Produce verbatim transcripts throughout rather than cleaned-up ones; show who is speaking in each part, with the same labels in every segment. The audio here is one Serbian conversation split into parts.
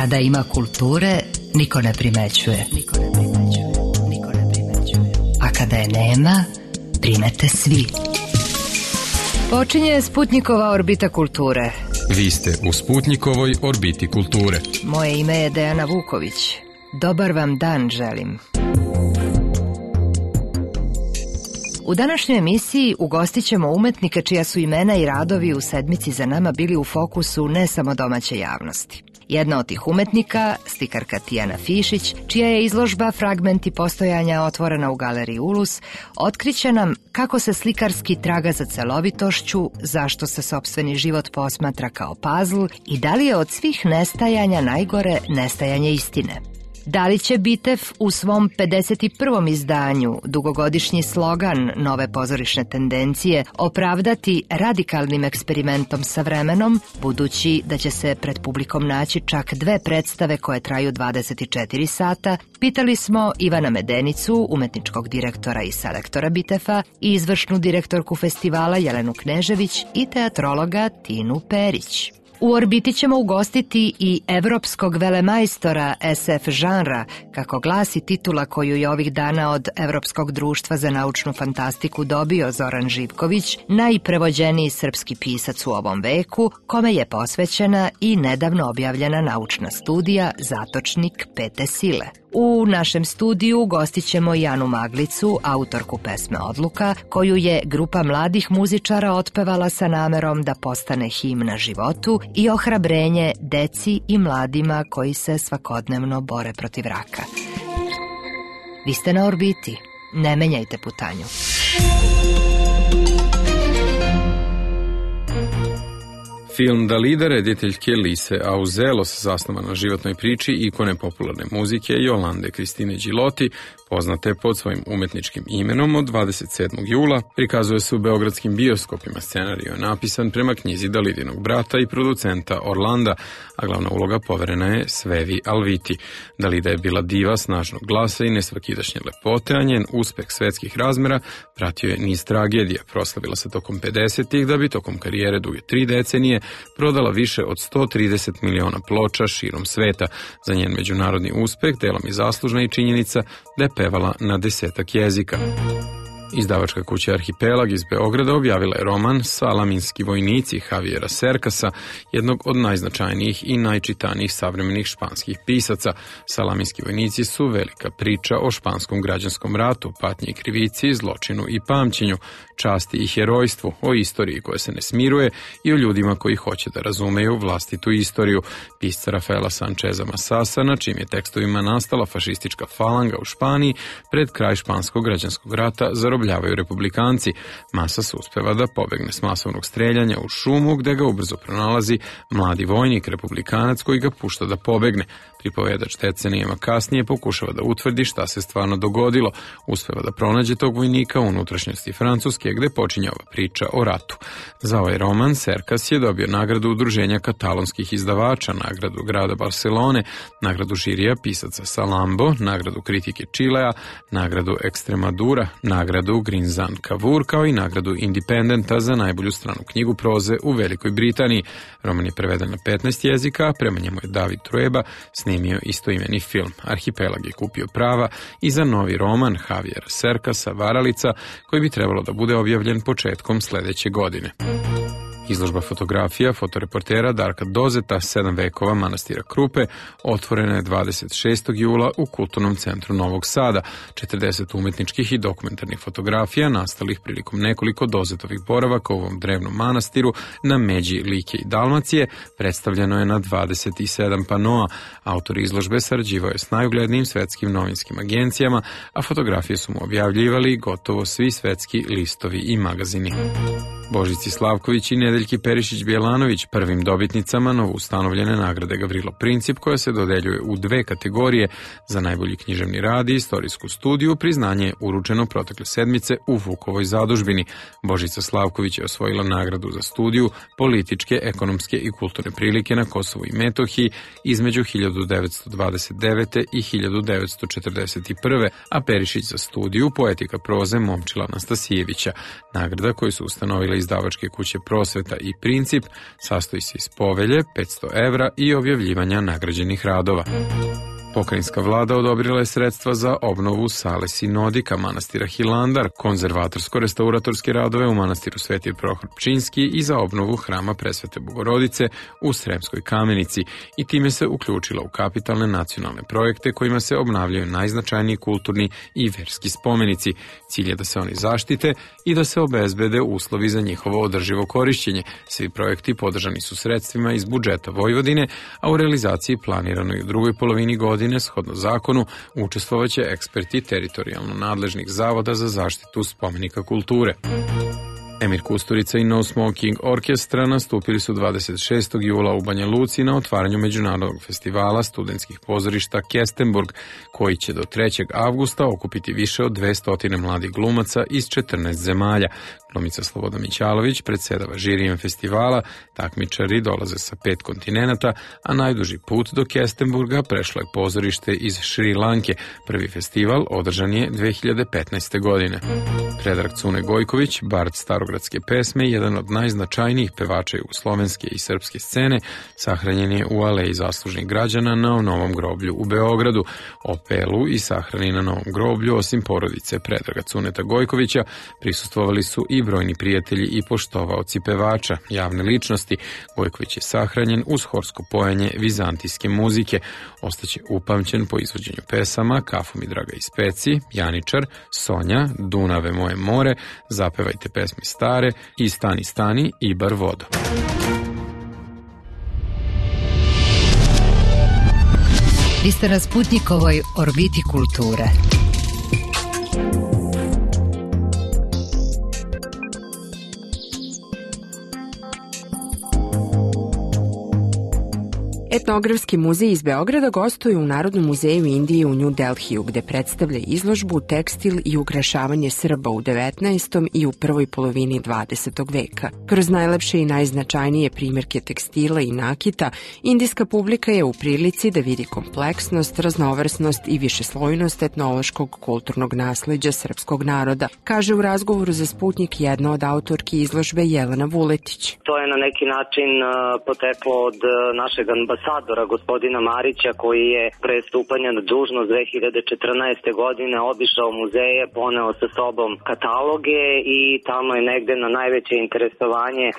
Speaker 1: Kada ima kulture, niko ne primećuje. Niko ne primećuje. Niko ne primećuje. A kada je nema, primete svi. Počinje Sputnikova orbita kulture.
Speaker 2: Vi ste u Sputnikovoj orbiti kulture.
Speaker 1: Moje ime je Dejana Vuković. Dobar vam dan želim. U današnjoj emisiji ugostit ćemo umetnike čija su imena i radovi u sedmici za nama bili u fokusu ne samo domaće javnosti. Jedna od tih umetnika, slikarka Tijana Fišić, čija je izložba Fragmenti postojanja otvorena u galeriji Ulus, otkriće nam kako se slikarski traga za celovitošću, zašto se sopstveni život posmatra kao pazl i da li je od svih nestajanja najgore nestajanje istine. Da li će Bitev u svom pedeset prvom izdanju, dugogodišnji slogan nove pozorišne tendencije, opravdati radikalnim eksperimentom sa vremenom, budući da će se pred publikom naći čak dve predstave koje traju dvadeset četiri sata, pitali smo Ivana Medenicu, umetničkog direktora i selektora Bitefa, i izvršnu direktorku festivala Jelenu Knežević i teatrologa Tinu Perić. U orbiti ćemo ugostiti i evropskog velemajstora es ef žanra, kako glasi titula koju je ovih dana od Evropskog društva za naučnu fantastiku dobio Zoran Živković, najprevođeniji srpski pisac u ovom veku, kome je posvećena i nedavno objavljena naučna studija Zatočnik pete sile. U našem studiju gostit ćemo i Anu Maglicu, autorku pesme Odluka, koju je grupa mladih muzičara otpevala sa namerom da postane himna životu i ohrabrenje deci i mladima koji se svakodnevno bore protiv raka. Vi ste na orbiti, ne menjajte putanju.
Speaker 2: Film Dalida rediteljke Lise Auzelos, zasnovan na životnoj priči ikone popularne muzike Jolande Kristine Điloti, poznate pod svojim umetničkim imenom, od dvadeset sedmog jula prikazuje se u beogradskim bioskopima. Scenario je napisan prema knjizi Dalidinog brata i producenta Orlanda, a glavna uloga poverena je Svevi Alviti. Dalida je bila diva snažnog glasa i nesvakidašnje lepote, a njen uspeh svetskih razmera pratio je niz tragedija. Proslavila se tokom pedesetih, da bi tokom karijere duge tri decenije prodala više od sto trideset miliona ploča širom sveta. Za njen međunarodni uspeh delom je zaslužna i činjenica da je pevala na desetak jezika. Izdavačka kuća Arhipelag iz Beograda objavila je roman Salaminski vojnici Javijera Serkasa, jednog od najznačajnijih i najčitanijih savremenih španskih pisaca. Salaminski vojnici su velika priča o španskom građanskom ratu, patnji i krivici, zločinu i pamćenju, časti i herojstvu, o istoriji koja se ne smiruje i o ljudima koji hoće da razumeju vlastitu istoriju. Pisca Rafaela Sančeza Masasa, na čim je tekstovima nastala fašistička falanga u Španiji pred kraj španskog građanskog rata, zarobljavaju republikanci. Masas uspeva da pobegne s masovnog streljanja u šumu, gde ga ubrzo pronalazi mladi vojnik republikanac koji ga pušta da pobegne. Pripovedač decenijama kasnije pokušava da utvrdi šta se stvarno dogodilo. Uspeva da pronađe tog vojnika u unutrašnjosti Francuske, gde počinje ova priča o ratu. Za ovaj roman Serkas je dobio nagradu Udruženja katalonskih izdavača, nagradu grada Barcelone, nagradu žirija pisaca Salambo, nagradu kritike Čilea, nagradu Extremadura, nagradu Grinzan Cavour, kao i nagradu Independenta za najbolju stranu knjigu proze u Velikoj Britaniji. Roman je preveden na petnaest jezika, a prema njemu je David Trueba snimio istoimeni film. Arhipelag je kupio prava i za novi roman Javijera Serkasa Varalica, koji bi trebalo da bude objavljen početkom sledeće godine. Izložba fotografija fotoreportera Darka Dozeta, Sedam vekova manastira Krupe, otvorena je dvadeset šestog jula u Kulturnom centru Novog Sada. četrdeset umetničkih i dokumentarnih fotografija nastalih prilikom nekoliko Dozetovih boravaka u ovom drevnom manastiru na međi Like i Dalmacije predstavljeno je na dvadeset sedam panoa. Autor izložbe sarađivao je s najuglednijim svetskim novinskim agencijama, a fotografije su mu objavljivali gotovo svi svetski listovi i magazini. Božici Slavković i Nedeljki Perišić-Bjelanović, prvim dobitnicama novoustanovljene nagrade Gavrilo Princip, koja se dodeljuje u dve kategorije. Za najbolji književni rad i istorijsku studiju priznanje je uručeno protekle sedmice u Vukovoj zadužbini. Božica Slavković je osvojila nagradu za studiju Političke, ekonomske i kulturne prilike na Kosovu i Metohiji između hiljadu devetsto dvadeset devete. i hiljadu devetsto četrdeset prve. a Perišić za studiju Poetika proze Momčila Anastasijevića, nagrada koju su ustanovile izdavačke kuće Prosveta i Princip, sastoji se iz povelje, petsto evra i objavljivanja nagrađenih radova. Pokrajinska vlada odobrila je sredstva za obnovu sale Sinodika manastira Hilandar, konzervatorsko-restauratorske radove u manastiru Sveti Prohor Pčinjski i za obnovu hrama Presvete Bogorodice u Sremskoj Kamenici i time se uključila u kapitalne nacionalne projekte kojima se obnavljaju najznačajniji kulturni i verski spomenici. Cilj je da se oni zaštite i da se obezbede uslovi za njihovo održivo korišćenje. Svi projekti podržani su sredstvima iz budžeta Vojvodine, a u realizaciji planirano i u drugoj polovini godine shodno zakonu učestvovaće eksperti teritorijalno nadležnih zavoda za zaštitu spomenika kulture. Emir Kusturica i No Smoking Orkestra nastupili su dvadeset šestog jula u Banja Luci na otvaranju međunarodnog festivala studentskih pozorišta Kestenburg, koji će do trećeg avgusta okupiti više od dvesta mladih glumaca iz četrnaest zemalja. Glumica Sloboda Mićalović predsedava žirijem festivala, takmičari dolaze sa pet kontinenata, a najduži put do Kestenburga prešlo je pozorište iz Šri Lanke. Prvi festival održan je dve hiljade petnaeste. godine. Predrag Cune Gojković, bard starogradske pesme, jedan od najznačajnijih pevača jugoslovenske i srpske scene, sahranjen je u Aleji zaslužnih građana na Novom groblju u Beogradu. Opelu i sahrani na Novom groblju, osim porodice Predraga Cuneta Gojkovića, prisustvovali su i brojni prijatelji i poštovaoci pevača, javne ličnosti. Gojković je sahranjen uz horsko pojenje vizantijske muzike. Ostaće upamćen po izvođenju pesama Kafu mi draga iz peci, Janičar, Sonja, Dunave moje more, Zapevajte pesme stare i Stani stani i bar vodo.
Speaker 1: Vi ste na Sputnikovoj orbiti kulture.
Speaker 3: Etnografski muzej iz Beograda gostuje u Narodnom muzeju Indije u New Delhiju, gde predstavlja izložbu Tekstil i ukrašavanje Srba u devetnaestom i u prvoj polovini dvadesetog veka. Kroz najlepše i najznačajnije primjerke tekstila i nakita, indijska publika je u prilici da vidi kompleksnost, raznovrsnost i višeslojnost etnološkog kulturnog nasleđa srpskog naroda, kaže u razgovoru za Sputnik jedna od autorki izložbe Jelena Vuletić.
Speaker 4: To je na neki način poteklo od našeg ambasadora gospodina Marića, koji je pre stupanja na dužnost dve hiljade četrnaeste. godine obišao muzeje, poneo sa sobom kataloge i tamo je negde na najveće interesovanje e,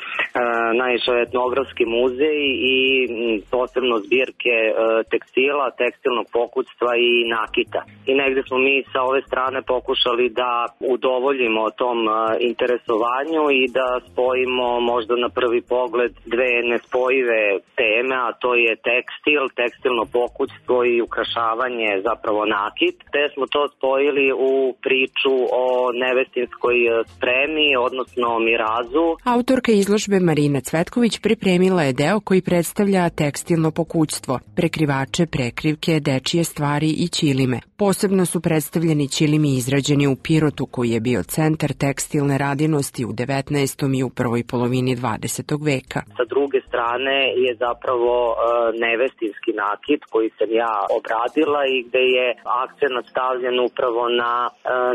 Speaker 4: naišao etnografski muzej i m, posebno zbirke e, tekstila, tekstilnog pokućstva i nakita. I negde smo mi sa ove strane pokušali da udovoljimo tom e, interesovanju i da spojimo možda na prvi pogled dve nespojive teme, a to je tekstil, tekstilno pokućstvo i ukrašavanje, zapravo nakit. Te smo to spojili u priču o nevestinskoj spremi, odnosno mirazu.
Speaker 3: Autorka izložbe Marina Cvetković pripremila je deo koji predstavlja tekstilno pokućstvo, prekrivače, prekrivke, dečije stvari i ćilime. Posebno su predstavljeni ćilimi izrađeni u Pirotu, koji je bio centar tekstilne radinosti u devetnaestom. i u prvoj polovini dvadesetog. veka.
Speaker 4: Sa druge strane je zapravo nevestinski nakit koji sam ja obradila i gde je akcenat stavljen upravo na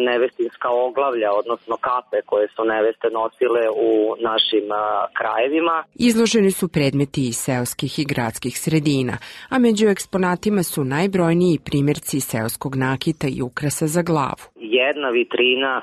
Speaker 4: nevestinska oglavlja, odnosno kape koje su neveste nosile u našim krajevima.
Speaker 3: Izloženi su predmeti iz seoskih i gradskih sredina, a među eksponatima su najbrojniji primjerci seoskog nakita i ukrasa za glavu.
Speaker 4: Jedna vitrina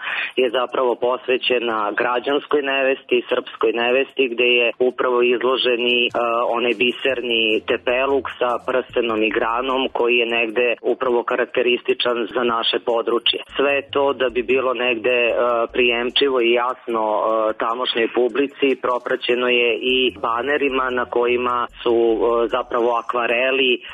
Speaker 4: je zapravo posvećena građanskoj nevesti, srpskoj nevesti, gde je upravo izloženi uh, onaj biserni tepeluk sa prstenom i granom koji je negde upravo karakterističan za naše područje. Sve to da bi bilo negde uh, prijemčivo i jasno uh, tamošnjoj publici, propraćeno je i banerima na kojima su uh, zapravo akvareli uh,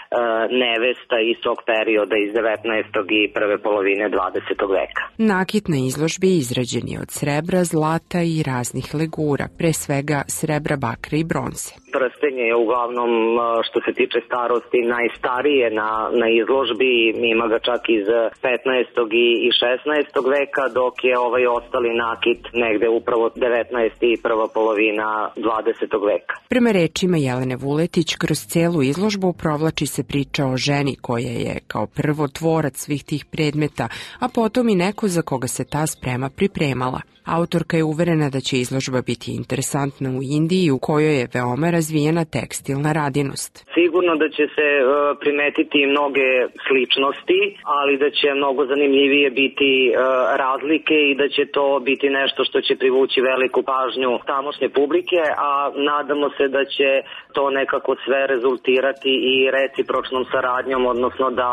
Speaker 4: nevesta iz tog perioda iz devetnaestog. i prve polovine dvadesetog. veka.
Speaker 3: Nakit na izložbi izrađen je od srebra, zlata i raznih legura, pre svega srebra, bakra i bronze.
Speaker 4: Prstenje je uglavnom, što se tiče starosti, najstarije na, na izložbi, ima ga čak iz petnaestog. i šesnaestog. veka, dok je ovaj ostali nakit negde upravo devetnaesti. i prva polovina dvadesetog. veka.
Speaker 3: Prema rečima Jelene Vuletić, kroz celu izložbu provlači se priča o ženi koja je kao prvo tvorac svih tih predmeta, a potom i neko za koga se ta sprema pripremala. Autorka je uverena da će izložba biti interesantna u Indiji u kojoj je veoma razvijena tekstilna radinost.
Speaker 4: Sigurno da će se uh, primetiti mnoge sličnosti, ali da će mnogo zanimljivije biti uh, razlike i da će to biti nešto što će privući veliku pažnju tamošnje publike, a nadamo se da će to nekako sve rezultirati i recipročnom saradnjom, odnosno da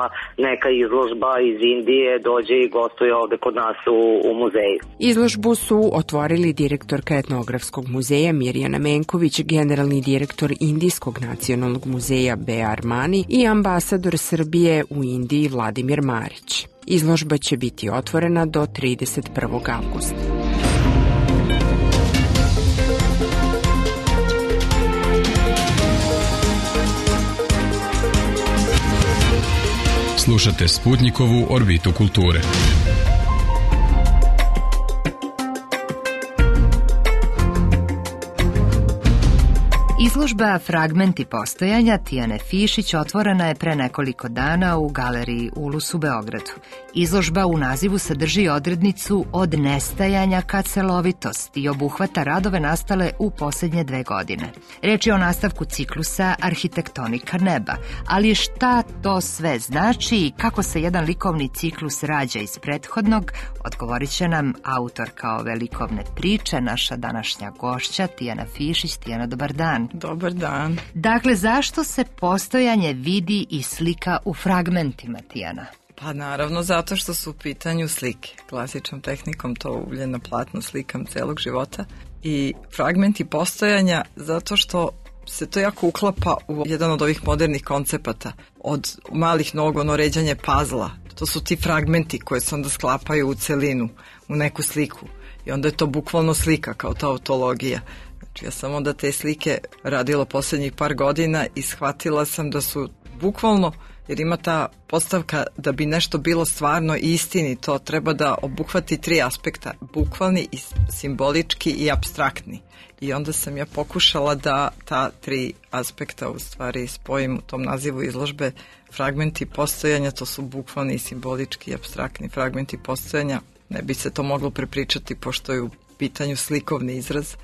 Speaker 4: neka izložba iz Indije dođe i gostuje ovde kod nas u, u muzeju.
Speaker 3: Izložbu su otvorili direktorka etnografskog muzeja Mirjana Menković, generalni direktor Indijskog nacionalnog muzeja B. Armani i ambasador Srbije u Indiji Vladimir Marić. Izložba će biti otvorena do trideset prvog avgusta.
Speaker 2: Slušate Sputnikovu orbitu kulture.
Speaker 1: Izložba Fragmenti postojanja Tijane Fišić otvorena je pre nekoliko dana u galeriji Ulus u Beogradu. Izložba u nazivu sadrži odrednicu od nestajanja ka celovitost i obuhvata radove nastale u posljednje dve godine. Reč je o nastavku ciklusa Arhitektonika neba, ali šta to sve znači i kako se jedan likovni ciklus rađa iz prethodnog, odgovorit će nam autorka ove likovne priče, naša današnja gošća Tijana Fišić. Tijana, dobar dan.
Speaker 5: Dobar dan.
Speaker 1: Dakle, zašto se postojanje vidi i slika u fragmentima, Tijana?
Speaker 5: Pa naravno zato što su u pitanju slike. Klasičnom tehnikom to uvlje na platno slikam celog života. I fragmenti postojanja zato što se to jako uklapa u jedan od ovih modernih koncepata. Od malih nogu, ono ređanje pazla. To su ti fragmenti koje se onda sklapaju u celinu, u neku sliku. I onda je to bukvalno slika kao ta autologija. Znači ja sam onda te slike radila posljednjih par godina i shvatila sam da su bukvalno, jer ima ta postavka da bi nešto bilo stvarno i istinito, treba da obuhvati tri aspekta, bukvalni, i simbolički i apstraktni. I onda sam ja pokušala da ta tri aspekta u stvari spojim u tom nazivu izložbe. Fragmenti postojanja, to su bukvalni, simbolički i apstraktni fragmenti postojanja. Ne bi se to moglo prepričati pošto je u pitanju slikovni izraz,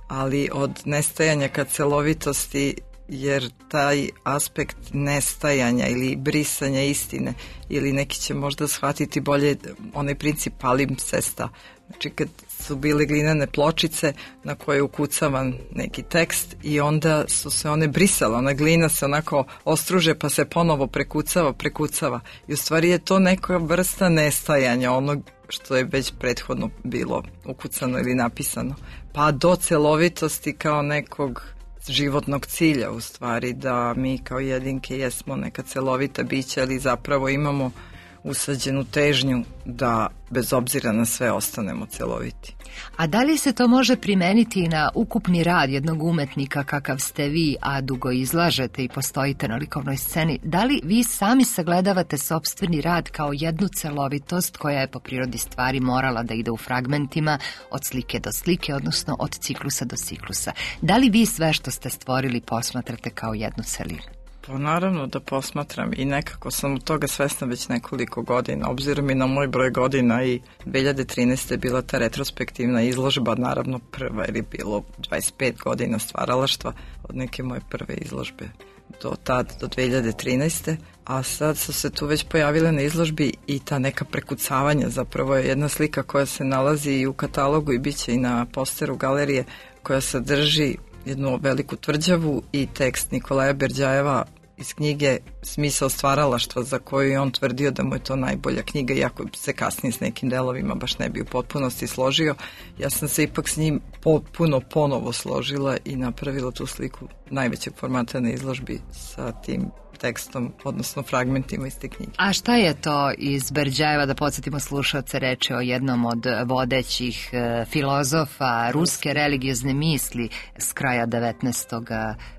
Speaker 5: ali od nestajanja ka celovitosti, jer taj aspekt nestajanja ili brisanja istine, ili neki će možda shvatiti bolje onaj princip palimpsesta. Znači kad su bile glinene pločice na koje je ukucavan neki tekst i onda su se one brisale, ona glina se onako ostruže pa se ponovo prekucava, prekucava. I u stvari je to neka vrsta nestajanja onog što je već prethodno bilo ukucano ili napisano. Pa do celovitosti kao nekog životnog cilja u stvari, da mi kao jedinke jesmo neka celovita bića, ali zapravo imamo usađenu težnju da bez obzira na sve ostanemo celoviti.
Speaker 1: A da li se to može primeniti na ukupni rad jednog umetnika kakav ste vi, a dugo izlažete i postojite na likovnoj sceni? Da li vi sami sagledavate sopstveni rad kao jednu celovitost koja je po prirodi stvari morala da ide u fragmentima od slike do slike, odnosno od ciklusa do ciklusa? Da li vi sve što ste stvorili posmatrate kao jednu celinu?
Speaker 5: Pa naravno da posmatram i nekako sam od toga svesna već nekoliko godina, obzirom i na moj broj godina, i dve hiljade trinaeste je bila ta retrospektivna izložba, naravno prva, jer je bilo dvadeset pet godina stvaralaštva od neke moje prve izložbe do tad, do dve hiljade trinaeste. A sad su se tu već pojavile na izložbi i ta neka prekucavanja, zapravo je jedna slika koja se nalazi i u katalogu i bit će i na posteru galerije, koja sadrži jednu veliku tvrđavu i tekst Nikolaja Berdjajeva iz knjige Smisao stvaralaštva, za koju je on tvrdio da mu je to najbolja knjiga, iako se kasnije s nekim delovima baš ne bi u potpunosti složio. Ja sam se ipak s njim potpuno ponovo složila i napravila tu sliku najvećeg formata na izložbi sa tim tekstom, odnosno fragmentima iz te knjige.
Speaker 1: A šta je to iz Berdjajeva, da podsjetimo slušalce, reče o jednom od vodećih e, filozofa ruske religiozne misli s kraja devetnaestog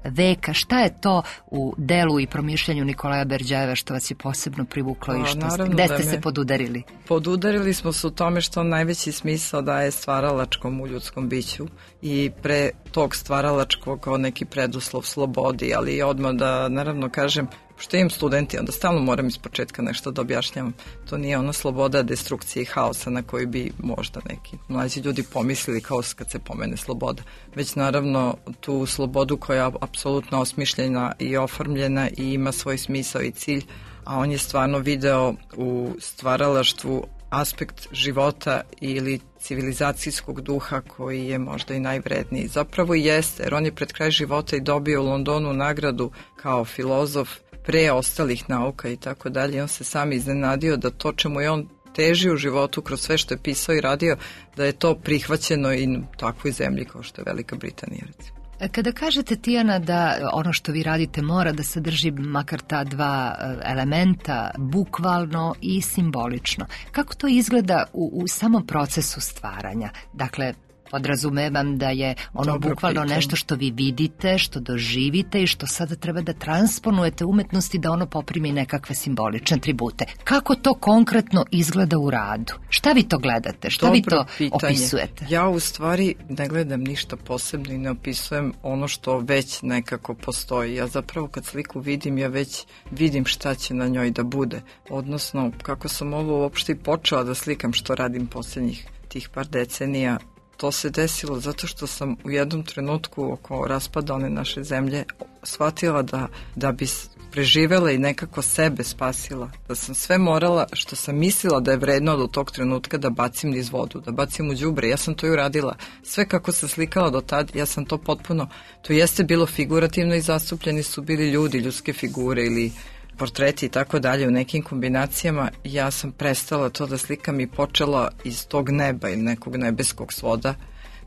Speaker 1: veka? Šta je to u delu i promišljanju Nikolaja Berdjajeva što vas je posebno privuklo i što ste, gde ste se podudarili?
Speaker 5: Podudarili smo se u tome što on najveći smisao daje stvaralačkom u ljudskom biću i pre tog stvaralačkog kao neki preduslov slobodi, ali odmah da naravno kažem, Što imam studenti, onda stalno moram iz početka nešto da objašnjavam. To nije ona sloboda destrukcije i haosa na koju bi možda neki mlađi ljudi pomislili kao kad se pomene sloboda. Već naravno tu slobodu koja je apsolutno osmišljena i oformljena i ima svoj smisao i cilj, a on je stvarno video u stvaralaštvu aspekt života ili civilizacijskog duha koji je možda i najvredniji. Zapravo i jeste, jer on je pred kraj života i dobio u Londonu nagradu kao filozof pre ostalih nauka i tako dalje. On se sam iznenadio da to čemu je on težio u životu kroz sve što je pisao i radio, da je to prihvaćeno i u takvoj zemlji kao što je Velika Britanija, recimo.
Speaker 1: Kada kažete, Tijana, da ono što vi radite mora da sadrži makar ta dva elementa, bukvalno i simbolično, kako to izgleda u, u samom procesu stvaranja? Dakle, podrazumevam da je ono Dobro bukvalno pitanje. Nešto što vi vidite, što doživite i što sada treba da transponujete umetnosti da ono poprimi nekakve simbolične atribute. Kako to konkretno izgleda u radu? Šta vi to gledate? Šta Dobro vi to pitanje. Opisujete?
Speaker 5: Ja u stvari ne gledam ništa posebno i ne opisujem ono što već nekako postoji. Ja zapravo kad sliku vidim, ja već vidim šta će na njoj da bude. Odnosno, kako sam ovo uopšte i počela da slikam što radim posljednjih tih par decenija, to se desilo zato što sam u jednom trenutku oko raspada one naše zemlje shvatila da, da bi preživela i nekako sebe spasila. Da sam sve morala što sam mislila da je vredno do tog trenutka da bacim niz vodu, da bacim u đubre. Ja sam to i uradila. Sve kako sam slikala do tad, ja sam to potpuno, to jeste bilo figurativno i zastupljeni su bili ljudi, ljudske figure ili portreti i tako dalje u nekim kombinacijama. Ja sam prestala to da slikam i počela iz tog neba ili nekog nebeskog svoda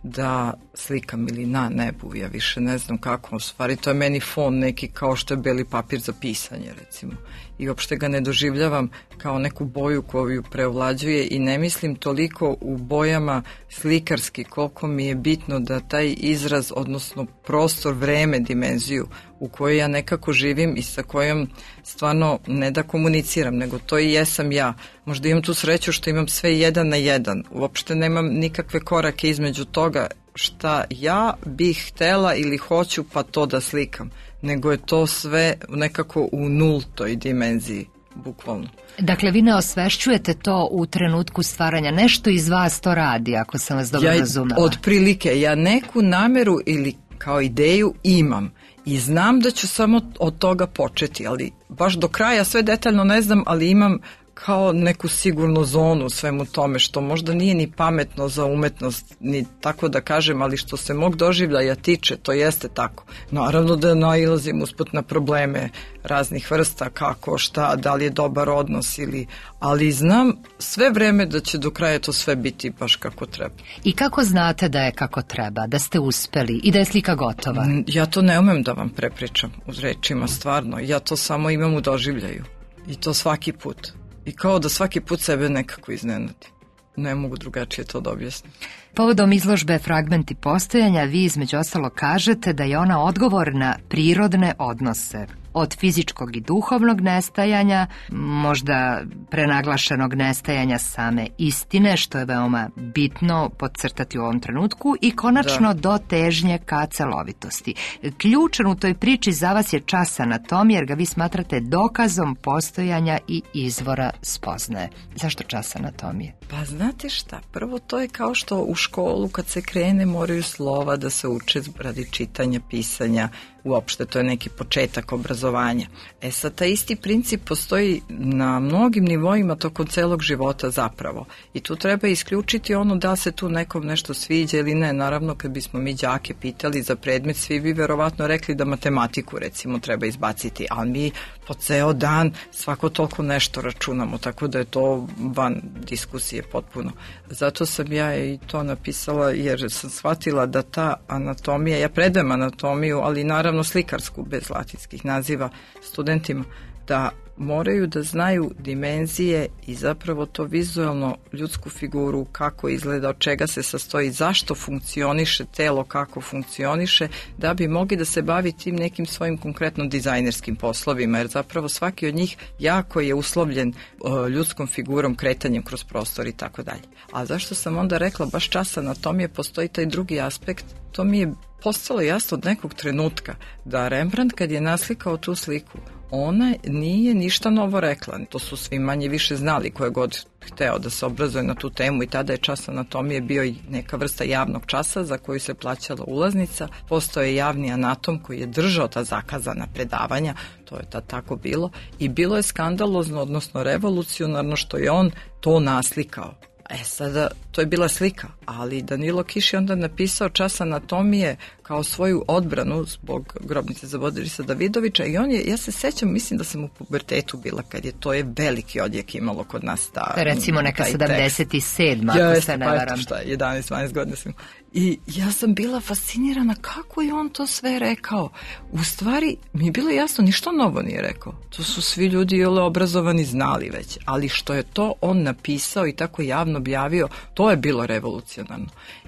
Speaker 5: da slikam ili na nebu, ja više ne znam kako, u stvari to je meni fon neki kao što je beli papir za pisanje recimo i uopšte ga ne doživljavam kao neku boju koju preovlađuje i ne mislim toliko u bojama slikarski koliko mi je bitno da taj izraz, odnosno prostor, vreme, dimenziju u kojoj ja nekako živim i sa kojom stvarno ne da komuniciram, nego to i jesam ja. Možda imam tu sreću što imam sve jedan na jedan. Uopšte nemam nikakve korake između toga šta ja bih htela ili hoću pa to da slikam, nego je to sve nekako u nultoj dimenziji, bukvalno.
Speaker 1: Dakle, vi ne osvešćujete to u trenutku stvaranja, nešto iz vas to radi, ako sam vas dobro
Speaker 5: ja,
Speaker 1: razumela.
Speaker 5: Otprilike, ja neku nameru ili kao ideju imam i znam da ću samo od toga početi, ali baš do kraja sve detaljno ne znam, ali imam kao neku sigurnu zonu svemu tome, što možda nije ni pametno za umetnost, ni tako da kažem, ali što se mog doživljaja tiče, to jeste tako. Naravno da nailazim usput na probleme raznih vrsta, kako, šta, da li je dobar odnos ili, ali znam sve vreme da će do kraja to sve biti baš kako treba.
Speaker 1: I kako znate da je kako treba, da ste uspeli i da je slika gotova?
Speaker 5: Ja to ne umem da vam prepričam u rečima, stvarno. Ja to samo imam u doživljaju. I to svaki put. I kao da svaki put sebe nekako iznenadi. Ne mogu drugačije to da objasnim.
Speaker 1: Povodom izložbe Fragmenti postojanja, vi između ostalo kažete da je ona odgovor na prirodne odnose. Od fizičkog i duhovnog nestajanja, možda prenaglašenog nestajanja same istine, što je veoma bitno podcrtati u ovom trenutku, i konačno da. do težnje ka celovitosti. Ključan u toj priči za vas je čas anatomije, jer ga vi smatrate dokazom postojanja i izvora spoznaje. Zašto čas anatomije?
Speaker 5: Pa znate šta, prvo to je kao što u školu kad se krene moraju slova da se uče radi čitanja, pisanja, uopšte to je neki početak obrazovanja. E sad, taj isti princip postoji na mnogim nivoima tokom celog života zapravo. I tu treba isključiti ono da se tu nekom nešto sviđa ili ne. Naravno, kad bismo mi đake pitali za predmet, svi bi verovatno rekli da matematiku recimo treba izbaciti, ali mi po ceo dan svako toliko nešto računamo, tako da je to van diskusije potpuno. Zato sam ja i to napisala, jer sam shvatila da ta anatomija, ja predajem anatomiju, ali naravno slikarsku, bez latinskih naziva, studentima, da moraju da znaju dimenzije i zapravo to vizualno ljudsku figuru, kako izgleda, od čega se sastoji, zašto funkcioniše telo, kako funkcioniše, da bi mogli da se bavi tim nekim svojim konkretno dizajnerskim poslovima, jer zapravo svaki od njih jako je uslovljen uh, ljudskom figurom, kretanjem kroz prostor i tako dalje. A zašto sam onda rekla baš čas anatomije, postoji taj drugi aspekt, to mi je postalo jasno od nekog trenutka da Rembrandt kad je naslikao tu sliku, ona nije ništa novo rekla. To su svi manje više znali, koje god hteo da se obrazuje na tu temu, i tada je čas anatomije bio i neka vrsta javnog časa za koju se plaćala ulaznica. Postoje javni anatom koji je držao ta zakazana predavanja, to je tad tako bilo, i bilo je skandalozno, odnosno revolucionarno što je on to naslikao. E sada, to je bila slika, ali Danilo Kiš je onda napisao čas anatomije kao svoju odbranu zbog grobnice za Borisa Davidovića, i on je, ja se sećam, mislim da sam u pubertetu bila kad je to je veliki odjek imalo kod nas. Ta,
Speaker 1: recimo neka sedamdeset sedma
Speaker 5: ja,
Speaker 1: ako se ne varam.
Speaker 5: Šta, jedanaest dvanaest godina sam. I ja sam bila fascinirana kako je on to sve rekao. U stvari, mi je bilo jasno, ništa novo nije rekao. To su svi ljudi jole obrazovani znali već, ali što je to on napisao i tako javno objavio, to je bilo revolucionarno.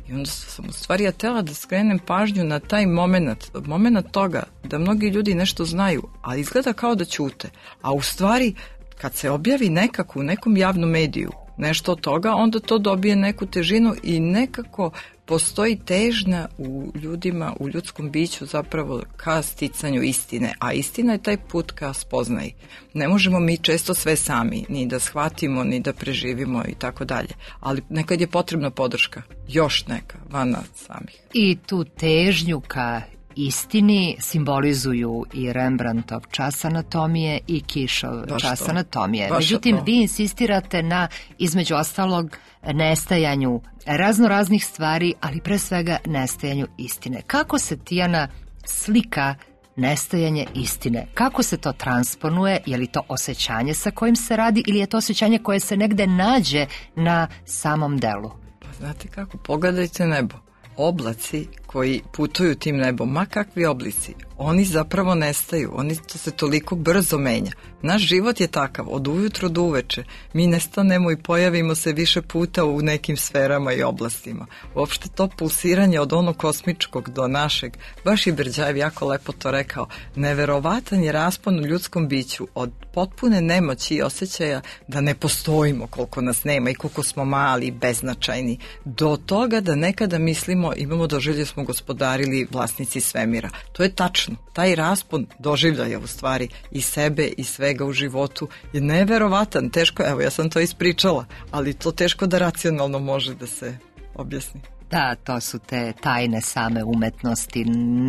Speaker 5: I onda sam u stvari ja tela da skrenem pažnju na taj moment, moment toga da mnogi ljudi nešto znaju, ali izgleda kao da ćute. A u stvari, kad se objavi nekako u nekom javnom mediju nešto od toga, onda to dobije neku težinu i nekako postoji težnja u ljudima, u ljudskom biću zapravo ka sticanju istine, a istina je taj put ka spoznaji. Ne možemo mi često sve sami, ni da shvatimo, ni da preživimo i tako dalje, ali nekad je potrebna podrška, još neka, van nas samih.
Speaker 1: I tu težnju ka istini simbolizuju i Rembrandtov čas anatomije i Kišov
Speaker 5: Baš
Speaker 1: čas
Speaker 5: to.
Speaker 1: anatomije.
Speaker 5: Baš
Speaker 1: Međutim,
Speaker 5: to.
Speaker 1: vi insistirate na, između ostalog, nestajanju razno raznih stvari, ali pre svega nestajanju istine. Kako se, Tijana, slika nestajanje istine? Kako se to transponuje? Je li to osjećanje sa kojim se radi ili je to osjećanje koje se negde nađe na samom delu?
Speaker 5: Pa znate kako, pogledajte nebo. Oblaci koji putuju tim nebom, ma kakvi oblici, oni zapravo nestaju, oni to se toliko brzo menja. Naš život je takav, od ujutro do uveče. Mi nestanemo i pojavimo se više puta u nekim sferama i oblastima. Uopšte to pulsiranje od onog kosmičkog do našeg, baš i Berđajev jako lepo to rekao, neverovatan je raspon u ljudskom biću od potpune nemoći i osjećaja da ne postojimo, koliko nas nema i koliko smo mali i beznačajni, do toga da nekada mislimo, imamo doživlje smo gospodarili vlasnici svemira. To je tačno. Taj raspon doživljaja u stvari i sebe i svega u životu je neverovatan. Teško, evo ja sam to ispričala, ali to teško da racionalno može da se objasni.
Speaker 1: Da, to su te tajne same umetnosti.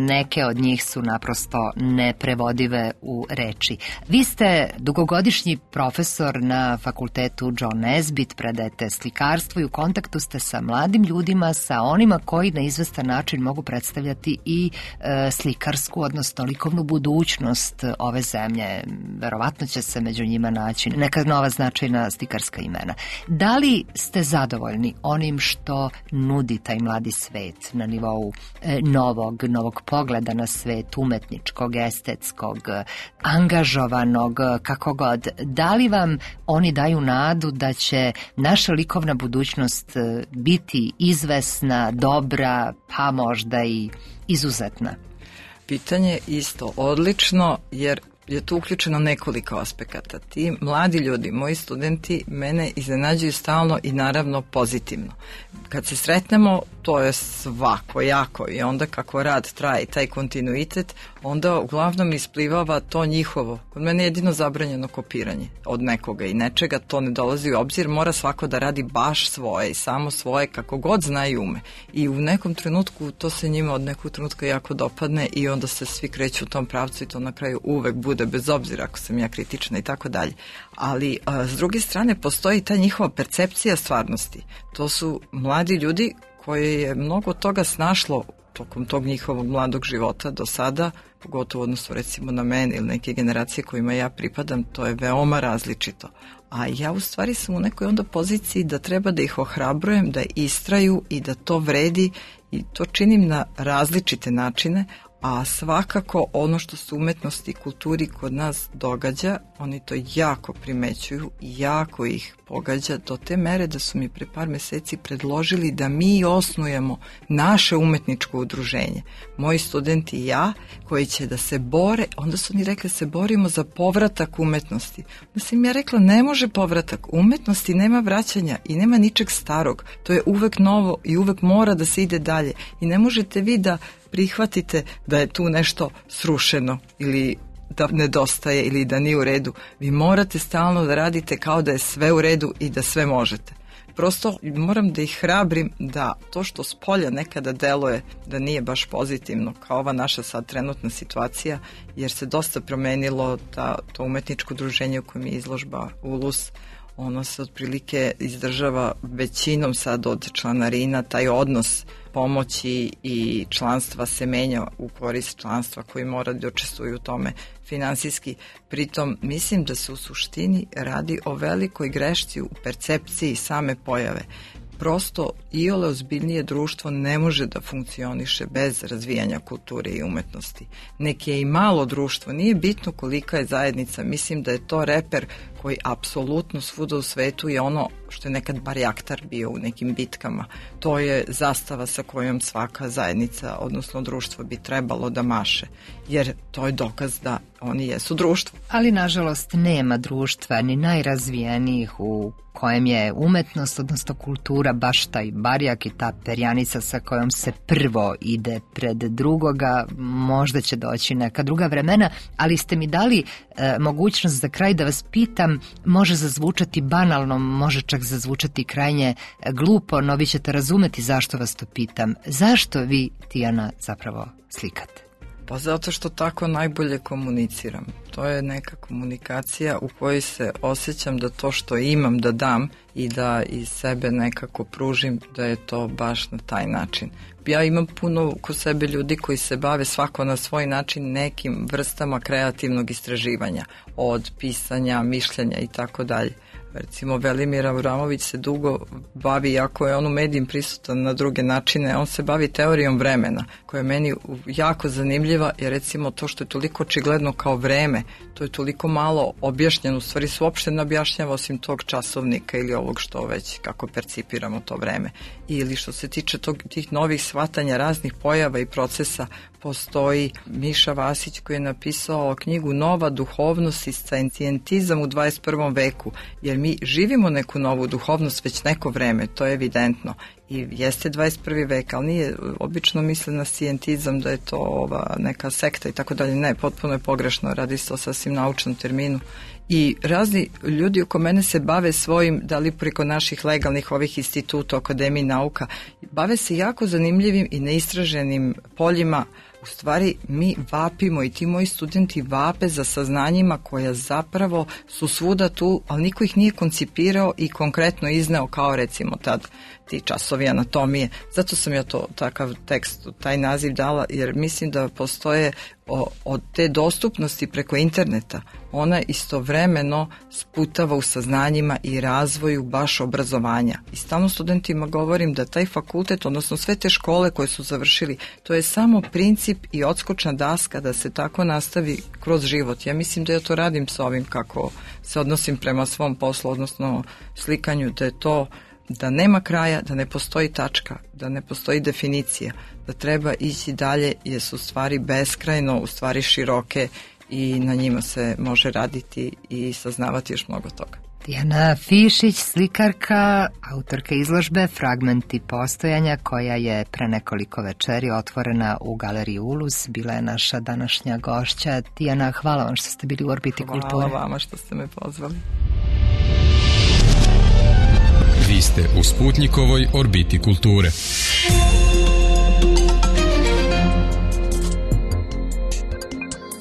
Speaker 1: Neke od njih su naprosto neprevodive u reči. Vi ste dugogodišnji profesor na fakultetu John Nesbitt, predajete slikarstvo i u kontaktu ste sa mladim ljudima, sa onima koji na izvestan način mogu predstavljati i e, slikarsku, odnosno likovnu budućnost ove zemlje. Verovatno će se među njima naći neka nova značajna slikarska imena. Da li ste zadovoljni onim što nudite taj mladi svet na nivou e, novog, novog pogleda na svet, umetničkog, estetskog, angažovanog, kako god? Da li vam oni daju nadu da će naša likovna budućnost biti izvesna, dobra, pa možda i izuzetna?
Speaker 5: Pitanje isto odlično, jer je tu uključeno nekoliko aspekata. Ti mladi ljudi, moji studenti, mene iznenađuju stalno i naravno pozitivno. Kad se sretnemo, to je svako jako i onda kako rad traje, taj kontinuitet, onda uglavnom isplivava to njihovo. Kod mene je jedino zabranjeno kopiranje od nekoga i nečega, to ne dolazi u obzir, mora svako da radi baš svoje i samo svoje kako god zna i ume. I u nekom trenutku to se njima od nekog trenutka jako dopadne i onda se svi kreću u tom pravcu i to na kraju uvek bude, bez obzira ako sam ja kritična i tako dalje. Ali a, s druge strane postoji ta njihova percepcija stvarnosti. To su mladi ljudi koje je mnogo toga snašlo tokom tog njihovog mladog života do sada, pogotovo odnosno recimo na mene ili neke generacije kojima ja pripadam, to je veoma različito. A ja u stvari sam u nekoj onda poziciji da treba da ih ohrabrujem, da istraju i da to vredi i to činim na različite načine, a svakako ono što se umetnosti i kulturi kod nas događa, oni to jako primećuju i jako ih pogađa do te mere da su mi pre par meseci predložili da mi osnujemo naše umetničko udruženje. Moji studenti i ja, koji će da se bore, onda su oni rekli se borimo za povratak umetnosti. Onda sam ja rekla ne može povratak, umetnosti nema vraćanja i nema ničeg starog, to je uvek novo i uvek mora da se ide dalje i ne možete vi da prihvatite da je tu nešto srušeno ili da nedostaje ili da nije u redu. Vi morate stalno da radite kao da je sve u redu i da sve možete. Prosto moram da ih hrabrim da to što s polja nekada deluje da nije baš pozitivno, kao ova naša sad trenutna situacija, jer se dosta promenilo ta, to umetničko udruženje u kojem je izložba Ulus. Ono se otprilike izdržava većinom sad od članarina, taj odnos pomoći i članstva se menja u korist članstva koji mora da učestvuju u tome finansijski. Pritom mislim da se u suštini radi o velikoj grešci u percepciji same pojave. Prosto iole ozbiljnije društvo ne može da funkcioniše bez razvijanja kulture i umetnosti. Neki je i malo društvo, nije bitno kolika je zajednica, mislim da je to reper koji apsolutno svuda u svetu je ono što je nekad barjaktar bio u nekim bitkama. To je zastava sa kojom svaka zajednica, odnosno društvo bi trebalo da maše, jer to je dokaz da oni jesu društvo.
Speaker 1: Ali nažalost nema društva ni najrazvijenijih u kojem je umetnost, odnosno kultura, baš taj barjak i ta perjanica sa kojom se prvo ide pred drugoga. Možda će doći neka druga vremena, ali ste mi dali e, mogućnost za kraj da vas pitam, može zazvučati banalno, može čak zazvučati krajnje glupo, no vi ćete razumeti zašto vas to pitam. Zašto vi, Tijana, zapravo slikate?
Speaker 5: Pa zato što tako najbolje komuniciram. To je neka komunikacija u kojoj se osjećam da to što imam da dam i da iz sebe nekako pružim, da je to baš na taj način. Ja imam puno kod sebe ljudi koji se bave svako na svoj način nekim vrstama kreativnog istraživanja, od pisanja, mišljenja i tako dalje. Recimo Velimir Avramović se dugo bavi, jako je on u medijima prisutan na druge načine, on se bavi teorijom vremena, koja je meni jako zanimljiva, jer recimo to što je toliko očigledno kao vreme, to je toliko malo objašnjeno, u stvari se uopšte ne objašnjava osim tog časovnika ili ovog što već, kako percipiramo to vreme. Ili što se tiče tog, tih novih shvatanja raznih pojava i procesa, postoji Miša Vasić koji je napisao knjigu Nova duhovnost i scientizam u dvadeset prvom veku, jer mi živimo neku novu duhovnost već neko vreme, to je evidentno. I jeste dvadeset prvi vek, ali nije, obično misle na scientizam da je to ova neka sekta i tako dalje. Ne, potpuno je pogrešno, radi se o sasvim naučnom terminu. I razni ljudi oko mene se bave svojim, da li preko naših legalnih ovih instituta, Akademiji nauka, bave se jako zanimljivim i neistraženim poljima. U stvari mi vapimo i ti moji studenti vape za saznanjima koja zapravo su svuda tu, ali niko ih nije koncipirao i konkretno izneo kao recimo tad ti časovi anatomije. Zato sam ja to takav tekst, taj naziv dala, jer mislim da postoje o, od te dostupnosti preko interneta, ona istovremeno sputava u saznanjima i razvoju baš obrazovanja. I stalno studentima govorim da taj fakultet, odnosno sve te škole koje su završili, to je samo princip i odskočna daska da se tako nastavi kroz život. Ja mislim da ja to radim sa ovim kako se odnosim prema svom poslu, odnosno slikanju, da je to da nema kraja, da ne postoji tačka, da ne postoji definicija, da treba ići dalje jer su stvari beskrajno, u stvari široke i na njima se može raditi i saznavati još mnogo toga.
Speaker 1: Tijana Fišić, slikarka, autorka izložbe Fragmenti postojanja, koja je pre nekoliko večeri otvorena u Galeriji Ulus, bila je naša današnja gošća. Tijana, hvala vam što ste bili u Orbiti
Speaker 5: hvala
Speaker 1: kulture.
Speaker 5: Hvala vama što ste me pozvali.
Speaker 2: Vi ste u Sputnjikovoj Orbiti kulture.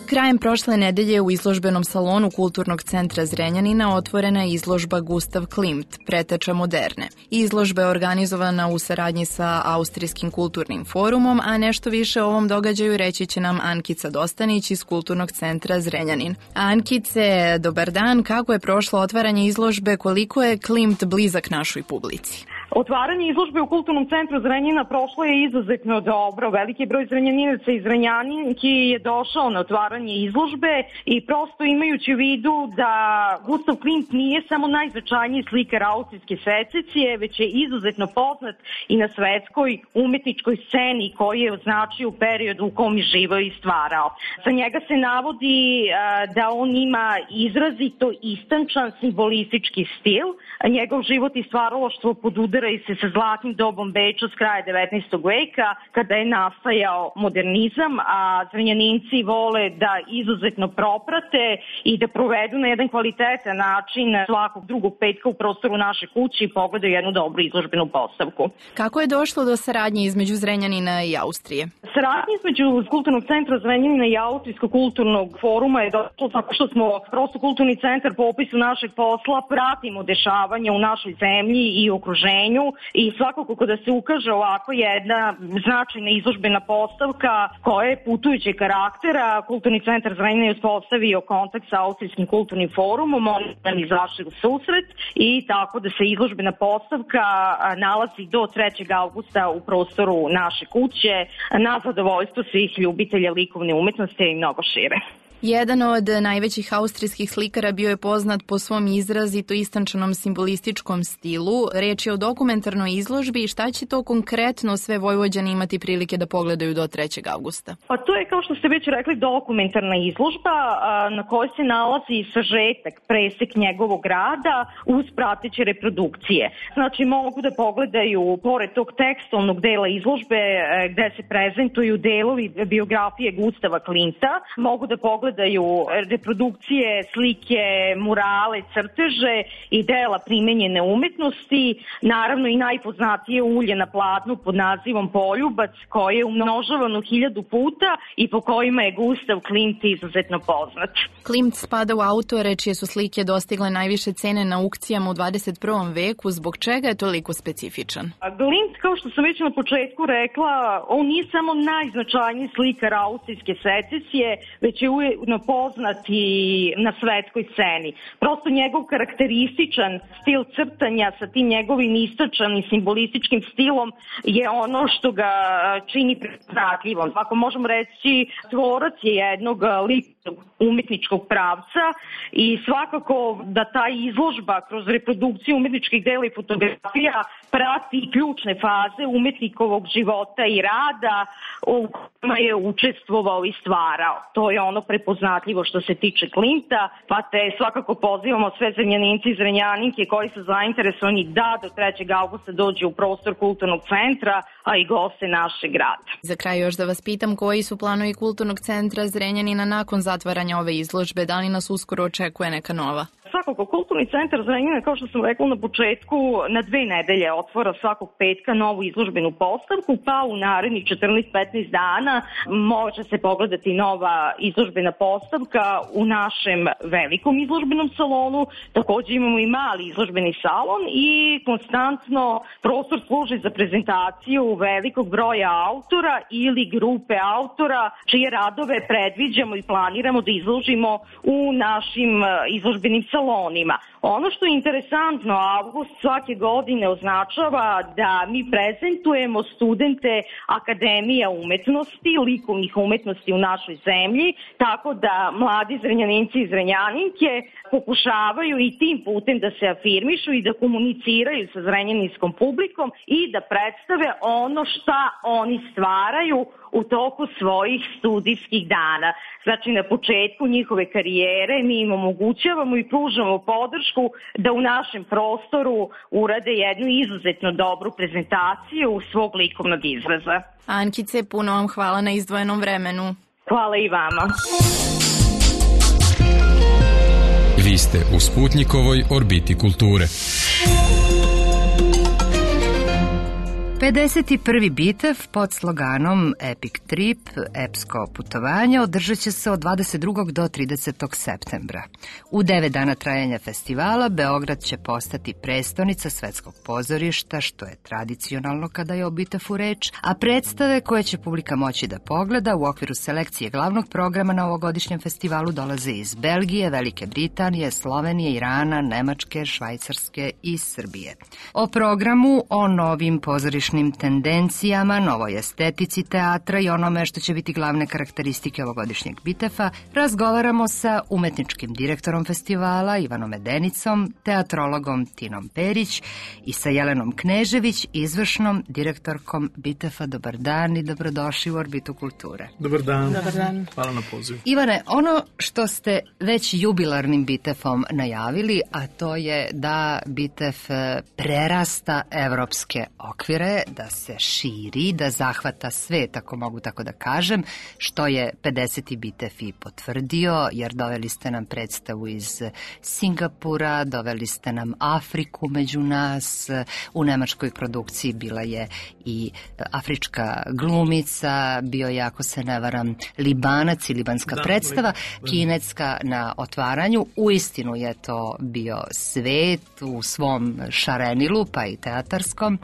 Speaker 6: Krajem prošle nedelje u izložbenom salonu Kulturnog centra Zrenjanina otvorena je izložba Gustav Klimt, preteča moderne. Izložba je organizovana u saradnji sa Austrijskim kulturnim forumom, a nešto više o ovom događaju reći će nam Ankica Dostanić iz Kulturnog centra Zrenjanin. Ankice, dobar dan, kako je prošlo otvaranje izložbe, koliko je Klimt blizak našoj publici?
Speaker 7: Otvaranje izložbe u Kulturnom centru Zrenjanina prošlo je izuzetno dobro. Veliki broj zrenjaninaca i zrenjaninki je došao na otvaranje izložbe i prosto imajući u vidu da Gustav Klimt nije samo najznačajniji slikar austrijske sececije, već je izuzetno poznat i na svetskoj umetničkoj sceni koji je označio u periodu u kom je živao i stvarao. Za njega se navodi da on ima izrazito istančan simbolistički stil, njegov život i stvaralaštvo podudaraju udaraju se sa zlatnim dobom Beča s kraja devetnaestog veka, kada je nastajao modernizam, a Zrenjaninci vole da izuzetno proprate i da provedu na jedan kvalitetan način svakog drugog petka u prostoru naše kuće i pogledaju jednu dobru izložbenu postavku.
Speaker 6: Kako je došlo do saradnje između Zrenjanina i Austrije?
Speaker 7: Saradnja između Kulturnog centra Zrenjanina i Austrijskog kulturnog foruma je došlo tako što smo prosto kulturni centar po opisu našeg posla pratimo dešavanja u našoj zemlji i okruženju i svakako kada se ukaže ovako jedna značajna izložbena postavka koja je putujućeg karaktera, Kulturni centar Zrenjanin je uspostavio kontakt sa Austrijskim kulturnim forumom, oni nam izašli u susret i tako da se izložbena postavka nalazi do trećeg avgusta u prostoru naše kuće na zadovoljstvo svih ljubitelja likovne umetnosti i mnogo šire.
Speaker 6: Jedan od najvećih austrijskih slikara bio je poznat po svom izrazito istančanom simbolističkom stilu. Reč je o dokumentarnoj izložbi i šta će to konkretno sve Vojvođani imati prilike da pogledaju do trećeg avgusta?
Speaker 7: Pa to je, kao što ste već rekli, dokumentarna izložba na kojoj se nalazi sažetak, presek njegovog rada uz prateće reprodukcije. Znači mogu da pogledaju, pored tog tekstovnog dela izložbe gde se prezentuju delovi biografije Gustava Klimta, mogu da pogledaju pogledaju reprodukcije, slike, murale, crteže i dela primenjene umetnosti, naravno i najpoznatije ulje na platnu pod nazivom Poljubac, koje je umnožavano hiljadu puta i po kojima je Gustav Klimt izuzetno poznat.
Speaker 6: Klimt spada u autore čije su slike dostigle najviše cene na aukcijama u dvadeset prvom veku, zbog čega je toliko specifičan?
Speaker 7: Klimt, kao što sam već na početku rekla, on nije samo najznačajniji slikar austrijske secesije, već je ujedno poznat i na svetskoj sceni. Prosto njegov karakterističan stil crtanja sa tim njegovim istočanim simbolističkim stilom je ono što ga čini prepoznatljivom. Ako možemo reći, tvorac je jednog ličnog umetničkog pravca i svakako da ta izložba kroz reprodukciju umetničkih dela i fotografija prati ključne faze umetnikovog života i rada u kojima je učestvovao i stvarao. To je ono prepoznatljivo što se tiče Klimta, pa te svakako pozivamo sve Zrenjaninci i Zrenjaninke koji su zainteresovani da do trećeg avgusta dođu u prostor kulturnog centra, a i goste našeg grada.
Speaker 6: Za kraj još da vas pitam, koji su planovi Kulturnog centra Zrenjanina nakon zatvaranja ove izložbe, da li nas uskoro očekuje neka nova?
Speaker 7: Svakako, Kulturni centar Zrenjanina, kao što sam rekla na početku, na dve nedelje otvora svakog petka novu izložbenu postavku, pa u narednih četrnaest do petnaest dana može se pogledati nova izložbena postavka u našem velikom izložbenom salonu. Takođe imamo i mali izložbeni salon i konstantno prostor služi za prezentaciju velikog broja autora ili grupe autora čije radove predviđamo i planiramo da izložimo u našim izložbenim salonima. Ono što je interesantno, avgust svake godine označava da mi prezentujemo studente Akademija umetnosti, likovnih umetnosti u našoj zemlji, tako da mladi Zrenjaninci i Zrenjaninke pokušavaju i tim putem da se afirmišu i da komuniciraju sa zrenjaninskom publikom i da predstave ono šta oni stvaraju u toku svojih studijskih dana. Znači, na početku njihove karijere mi im omogućavamo i pružamo podršku da u našem prostoru urade jednu izuzetno dobru prezentaciju svog likovnog izraza.
Speaker 6: Ankice, puno vam hvala na izdvojenom vremenu.
Speaker 7: Hvala i vama.
Speaker 2: Vi ste u Sputnjikovoj orbiti kulture.
Speaker 1: pedeset prvi bitev pod sloganom Epic Trip, epsko putovanje, održat će se od dvadeset drugog do tridesetog septembra. U devet dana trajanja festivala Beograd će postati prestonica svetskog pozorišta, što je tradicionalno kada je o bitefu reč, a predstave koje će publika moći da pogleda u okviru selekcije glavnog programa na ovogodišnjem festivalu dolaze iz Belgije, Velike Britanije, Slovenije, Irana, Nemačke, Švajcarske i Srbije. O programu, o novim pozorištima ovogodišnjim tendencijama, novoj estetici teatra i onome što će biti glavne karakteristike ovogodišnjeg Bitefa, razgovaramo sa umetničkim direktorom festivala Ivanom Medenicom, teatrologom Tinom Perić i sa Jelenom Knežević, izvršnom direktorkom Bitefa. Dobar dan i dobrodošli u Orbitu kulture.
Speaker 8: Dobar dan.
Speaker 6: Dobar dan.
Speaker 8: Hvala na pozivu.
Speaker 1: Ivane, ono što ste već jubilarnim Bitefom najavili, a to je da Bitef prerasta evropske okvire, da se širi, da zahvata svet, ako mogu tako da kažem, što je pedeseti Bitef i potvrdio, jer doveli ste nam predstavu iz Singapura, doveli ste nam Afriku među nas, u nemačkoj produkciji bila je i afrička glumica, bio je, ako se ne varam, Libanac i libanska da, predstava, li, kinetska na otvaranju. Uistinu je to bio svet u svom šarenilu, pa i teatarskom.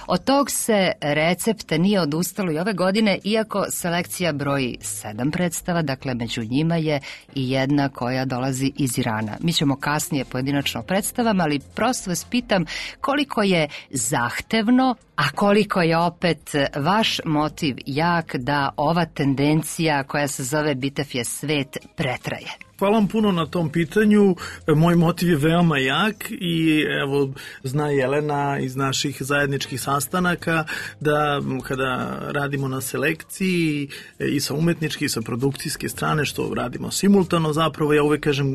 Speaker 1: Od tog se recepta nije odustalo i ove godine, iako selekcija broji sedam predstava, dakle među njima je i jedna koja dolazi iz Irana. Mi ćemo kasnije pojedinačno o predstavama, ali prosto vas pitam koliko je zahtevno, a koliko je opet vaš motiv jak da ova tendencija koja se zove Bitef je svet pretraje?
Speaker 8: Hvala vam puno na tom pitanju. Moj motiv je veoma jak i evo, zna Jelena iz naših zajedničkih sastanaka da kada radimo na selekciji i sa umetničke i sa produkcijske strane, što radimo simultano zapravo, ja uvek kažem,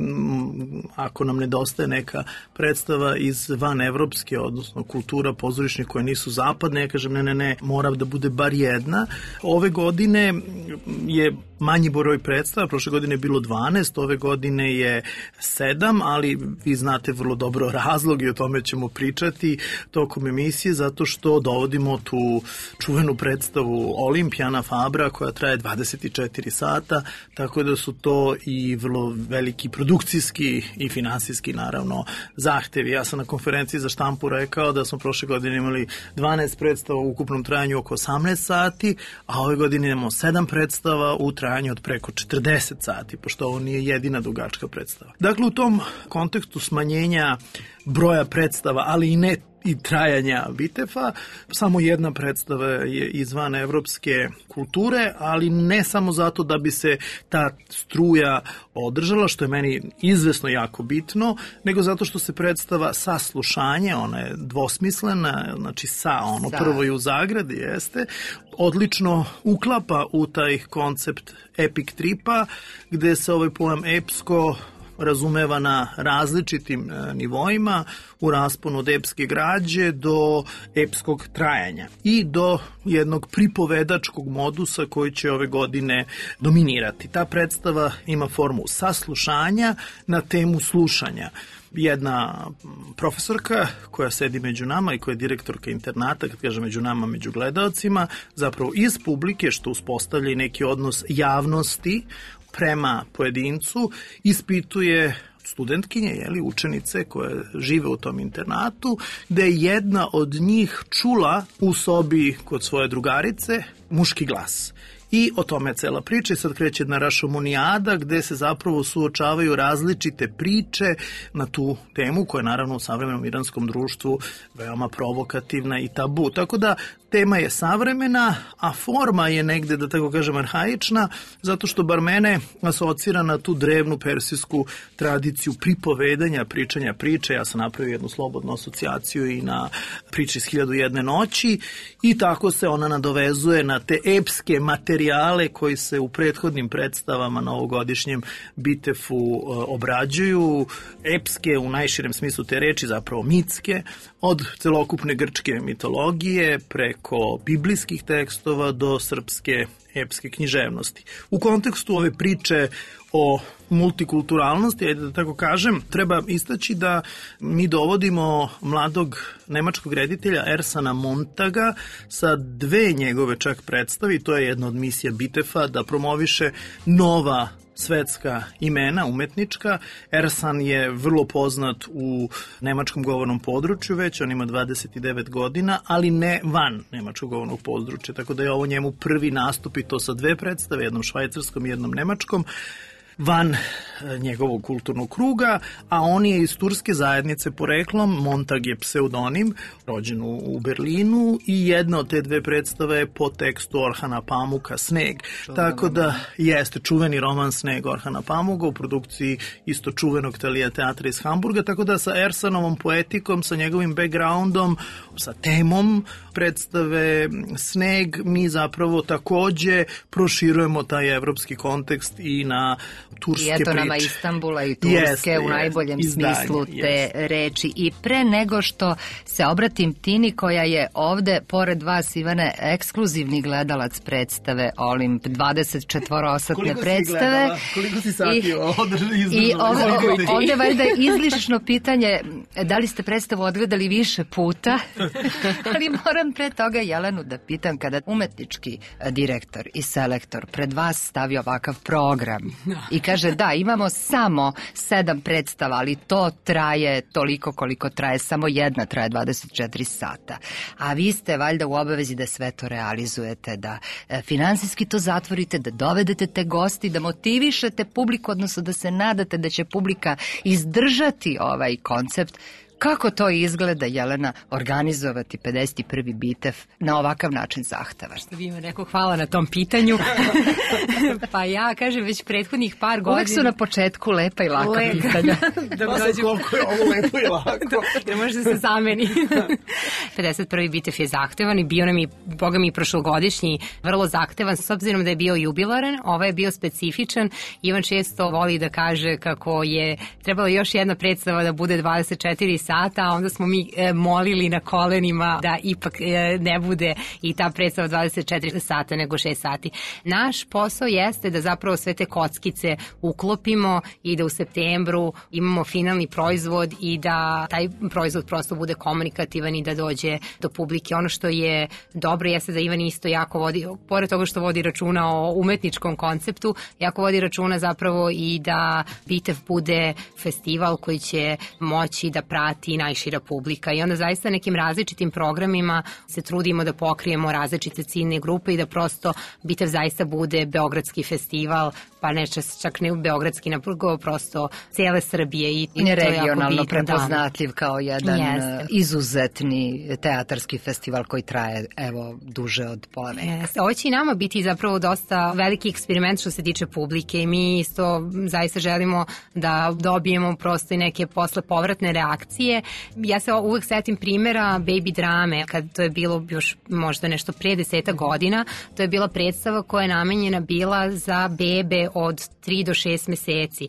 Speaker 8: ako nam nedostaje neka predstava iz van evropske, odnosno kultura pozorišnih koje nisu zapadne, ja kažem ne, ne, ne, mora da bude bar jedna. Ove godine je manji broj predstava, prošle godine je bilo dvanaest, ove godine je sedam, ali vi znate vrlo dobro razlog i o tome ćemo pričati tokom emisije, zato što dovodimo tu čuvenu predstavu Olimpijana Fabra koja traje dvadeset četiri sata, tako da su to i vrlo veliki produkcijski i finansijski naravno zahtevi. Ja sam na konferenciji za štampu rekao da smo prošle godine imali dvanaest predstava u ukupnom trajanju oko osamnaest sati, a ove godine imamo sedam predstava u trajanju od preko četrdeset sati, pošto ovo nije jedina dugačka predstava. Dakle, u tom kontekstu smanjenja broja predstava, ali i ne i trajanja Bitefa, samo jedna predstava je izvan evropske kulture, ali ne samo zato da bi se ta struja održala, što je meni izvesno jako bitno, nego zato što se predstava saslušanje, ona je dvosmislena, znači sa, ono prvo i u zagradi jeste, odlično uklapa u taj koncept epic tripa, gde se ovaj pojam epsko razumeva na različitim nivoima, u rasponu od epske građe do epskog trajanja i do jednog pripovedačkog modusa koji će ove godine dominirati. Ta predstava ima formu saslušanja na temu slušanja. Jedna profesorka koja sedi među nama i koja je direktorka internata, kad kaže među nama, među gledaocima, zapravo iz publike, što uspostavlja i neki odnos javnosti prema pojedincu, ispituje studentkinje, jeli, učenice koje žive u tom internatu, gde je jedna od njih čula u sobi kod svoje drugarice muški glas. I o tome je cela priča i sad kreće jedna rašomonijada gde se zapravo suočavaju različite priče na tu temu koja je naravno u savremenom iranskom društvu veoma provokativna i tabu. Tako da tema je savremena, a forma je negde, da tako kažem, arhaična, zato što bar mene asocira na tu drevnu persijsku tradiciju pripovedanja, pričanja priče. Ja sam napravio jednu slobodnu asocijaciju i na priče iz Hiljadu i jedne noći i tako se ona nadovezuje na te epske materijale koji se u prethodnim predstavama na ovogodišnjem Bitefu obrađuju. Epske u najširem smislu te reči, zapravo mitske, od celokupne grčke mitologije preko biblijskih tekstova do srpske epske književnosti. U kontekstu ove priče o multikulturalnosti, ajde da tako kažem, treba istaći da mi dovodimo mladog nemačkog reditelja Ersana Montaga sa dve njegove čak predstavi, to je jedna od misija Bitefa da promoviše nova svetska imena umetnička. Ersan je vrlo poznat u nemačkom govornom području već, on ima dvadeset devet godina, ali ne van nemačkog govornog područja, tako da je ovo njemu prvi nastup i to sa dve predstave, jednom švajcarskom i jednom nemačkom. Van njegovog kulturnog kruga, a on je iz turske zajednice poreklom, Montag je pseudonim, rođen u Berlinu i jedna od te dve predstave je po tekstu Orhana Pamuka Sneg. Tako da jeste čuveni roman Sneg Orhana Pamuka u produkciji isto čuvenog Thalia teatra iz Hamburga, tako da sa Ersanovom poetikom, sa njegovim backgroundom, sa temom predstave Sneg, mi zapravo takođe proširujemo taj evropski kontekst i na turske priče. I eto nama
Speaker 1: Istanbula i Turske jeste, u najboljem jeste, smislu izdanje, te jeste. reči. I pre nego što se obratim Tini, koja je ovde, pored vas, Ivane, ekskluzivni gledalac predstave Olimp, dvadeset četvoroosatne predstave.
Speaker 8: Koliko si sati
Speaker 1: I, i ovde, ovde valjda izlišno pitanje, da li ste predstavu odgledali više puta, ali moram pre toga Jelenu da pitam, kada umetnički direktor i selektor pred vas stavi ovakav program i kaže da, imamo samo sedam predstava, ali to traje toliko koliko traje, samo jedna traje dvadeset četiri sata, a vi ste valjda u obavezi da sve to realizujete, da e, finansijski to zatvorite, da dovedete te gosti, da motivišete publiku, odnosno da se nadate da će publika izdržati ovaj koncept. Kako to izgleda, Jelena, organizovati pedeset prvi Bitev na ovakav način zahteva?
Speaker 9: Što bi ima rekao, hvala na tom pitanju. Pa ja kažem već prethodnih par godina...
Speaker 1: Uvijek su na početku lepa i laka
Speaker 9: Leka.
Speaker 1: pitanja.
Speaker 8: Da pa dođu... koliko je ovo lepo i lako.
Speaker 9: Da može da se zameni. pedeset prvi Bitev je zahtevan i bio nam i, boga mi, prošlogodišnji vrlo zahtevan, s obzirom da je bio jubilaran, ovaj je bio specifičan. Ivan često voli da kaže kako je trebalo još jedna predstava da bude dvadeset četiri sata, a onda smo mi e, molili na kolenima da ipak e, ne bude i ta predstava dvadeset četiri sata nego šest sati. Naš posao jeste da zapravo sve te kockice uklopimo i da u septembru imamo finalni proizvod i da taj proizvod prosto bude komunikativan i da dođe do publike. Ono što je dobro jeste da Ivan isto jako vodi, pored toga što vodi računa o umetničkom konceptu, jako vodi računa zapravo i da Bitev bude festival koji će moći da prati i najšira publika i onda zaista nekim različitim programima se trudimo da pokrijemo različite ciljne grupe i da prosto Bitev zaista bude beogradski festival, pa ne čak ne beogradski, nego prosto cijele Srbije i, i
Speaker 1: regionalno prepoznatljiv kao jedan Jeste. izuzetni teatarski festival koji traje evo duže od pola veka.
Speaker 9: Ovo će i nama biti zapravo dosta veliki eksperiment što se tiče publike i mi isto zaista želimo da dobijemo prosto i neke posle povratne reakcije. Ja se uvek setim primjera Baby drame, kad to je bilo još možda nešto pre deseta godina, to je bila predstava koja je namenjena bila za bebe od tri do šest meseci.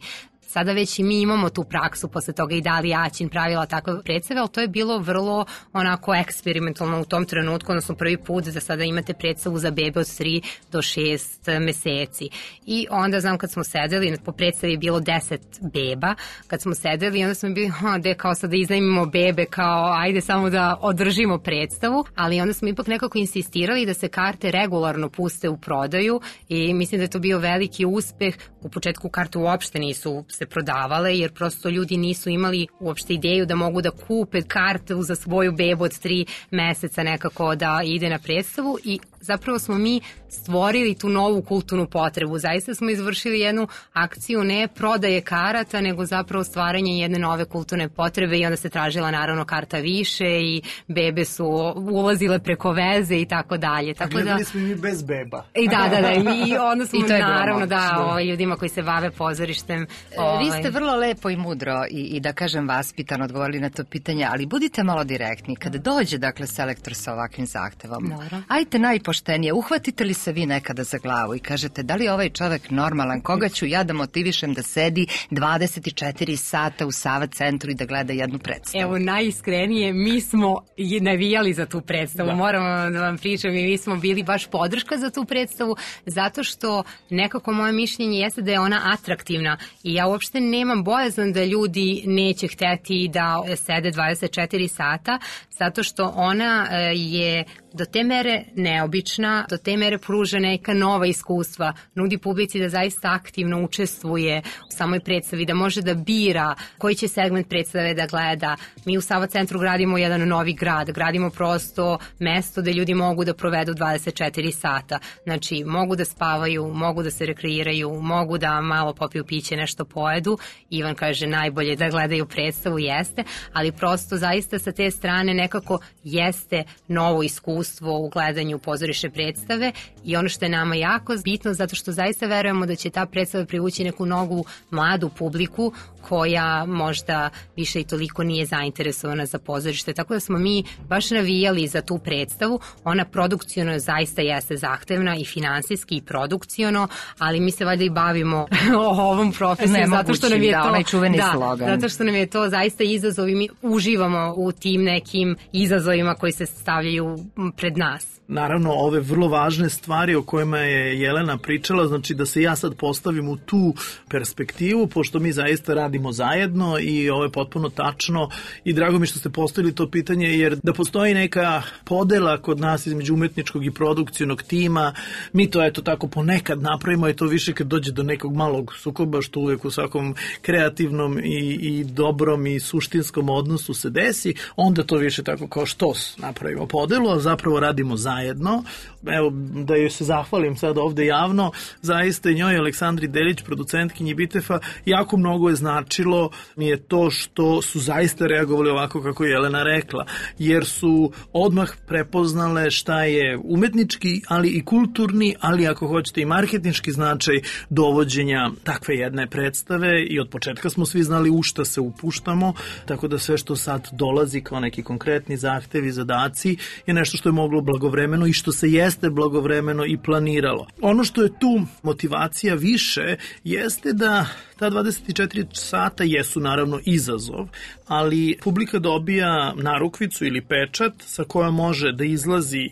Speaker 9: Sada već i mi imamo tu praksu, posle toga i Dalija Aćin pravila takve predstave, ali to je bilo vrlo onako eksperimentalno u tom trenutku, odnosno prvi put da sada imate predstavu za bebe od tri do šest meseci. I onda znam kad smo sedeli, po predstavi je bilo deset beba, kad smo sedeli onda smo bili, ha, de kao sad da iznajmimo bebe, kao ajde samo da održimo predstavu, ali onda smo ipak nekako insistirali da se karte regularno puste u prodaju i mislim da je to bio veliki uspeh. U početku karte uopšte nisu se prodavale, jer prosto ljudi nisu imali uopšte ideju da mogu da kupe kartu za svoju bebu od tri meseca nekako da ide na predstavu i zapravo smo mi stvorili tu novu kulturnu potrebu. Zaista smo izvršili jednu akciju ne prodaje karata, nego zapravo stvaranje jedne nove kulturne potrebe i onda se tražila naravno karta više i bebe su ulazile preko veze i tako dalje. Tako
Speaker 8: da gledali smo mi bez beba.
Speaker 9: I da, da, da. I onda smo naravno da ovaj, ljudima koji se bave pozorištem.
Speaker 1: Ovaj... Vi ste vrlo lepo i mudro i, i da kažem vaspitano odgovorili na to pitanje, ali budite malo direktni. Kada dođe, dakle, selektor sa ovakvim zahtevom, Dobro. ajte najpoštenije, uhvatite li se vi nekada za glavu i kažete da li je ovaj čovek normalan, koga ću ja da motivišem da sedi dvadeset četiri sata u Sava centru i da gleda jednu predstavu?
Speaker 9: Evo, najiskrenije, mi smo navijali za tu predstavu, da. Moramo da vam pričam i mi smo bili baš podrška za tu predstavu, zato što nekako moje mišljenje jeste da je ona atraktivna i ja uopšte nemam bojazan da ljudi neće hteti da sede dvadeset četiri sata, zato što ona je do te mere neobična neobična, do te mere pruža neka nova iskustva, nudi publici da zaista aktivno učestvuje u samoj predstavi, da može da bira koji će segment predstave da gleda. Mi u Sava centru gradimo jedan novi grad, gradimo prosto mesto gde ljudi mogu da provedu dvadeset četiri sata. Znači, mogu da spavaju, mogu da se rekreiraju, mogu da malo popiju piće, nešto pojedu. Ivan kaže najbolje da gledaju predstavu, jeste, ali prosto zaista sa te strane nekako jeste novo iskustvo u gledanju pozorišne predstave i ono što je nama jako bitno, zato što zaista verujemo da će ta predstava privući neku novu mladu publiku koja možda više i toliko nije zainteresovana za pozorište, tako da smo mi baš navijali za tu predstavu. Ona produkciono zaista jeste zahtevna i finansijski i produkciono, ali mi se valjda i bavimo ovom profesijom zato što nam je
Speaker 1: da,
Speaker 9: to
Speaker 1: onaj čuveni
Speaker 9: da,
Speaker 1: slogan.
Speaker 9: Zato što nam je to zaista izazov i mi uživamo u tim nekim izazovima koji se stavljaju pred nas.
Speaker 8: Naravno, ove vrlo važne stvari o kojima je Jelena pričala, znači da se ja sad postavim u tu perspektivu, pošto mi zaista radimo zajedno i ovo je potpuno tačno i drago mi što ste postavili to pitanje, jer da postoji neka podela kod nas između umetničkog i produkcijnog tima, mi to eto tako ponekad napravimo i to više kad dođe do nekog malog sukoba, što uvek u svakom kreativnom i, i dobrom i suštinskom odnosu se desi, onda to više tako kao štos napravimo podelu, a zapravo radimo zajedno. Jedno. Evo, da joj se zahvalim sad ovde javno, zaista i njoj Aleksandri Delić, producentkinji Bitefa, jako mnogo je značilo mi je to što su zaista reagovali ovako kako je Jelena rekla, jer su odmah prepoznale šta je umetnički, ali i kulturni, ali ako hoćete i marketinški značaj dovođenja takve jedne predstave i od početka smo svi znali u šta se upuštamo, tako da sve što sad dolazi kao neki konkretni zahtevi, zadaci je nešto što je moglo blagovremeno i što se jeste blagovremeno i planiralo. Ono što je tu motivacija više jeste da ta dvadeset četiri sata jesu naravno izazov, ali publika dobija narukvicu ili pečat sa kojom može da izlazi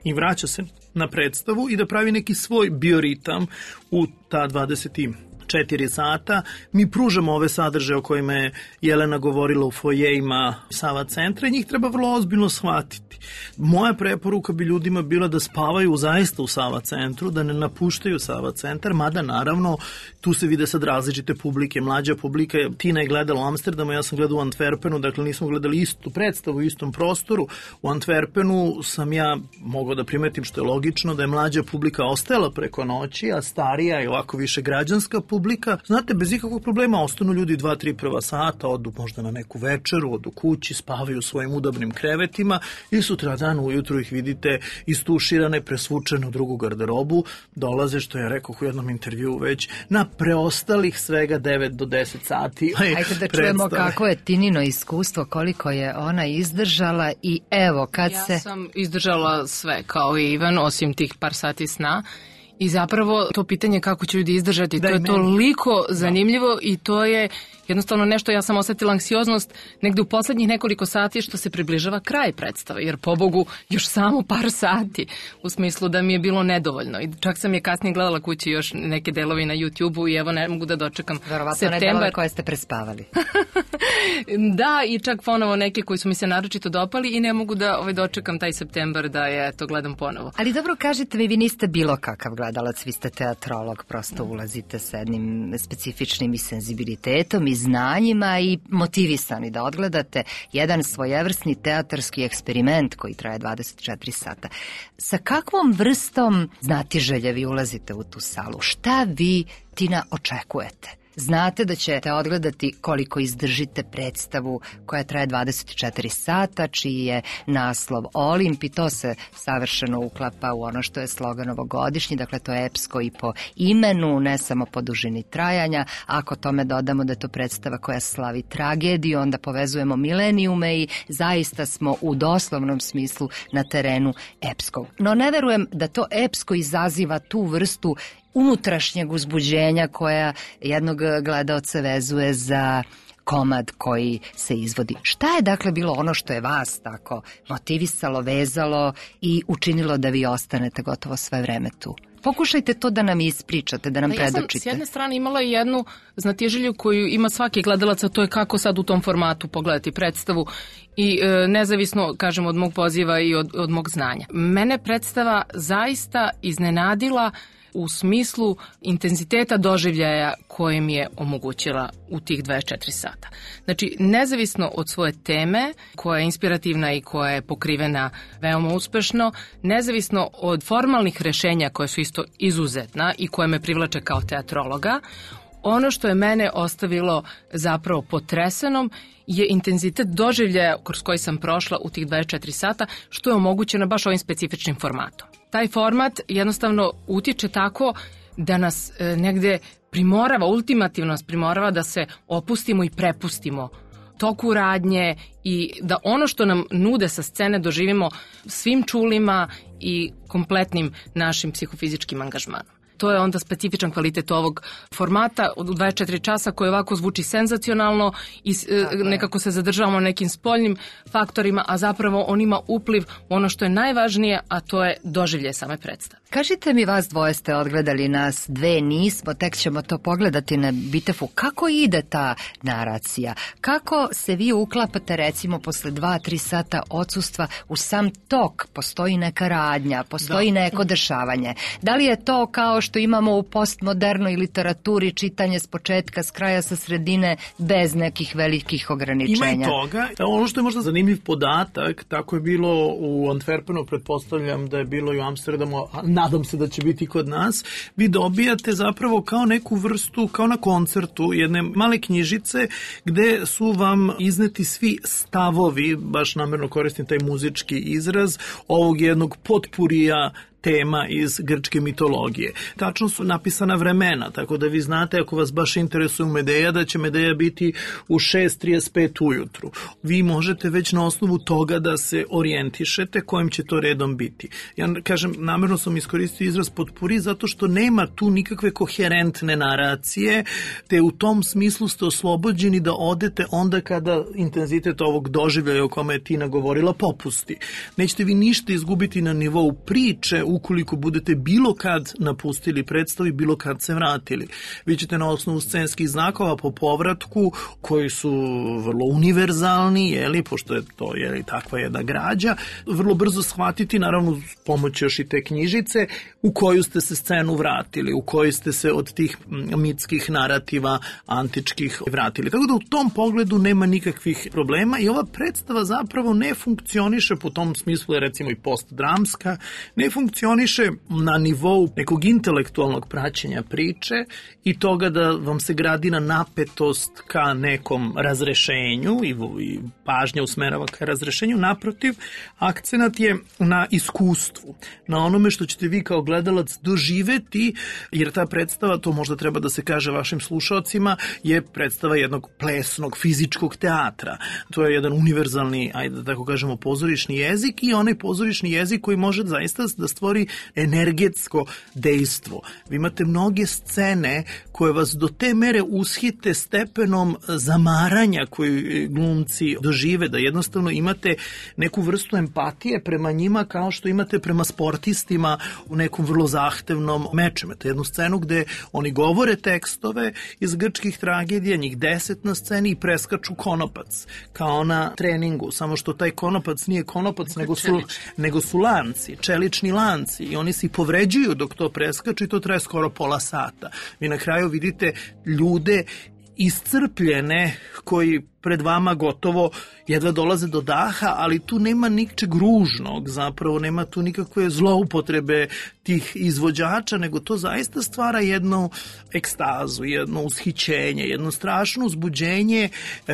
Speaker 8: i vraća se na predstavu i da pravi neki svoj bioritam u ta dvadeset četiri sata. Mi pružamo ove sadržaje o kojima je Jelena govorila u fojejima Sava centra i njih treba vrlo ozbiljno shvatiti. Moja preporuka bi ljudima bila da spavaju zaista u Sava centru, da ne napuštaju Sava centar, mada naravno tu se vide sad različite publike. Mlađa publika, Tina je gledala u Amsterdamu, ja sam gledala u Antwerpenu, dakle nismo gledali istu predstavu u istom prostoru. U Antwerpenu sam ja mogao da primetim, što je logično, da je mlađa publika ostajala preko noći, a starija i ovako više građanska publika, znate, bez ikakvog problema ostanu ljudi dva, tri prva sata, odu možda na neku večeru, odu kući, spavaju u svojim udobnim krevetima i sutra dan ujutru ih vidite istuširane, presvučene u drugu garderobu, dolaze, što je rekao u jednom intervjuu već, na preostalih svega devet do deset sati.
Speaker 1: Ajde da čujemo kako je Tinino iskustvo, koliko je ona izdržala i evo kad
Speaker 10: ja
Speaker 1: se...
Speaker 10: Ja sam izdržala sve kao i Ivan, osim tih par sati sna. I zapravo to pitanje kako će ljudi izdržati, da, to je meni toliko zanimljivo da. I to je jednostavno nešto, ja sam osetila anksioznost negde u poslednjih nekoliko sati što se približava kraj predstave, jer pobogu još samo par sati, u smislu da mi je bilo nedovoljno. I čak sam je kasnije gledala kući još neke delovi na YouTube-u i evo ne mogu da dočekam
Speaker 1: Verovatno
Speaker 10: septembar.
Speaker 1: Verovatno ne delove koje ste prespavali.
Speaker 10: Da, i čak ponovo neke koji su mi se naročito dopali i ne mogu da ovaj, dočekam taj septembar da je to gledam ponovo.
Speaker 1: Ali dobro, kažete mi, vi niste bilo kakav gledalac, vi ste teatrolog, prosto ulazite sa jednim specifičnim i senzibilitetom i znanjima i motivisani da odgledate jedan svojevrsni teatarski eksperiment koji traje dvadeset četiri sata. Sa kakvom vrstom znatiželje vi ulazite u tu salu? Šta vi, Tina, očekujete? Znate da ćete odgledati koliko izdržite predstavu koja traje dvadeset četiri sata, čiji je naslov Olimp i to se savršeno uklapa u ono što je slogan ovogodišnji, dakle to je epsko i po imenu, ne samo po dužini trajanja. Ako tome dodamo da je to predstava koja slavi tragediju, onda povezujemo milenijume i zaista smo u doslovnom smislu na terenu epskog. No ne verujem da to epsko izaziva tu vrstu unutrašnjeg uzbuđenja koja jednog gledaoca vezuje za komad koji se izvodi. Šta je dakle bilo ono što je vas tako motivisalo, vezalo i učinilo da vi ostanete gotovo sve vreme tu? Pokušajte to da nam ispričate, da nam
Speaker 10: da,
Speaker 1: predočite.
Speaker 10: Ja sam s jedne strane imala jednu znatiželju koju ima svaki gledalac, a to je kako sad u tom formatu pogledati predstavu i e, nezavisno, kažem, od mog poziva i od, od mog znanja. Mene predstava zaista iznenadila u smislu intenziteta doživljaja koje mi je omogućila u tih dvadeset četiri sata. Znači, nezavisno od svoje teme, koja je inspirativna i koja je pokrivena veoma uspešno, nezavisno od formalnih rešenja koje su isto izuzetna i koje me privlače kao teatrologa, ono što je mene ostavilo zapravo potresenom je intenzitet doživljaja kroz koji sam prošla u tih dvadeset četiri sata, što je omogućeno baš ovim specifičnim formatom. Taj format jednostavno utiče tako da nas e, negde primorava, ultimativno nas primorava da se opustimo i prepustimo toku radnje i da ono što nam nude sa scene doživimo svim čulima i kompletnim našim psihofizičkim angažmanom. To je onda specifičan kvalitet ovog formata od dvadeset četiri časa koji ovako zvuči senzacionalno i nekako se zadržavamo nekim spoljnim faktorima, a zapravo on ima upliv u ono što je najvažnije, a to je doživljaj same predstave.
Speaker 1: Kažite mi, vas dvoje ste odgledali, nas dve nismo, tek ćemo to pogledati na Bitefu. Kako ide ta naracija? Kako se vi uklapate, recimo, posle dva, tri sata odsustva u sam tok? Postoji neka radnja, postoji da. neko dešavanje. Da li je to kao što imamo u postmodernoj literaturi, čitanje s početka, s kraja, sa sredine, bez nekih velikih ograničenja?
Speaker 8: Ima i toga. Ono što je možda zanimljiv podatak, tako je bilo u Antwerpenu, pretpostavljam da je bilo i u Amsterdamu, a nadam se da će biti kod nas, vi dobijate zapravo kao neku vrstu, kao na koncertu, jedne male knjižice gde su vam izneti svi stavovi, baš namerno koristim taj muzički izraz, ovog jednog potpurija tema iz grčke mitologije. Tačno su napisana vremena, tako da vi znate, ako vas baš interesuje Medeja, da će Medeja biti u šest trideset pet ujutru. Vi možete već na osnovu toga da se orijentišete kojim će to redom biti. Ja kažem, namerno sam iskoristio izraz potpuri zato što nema tu nikakve koherentne naracije, te u tom smislu ste oslobođeni da odete onda kada intenzitet ovog doživljaja o kome je Tina govorila popusti. Nećete vi ništa izgubiti na nivou priče ukoliko budete bilo kad napustili predstavu i bilo kad se vratili. Vi ćete na osnovu scenskih znakova po povratku, koji su vrlo univerzalni, jeli, pošto je to jeli, takva jedna građa, vrlo brzo shvatiti, naravno pomoć još i te knjižice, u koju ste se scenu vratili, u koju ste se od tih mitskih narativa antičkih vratili. Tako da u tom pogledu nema nikakvih problema i ova predstava zapravo ne funkcioniše, po tom smislu je recimo i postdramska, ne funkcioniše na nivou nekog intelektualnog praćenja priče i toga da vam se gradi na napetost ka nekom razrešenju i, i pažnja usmerava ka razrešenju. Naprotiv, akcenat je na iskustvu, na onome što ćete vi kao gledalac doživeti, jer ta predstava, to možda treba da se kaže vašim slušalcima, je predstava jednog plesnog, fizičkog teatra. To je jedan univerzalni, ajde da tako kažemo, pozorišni jezik i onaj pozorišni jezik koji može zaista da stvori energetsko dejstvo. Vi imate mnoge scene koje vas do te mere ushite stepenom zamaranja koji glumci dožive, da jednostavno imate neku vrstu empatije prema njima kao što imate prema sportistima u nekom vrlo zahtevnom meču. Imate jednu scenu gde oni govore tekstove iz grčkih tragedija, njih deset na sceni i preskaču konopac, kao na treningu, samo što taj konopac nije konopac, nego su, nego su lanci, čelični lanci i oni se povređuju dok to preskaču i to traje skoro pola sata. Vi na kraju vidite ljude iscrpljene koji pred vama gotovo jedva dolaze do daha, ali tu nema ničeg ružnog, zapravo nema tu nikakve zloupotrebe tih izvođača, nego to zaista stvara jednu ekstazu, jedno ushićenje, jedno strašno uzbuđenje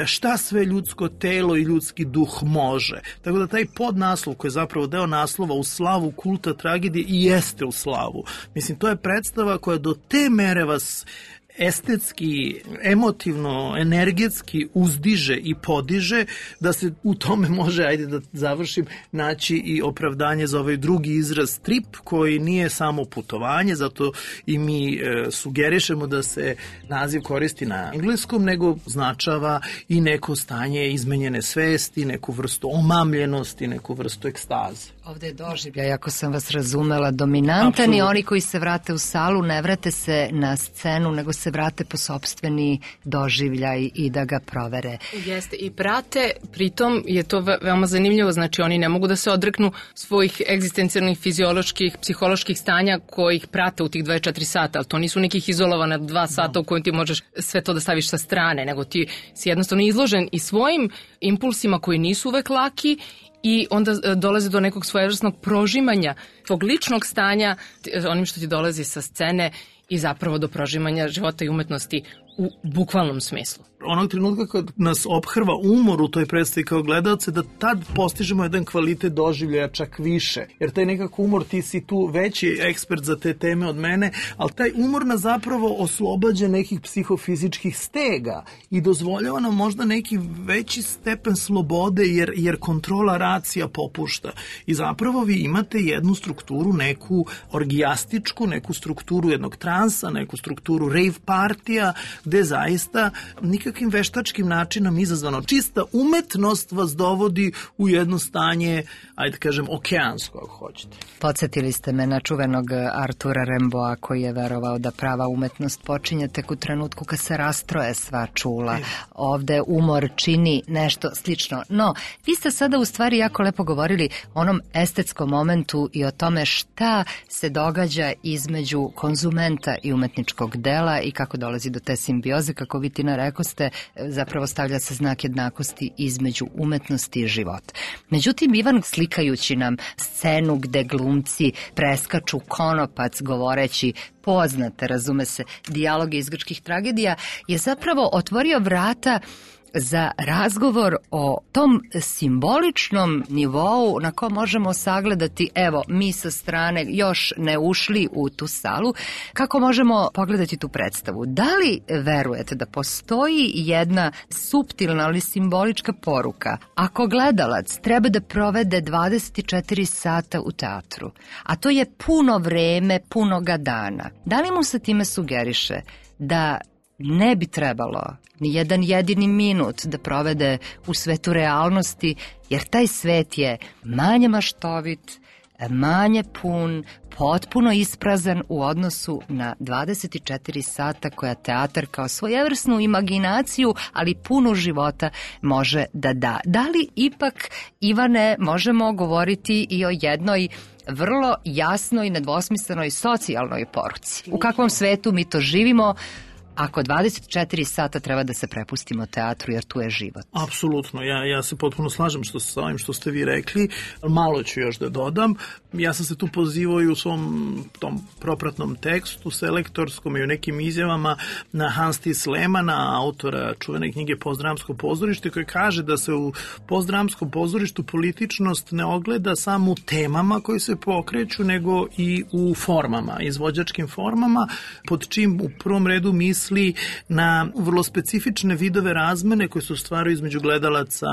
Speaker 8: šta sve ljudsko telo i ljudski duh može. Tako da taj podnaslov koji je zapravo deo naslova u slavu kulta tragedije i jeste u slavu. Mislim, to je predstava koja do te mere vas estetski, emotivno, energetski uzdiže i podiže, da se u tome može, ajde da završim, naći i opravdanje za ovaj drugi izraz trip, koji nije samo putovanje, zato i mi e, sugerišemo da se naziv koristi na engleskom, nego značava i neko stanje izmenjene svesti, neku vrstu omamljenosti, neku vrstu ekstaze.
Speaker 1: Ovde je doživljaj, ako sam vas razumela, dominantan i oni koji se vrate u salu ne vrate se na scenu, nego se vrate po sopstveni doživljaj i da ga provere.
Speaker 10: Jeste, i prate, pritom je to veoma zanimljivo, znači oni ne mogu da se odreknu svojih egzistencijalnih, fizioloških, psiholoških stanja kojih prate u tih dvadeset četiri sata, ali to nisu nekih izolovana dva sata u kojim ti možeš sve to da staviš sa strane, nego ti si jednostavno izložen i svojim impulsima koji nisu uvek laki i onda dolazi do nekog svojevrsnog prožimanja tvog ličnog stanja onim što ti dolazi sa scene i zapravo do prožimanja života i umetnosti u bukvalnom smislu.
Speaker 8: Onog trenutka kad nas ophrva umor u toj predstavi kao gledalce, da tad postižemo jedan kvalitet doživljaja čak više. Jer taj nekako umor, ti si tu veći ekspert za te teme od mene, ali taj umor nas zapravo oslobađa nekih psihofizičkih stega i dozvoljava nam možda neki veći stepen slobode jer, jer kontrola racija popušta. I zapravo vi imate jednu strukturu, neku orgijastičku, neku strukturu jednog transa, neku strukturu rave partija, gde zaista nikakvim veštačkim načinom izazvano čista umetnost vas dovodi u jedno stanje, ajde kažem, okeansko, ako hoćete.
Speaker 1: Podsjetili ste me na čuvenog Artura Rimbaud'a koji je verovao da prava umetnost počinje tek u trenutku kad se rastroje sva čula. Ovde umor čini nešto slično. No, vi ste sada u stvari jako lepo govorili o onom estetskom momentu i o tome šta se događa između konzumenta i umetničkog dela i kako dolazi do te simbioze, kako vi, Tina, rekoste, zapravo stavlja se znak jednakosti između umetnosti i života. Međutim, Ivan, slikajući nam scenu gde glumci preskaču konopac govoreći poznate, razume se, dijaloge iz grčkih tragedija, je zapravo otvorio vrata za razgovor o tom simboličnom nivou na kom možemo sagledati, evo, mi sa strane još ne ušli u tu salu, kako možemo pogledati tu predstavu. Da li verujete da postoji jedna suptilna ali simbolička poruka? Ako gledalac treba da provede dvadeset četiri sata u teatru, a to je puno vreme, punoga dana, da li mu se time sugeriše da ne bi trebalo ni jedan jedini minut da provede u svetu realnosti, jer taj svet je manje maštovit, manje pun, potpuno isprazan u odnosu na dvadeset četiri sata koja teatar kao svojevrsnu imaginaciju, ali punu života može da da. Da li ipak, Ivane, možemo govoriti i o jednoj vrlo jasnoj, nedvosmislenoj socijalnoj poruci? U kakvom svetu mi to živimo ako dvadeset četiri sata treba da se prepustimo teatru, jer tu je život?
Speaker 8: Apsolutno, ja, ja se potpuno slažem što, sa ovim što ste vi rekli, malo ću još da dodam. Ja sam se tu pozivao i u svom tom propratnom tekstu, selektorskom i u nekim izjavama na Hans Thies Lehmanna, autora čuvene knjige Postdramsko pozorište, koji kaže da se u postdramskom pozorištu političnost ne ogleda samo u temama koji se pokreću, nego i u formama, izvođačkim formama, pod čim u prvom redu misli na vrlo specifične vidove razmene koje se ostvaruju između gledalaca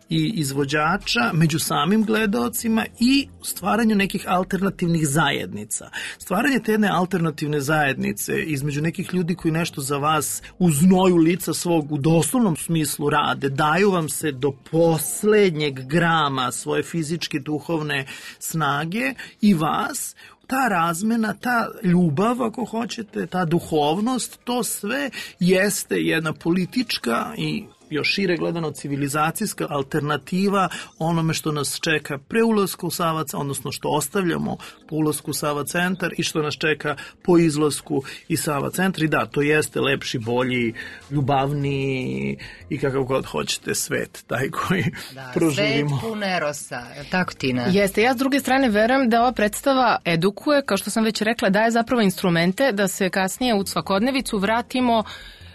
Speaker 8: i izvođača, među samim gledalcima i stvaranju nekih alternativnih zajednica. Stvaranje te jedne alternativne zajednice između nekih ljudi koji nešto za vas u znoju lica svog u doslovnom smislu rade, daju vam se do poslednjeg grama svoje fizičke, duhovne snage i vas, ta razmena, ta ljubav, ako hoćete, ta duhovnost, to sve jeste jedna politička i još šire gledano civilizacijska alternativa onome što nas čeka pre ulaska u Sava, odnosno što ostavljamo po ulasku u Sava centar i što nas čeka po izlasku iz Sava centra. I da, to jeste lepši, bolji, ljubavniji i kakav god hoćete svet, taj koji da, proživimo.
Speaker 1: Svet pun erosa, tako, Tina?
Speaker 10: Jeste, ja s druge strane verujem da ova predstava edukuje, kao što sam već rekla, daje zapravo instrumente da se kasnije u svakodnevicu vratimo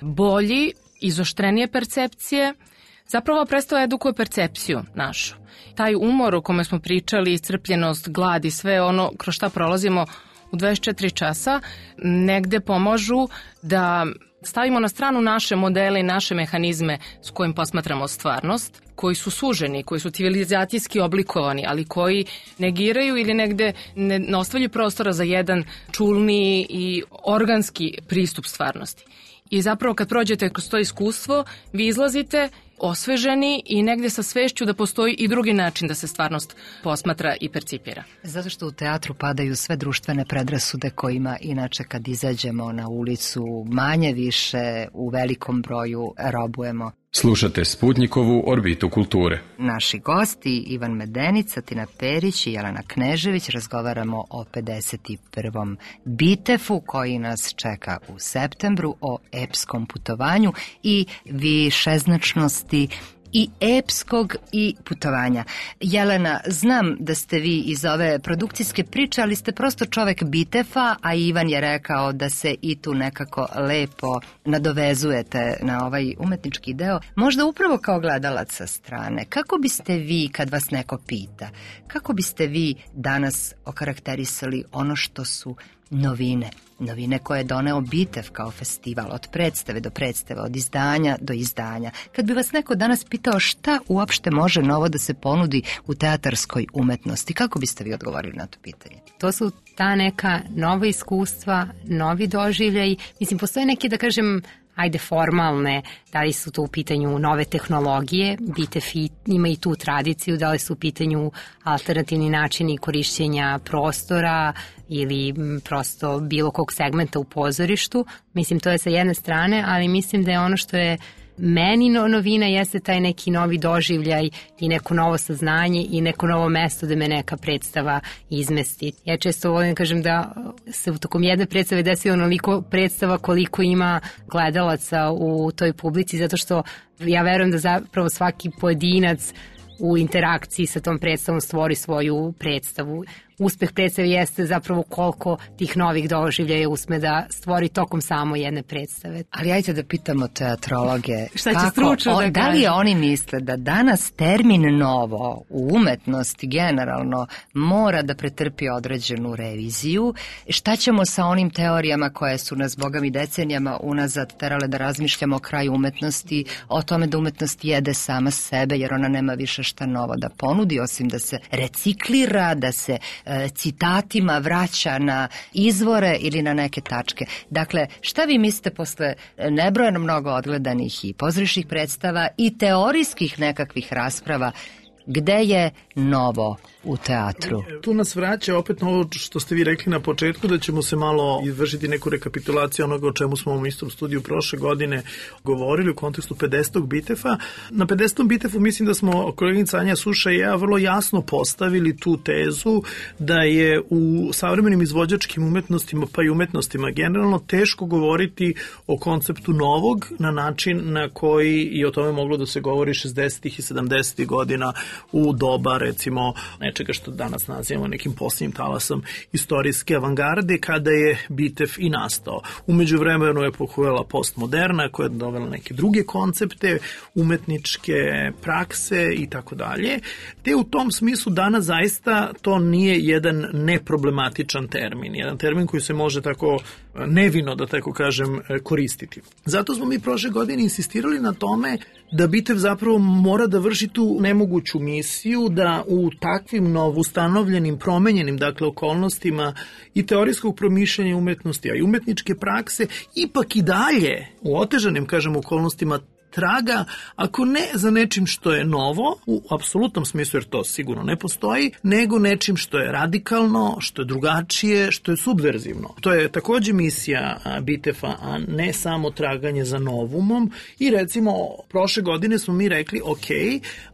Speaker 10: bolji, izoštrenije percepcije. Zapravo predstava edukuje percepciju našu. Taj umor o kome smo pričali, iscrpljenost, glad i sve ono kroz šta prolazimo u dvadeset četiri časa, negde pomažu da stavimo na stranu naše modele i naše mehanizme s kojim posmatramo stvarnost, koji su suženi, koji su civilizacijski oblikovani, ali koji negiraju ili negde ne, ne ostavljaju prostora za jedan čulniji i organski pristup stvarnosti. I zapravo kad prođete kroz to iskustvo, vi izlazite osveženi i negde sa svešću da postoji i drugi način da se stvarnost posmatra i percipira.
Speaker 1: Zato što u teatru padaju sve društvene predrasude kojima inače kad izađemo na ulicu manje više u velikom broju robujemo.
Speaker 2: Slušate Sputnikovu orbitu kulture.
Speaker 1: Naši gosti Ivan Medenica, Tina Perić i Jelena Knežević razgovaramo o pedeset prvom Bitefu koji nas čeka u septembru, o epskom putovanju i višeznačnosti i epskog i putovanja. Jelena, znam da ste vi iz ove produkcijske priče, ali ste prosto čovek Bitefa, a Ivan je rekao da se i tu nekako lepo nadovezujete na ovaj umetnički deo. Možda upravo kao gledalac sa strane, kako biste vi, kad vas neko pita, kako biste vi danas okarakterisali ono što su novine, novine koje je doneo Bitev kao festival, od predstave do predstave, od izdanja do izdanja. Kad bi vas neko danas pitao šta uopšte može novo da se ponudi u teatarskoj umetnosti, kako biste vi odgovorili na to pitanje?
Speaker 9: To su ta neka nova iskustva, novi doživljaj. Mislim, postoje neke, da kažem, ajde formalne, da li su to u pitanju nove tehnologije, Bitev ima i tu tradiciju, da li su u pitanju alternativni načini korišćenja prostora ili prosto bilo kog segmenta u pozorištu. Mislim, to je sa jedne strane, ali mislim da je ono što je meni novina jeste taj neki novi doživljaj i neko novo saznanje i neko novo mesto da me neka predstava izmesti. Ja često volim kažem da se u tokom jedne predstave desi onoliko predstava koliko ima gledalaca u toj publici, zato što ja verujem da zapravo svaki pojedinac u interakciji sa tom predstavom stvori svoju predstavu. Uspeh predstave jeste zapravo koliko tih novih doživljaja usme da stvori tokom samo jedne predstave.
Speaker 1: Ali ajte da pitamo teatrologe.
Speaker 9: Šta će stručno da,
Speaker 1: da li oni misle da danas termin novo u umetnosti generalno mora da pretrpi određenu reviziju? Šta ćemo sa onim teorijama koje su nas bogami decenijama unazad terale da razmišljamo o kraju umetnosti, o tome da umetnost jede sama sebe jer ona nema više šta novo da ponudi osim da se reciklira, da se citatima vraća na izvore ili na neke tačke. Dakle, šta vi mislite posle nebrojeno mnogo odgledanih i pozorišnih predstava i teorijskih nekakvih rasprava, gde je novo u teatru?
Speaker 8: Tu nas vraća opet na ovo što ste vi rekli na početku, da ćemo se malo izvršiti neku rekapitulaciju onoga o čemu smo u istom studiju prošle godine govorili u kontekstu pedesetog Bitefa. Na pedesetom Bitefu mislim da smo koleginica Anja Suša i ja vrlo jasno postavili tu tezu da je u savremenim izvođačkim umetnostima pa i umetnostima generalno teško govoriti o konceptu novog na način na koji i o tome moglo da se govori šezdesetih i sedamdesetih godina u doba recimo nečega što danas nazivamo nekim posljednjim talasom istorijske avangarde kada je Bitev i nastao. Umeđu vremenu je pohujala postmoderna koja je dovela neke druge koncepte, umetničke prakse i tako dalje. Te u tom smislu danas zaista to nije jedan neproblematičan termin, jedan termin koji se može tako nevino, da tako kažem, koristiti. Zato smo mi prošle godine insistirali na tome da Bitev zapravo mora da vrši tu nemoguću misiju da u takvim novustanovljenim, promenjenim, dakle, okolnostima i teorijskog promišljanja umetnosti, a i umetničke prakse, ipak i dalje u otežanim, kažem, okolnostima traga, ako ne za nečim što je novo, u apsolutnom smislu, jer to sigurno ne postoji, nego nečim što je radikalno, što je drugačije, što je subverzivno. To je takođe misija Bitefa, a ne samo traganje za novumom. I recimo, prošle godine smo mi rekli, ok,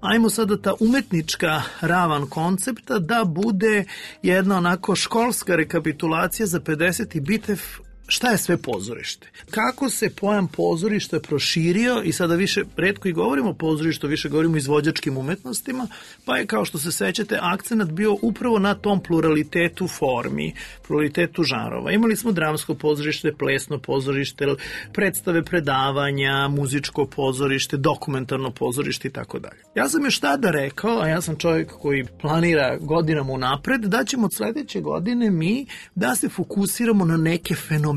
Speaker 8: ajmo sada ta umetnička ravan koncepta da bude jedna onako školska rekapitulacija za pedeseti Bitev. Šta je sve pozorište? Kako se pojam pozorišta proširio i sada više retko i govorimo o pozorištu, više govorimo o izvođačkim umetnostima, pa je kao što se sećate akcenat bio upravo na tom pluralitetu formi, pluralitetu žanrova. Imali smo dramsko pozorište, plesno pozorište, predstave predavanja, muzičko pozorište, dokumentarno pozorište i tako dalje. Ja sam još tada rekao, a ja sam čovjek koji planira godinama unapred, da ćemo od sledeće godine mi da se fokusiramo na neke fenomene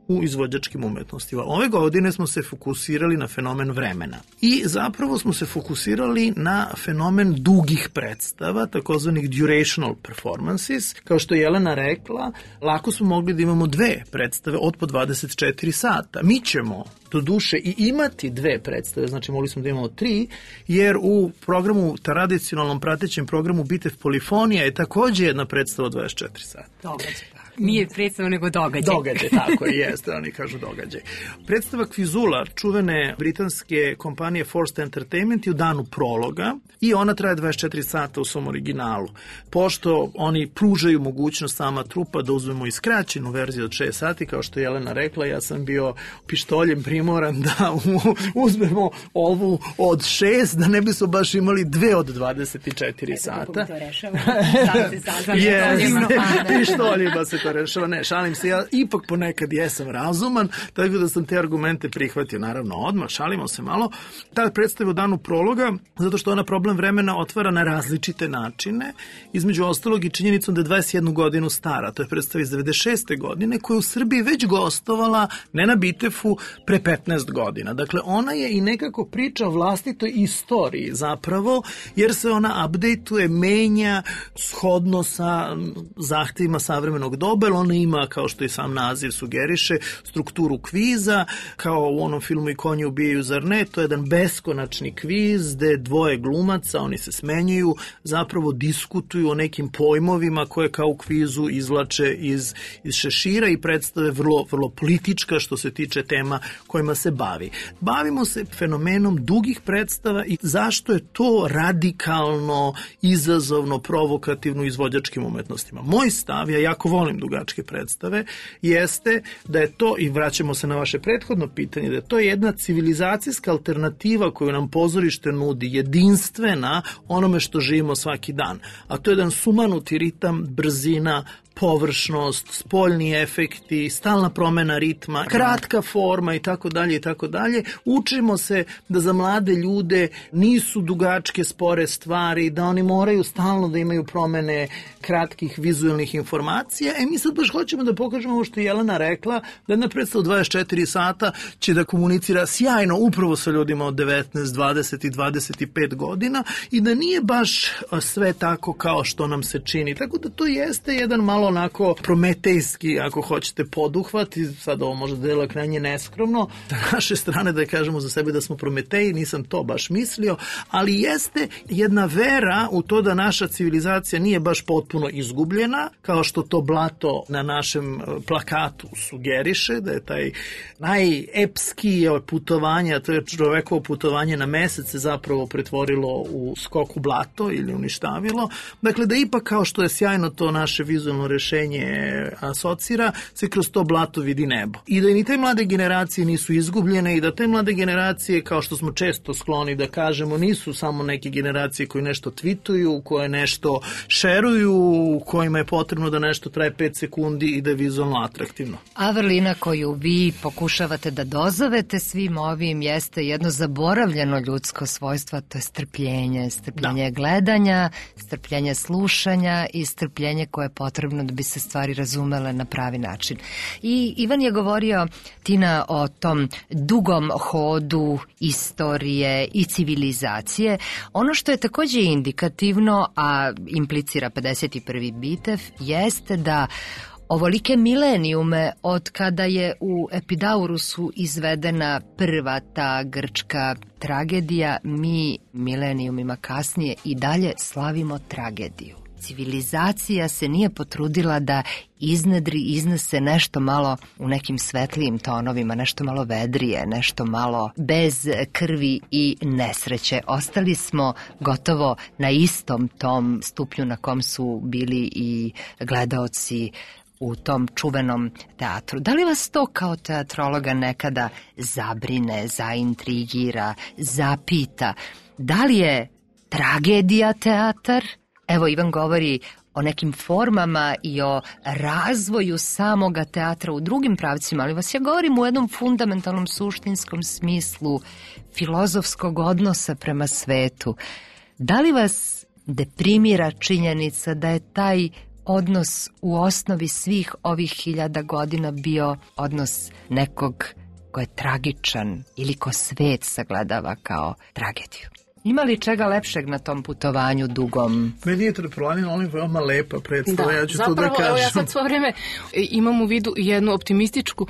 Speaker 8: u izvođačkim umetnostima. Ove godine smo se fokusirali na fenomen vremena i zapravo smo se fokusirali na fenomen dugih predstava, takozvanih durational performances. Kao što je Jelena rekla, lako smo mogli da imamo dve predstave od po dvadeset četiri sata. Mi ćemo do duše i imati dve predstave, znači mogli smo da imamo tri, jer u programu, tradicionalnom pratećem programu Bitev Polifonija je takođe jedna predstava od dvadeset četiri sata.
Speaker 9: Događaj. Nije predstava, nego događaj.
Speaker 8: Događaj, tako je, jeste, oni kažu događaj. Predstava Kvizula, čuvene britanske kompanije Forced Entertainment, je u danu prologa i ona traje dvadeset četiri sata u svom originalu. Pošto oni pružaju mogućnost sama trupa da uzmemo i skraćenu verziju od šest sati, kao što je Jelena rekla, ja sam bio pištoljem primoran da uzmemo ovu od šest, da ne bi smo baš imali dve od dvadeset četiri sata. Kako
Speaker 9: to rešava? Sad se saznam.
Speaker 8: Jeste, pištoljima se to rešava. Ne, šalim se, ja ipak ponekad jesam razuman, tako da sam te argumente prihvatio, naravno odmah, šalimo se malo. Ta predstava u danu prologa, zato što ona problem vremena otvara na različite načine, između ostalog i činjenicom da je dvadeset jednu godinu stara. To je predstava iz devedeset šeste godine, koja je u Srbiji već gostovala, ne na Bitefu, pre petnaest godina. Dakle, ona je i nekako priča o vlastitoj istoriji zapravo, jer se ona updateuje, menja shodno sa zahtevima savremenog doba, jer ona ima, kao što i sam naziv sugeriše, strukturu kviza, kao u onom filmu I konji ubijaju, zar ne? To je jedan beskonačni kviz gde dvoje glumaca, oni se smenjuju, zapravo diskutuju o nekim pojmovima koje kao u kvizu izvlače iz, iz šešira i predstave vrlo, vrlo politička što se tiče tema kojima se bavi. Bavimo se fenomenom dugih predstava i zašto je to radikalno, izazovno, provokativno izvođačkim umetnostima. Moj stav, ja jako volim dugačke predstave, jeste da je to, i vraćamo se na vaše prethodno pitanje, da je to jedna civilizacijska alternativa koju nam pozorište nudi, jedinstvena onome što živimo svaki dan. A to je jedan sumanuti ritam, brzina, površnost, spoljni efekti, stalna promena ritma, kratka forma i tako dalje i tako dalje. Učimo se da za mlade ljude nisu dugačke spore stvari, da oni moraju stalno da imaju promene kratkih vizualnih informacija. E mi sad baš hoćemo da pokažemo ovo što je Jelena rekla, da jedna predstava dvadeset četiri sata će da komunicira sjajno upravo sa ljudima od devetnaest, dvadeset i dvadeset pet godina i da nije baš sve tako kao što nam se čini. Tako da to jeste jedan malo onako prometejski, ako hoćete, poduhvat, i sad ovo možda dela krajnje neskromno na naše strane da kažemo za sebe da smo prometeji, nisam to baš mislio, ali jeste jedna vera u to da naša civilizacija nije baš potpuno izgubljena, kao što to blato na našem plakatu sugeriše, da je taj najepski putovanje, to je čovekovo putovanje na mesec se zapravo pretvorilo u skok u blato ili uništavilo. Dakle, da ipak kao što je sjajno to naše vizualno rešenje asocira, se kroz to blato vidi nebo. I da ni te mlade generacije nisu izgubljene i da te mlade generacije, kao što smo često skloni da kažemo, nisu samo neke generacije koje nešto tweetuju, koje nešto šeruju, kojima je potrebno da nešto traje pet sekundi i da je vizualno atraktivno.
Speaker 1: A vrlina koju vi pokušavate da dozovete svim ovim jeste jedno zaboravljeno ljudsko svojstvo, to je strpljenje, strpljenje da. gledanja, strpljenje slušanja i strpljenje koje je potrebno da bi se stvari razumele na pravi način. I Ivan je govorio, Tina, o tom dugom hodu istorije i civilizacije. Ono što je takođe indikativno, a implicira pedeset prvi Bitev, jeste da ovolike milenijume od kada je u Epidaurusu izvedena prva ta grčka tragedija, mi milenijumima kasnije i dalje slavimo tragediju. Civilizacija se nije potrudila da iznedri, iznese nešto malo u nekim svetlijim tonovima, nešto malo vedrije, nešto malo bez krvi i nesreće. Ostali smo gotovo na istom tom stupnju na kom su bili i gledaoci u tom čuvenom teatru. Da li vas to kao teatrologa nekada zabrine, zaintrigira, zapita? Da li je tragedija teatar? Evo, Ivan govori o nekim formama i o razvoju samoga teatra u drugim pravcima, ali vas ja govorim u jednom fundamentalnom suštinskom smislu filozofskog odnosa prema svetu. Da li vas deprimira činjenica da je taj odnos u osnovi svih ovih hiljada godina bio odnos nekog ko je tragičan ili ko svet sagledava kao tragediju. Ima li čega lepšeg na tom putovanju dugom?
Speaker 8: Meni je Planina Olimp veoma lepa predstava,
Speaker 10: da,
Speaker 8: ja ću
Speaker 10: zapravo,
Speaker 8: to da kažem.
Speaker 10: Evo ja sad svo vreme imam u vidu jednu optimističku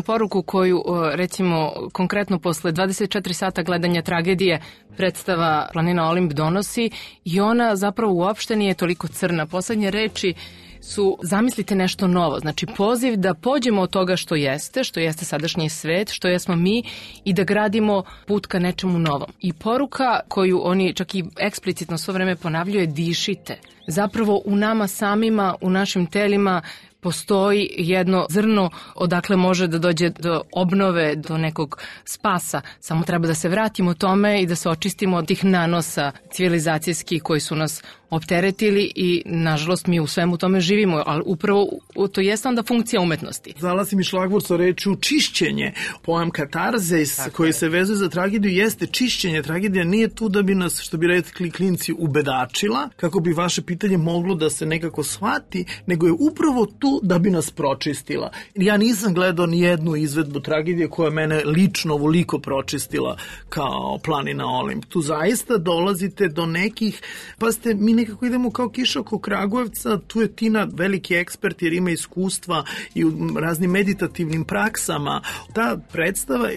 Speaker 10: poruku koju, recimo, konkretno posle dvadeset četiri sata gledanja tragedije predstava Planina Olimp donosi i ona zapravo uopšte nije toliko crna. Poslednje reči su zamislite nešto novo, znači poziv da pođemo od toga što jeste, što jeste sadašnji svet, što jesmo mi i da gradimo put ka nečemu novom. I poruka koju oni čak i eksplicitno svo vreme ponavljaju je dišite. Zapravo u nama samima, u našim telima postoji jedno zrno odakle može da dođe do obnove, do nekog spasa. Samo treba da se vratimo tome i da se očistimo od tih nanosa civilizacijskih koji su nas opteretili i, nažalost, mi u svemu tome živimo, ali upravo to jeste onda funkcija umetnosti.
Speaker 8: Zala si mi šlagvort sa rečju čišćenje. Pojam katarzis koji se vezuje za tragediju jeste čišćenje. Tragedija nije tu da bi nas, što bi rekli klinci, ubedačila, kako bi vaše pitanje moglo da se nekako shvati, nego je upravo tu da bi nas pročistila. Ja nisam gledao ni jednu izvedbu tragedije koja mene lično ovoliko pročistila kao Planina Olimp. Tu zaista dolazite do nekih, pa ste, mi nekako idemo kao kiša oko Kragujevca, tu je Tina veliki ekspert jer ima iskustva i u raznim meditativnim praksama. Ta predstava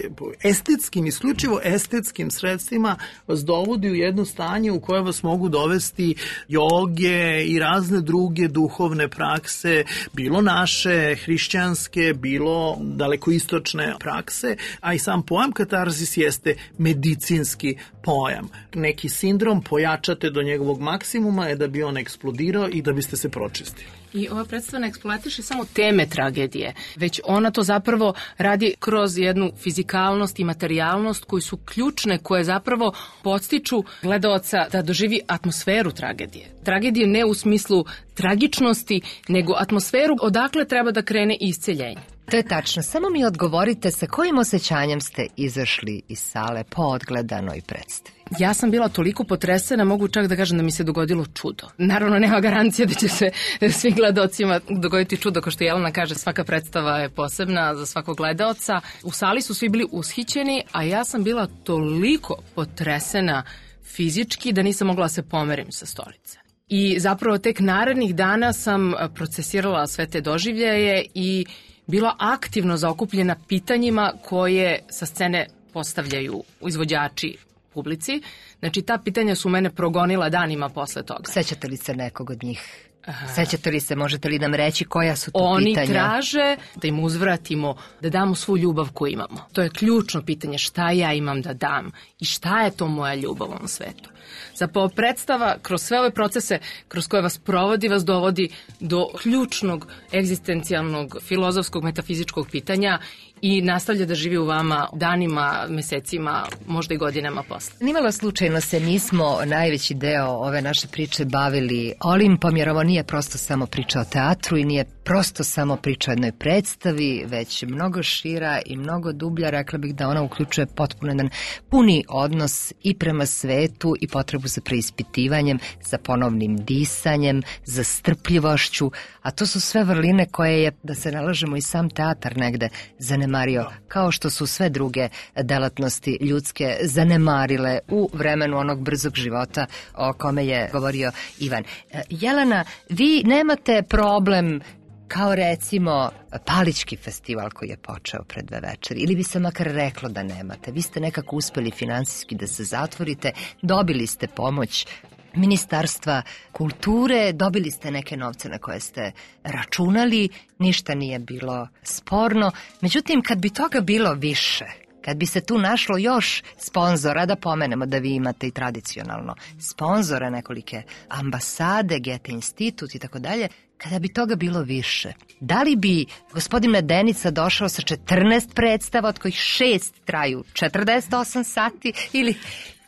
Speaker 8: estetskim, isključivo estetskim sredstvima vas dovodi u jedno stanje u koje vas mogu dovesti joge i razne druge duhovne prakse, bilo naše, hrišćanske, bilo dalekoistočne prakse, a i sam pojam katarzis jeste medicinski pojam. Neki sindrom pojačate do njegovog maksimuma je da bi on eksplodirao i da biste se pročistili.
Speaker 10: I ova predstava ne eksploatiše samo teme tragedije, već ona to zapravo radi kroz jednu fizikalnost i materijalnost koji su ključne, koje zapravo podstiču gledaoca da doživi atmosferu tragedije. Tragedije ne u smislu tragičnosti, nego atmosferu odakle treba da krene isceljenje.
Speaker 1: To je tačno. Samo mi odgovorite sa kojim osjećanjem ste izašli iz sale po odgledanoj predstavi.
Speaker 10: Ja sam bila toliko potresena, mogu čak da kažem da mi se dogodilo čudo. Naravno, nema garancije da će se svim gledaocima dogoditi čudo, kao što Jelena kaže, svaka predstava je posebna za svakog gledaoca. U sali su svi bili ushićeni, a ja sam bila toliko potresena fizički da nisam mogla da se pomerim sa stolice. I zapravo tek narednih dana sam procesirala sve te doživljaje i bila aktivno zaokupljena pitanjima koje sa scene postavljaju izvođači publici. Znači, ta pitanja su mene progonila danima posle toga.
Speaker 1: Sećate li se nekog od njih? Sećate li se, možete li nam reći koja su to
Speaker 10: Oni
Speaker 1: pitanja?
Speaker 10: Oni traže da im uzvratimo, da damo svu ljubav koju imamo. To je ključno pitanje, šta ja imam da dam i šta je to moja ljubav u ovom svetu. Zapravo predstava kroz sve ove procese kroz koje vas provodi, vas dovodi do ključnog egzistencijalnog, filozofskog, metafizičkog pitanja i nastavlja da živi u vama danima, mesecima, možda i godinama posle.
Speaker 1: Nimalo slučajno se nismo najveći deo ove naše priče bavili Olimpom, jer ovo nije prosto samo priča o teatru i nije prosto samo priča o jednoj predstavi, već mnogo šira i mnogo dublja. Rekla bih da ona uključuje potpuno jedan puni odnos i prema svetu i potrebu za preispitivanjem, za ponovnim disanjem, za strpljivošću, a to su sve vrline koje je, da se nalažemo, i sam teatar negde zanemario, kao što su sve druge delatnosti ljudske zanemarile u vremenu onog brzog života o kome je govorio Ivan. Jelena, vi nemate problem kao recimo Palićki festival koji je počeo pred dve večeri, ili bi se makar reklo da nemate. Vi ste nekako uspeli finansijski da se zatvorite, dobili ste pomoć Ministarstva kulture, dobili ste neke novce na koje ste računali, ništa nije bilo sporno. Međutim, kad bi toga bilo više, kad bi se tu našlo još sponzora, da pomenemo da vi imate i tradicionalno sponzora, nekolike ambasade, Goethe institut i tako dalje, kada bi toga bilo više, da li bi gospodin Medenica došao sa četrnaest predstava, od kojih šest traju četrdeset osam sati, ili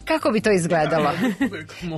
Speaker 1: Kako bi to izgledalo?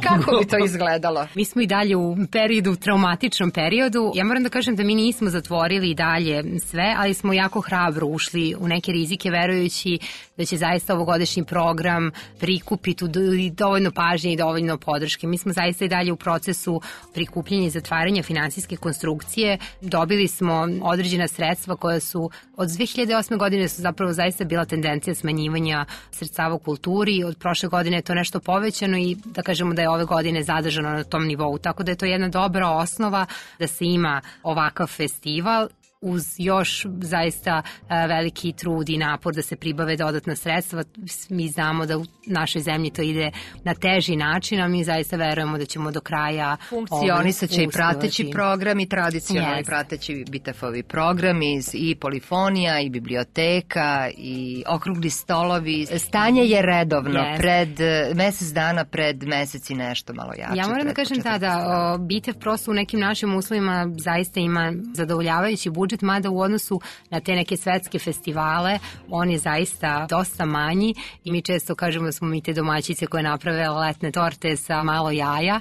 Speaker 1: Kako bi to izgledalo?
Speaker 9: Mi smo i dalje u periodu, traumatičnom periodu. Ja moram da kažem da mi nismo zatvorili i dalje sve, ali smo jako hrabro ušli u neke rizike verujući da će zaista ovogodišnji program prikupiti dovoljno pažnje i dovoljno podrške. Mi smo zaista i dalje u procesu prikupljanja i zatvaranja finansijske konstrukcije. Dobili smo određena sredstva koja su od dve hiljade osme godine su zapravo zaista bila tendencija smanjivanja sredstava u kulturi. Od prošle godine je to nešto povećano i da kažemo da je ove godine zadržano na tom nivou. Tako da je to jedna dobra osnova da se ima ovakav festival uz još zaista veliki trud i napor da se pribave dodatna sredstva. Mi znamo da u našoj zemlji to ide na teži način, a mi zaista verujemo da ćemo do kraja
Speaker 1: funkcionisaće i prateći program i tradicionalni yes. prateći Bitefovi programi i polifonija i biblioteka i okrugli stolovi. Stanje je redovno yes. pred mesec dana, pred mesec i nešto malo jače.
Speaker 9: Ja moram da kažem da, da Bitev prosto u nekim našim uslovima zaista ima zadovoljavajući budžet, mada u odnosu na te neke svetske festivale on je zaista dosta manji i mi često kažemo da smo mi te domaćice koje naprave letne torte sa malo jaja.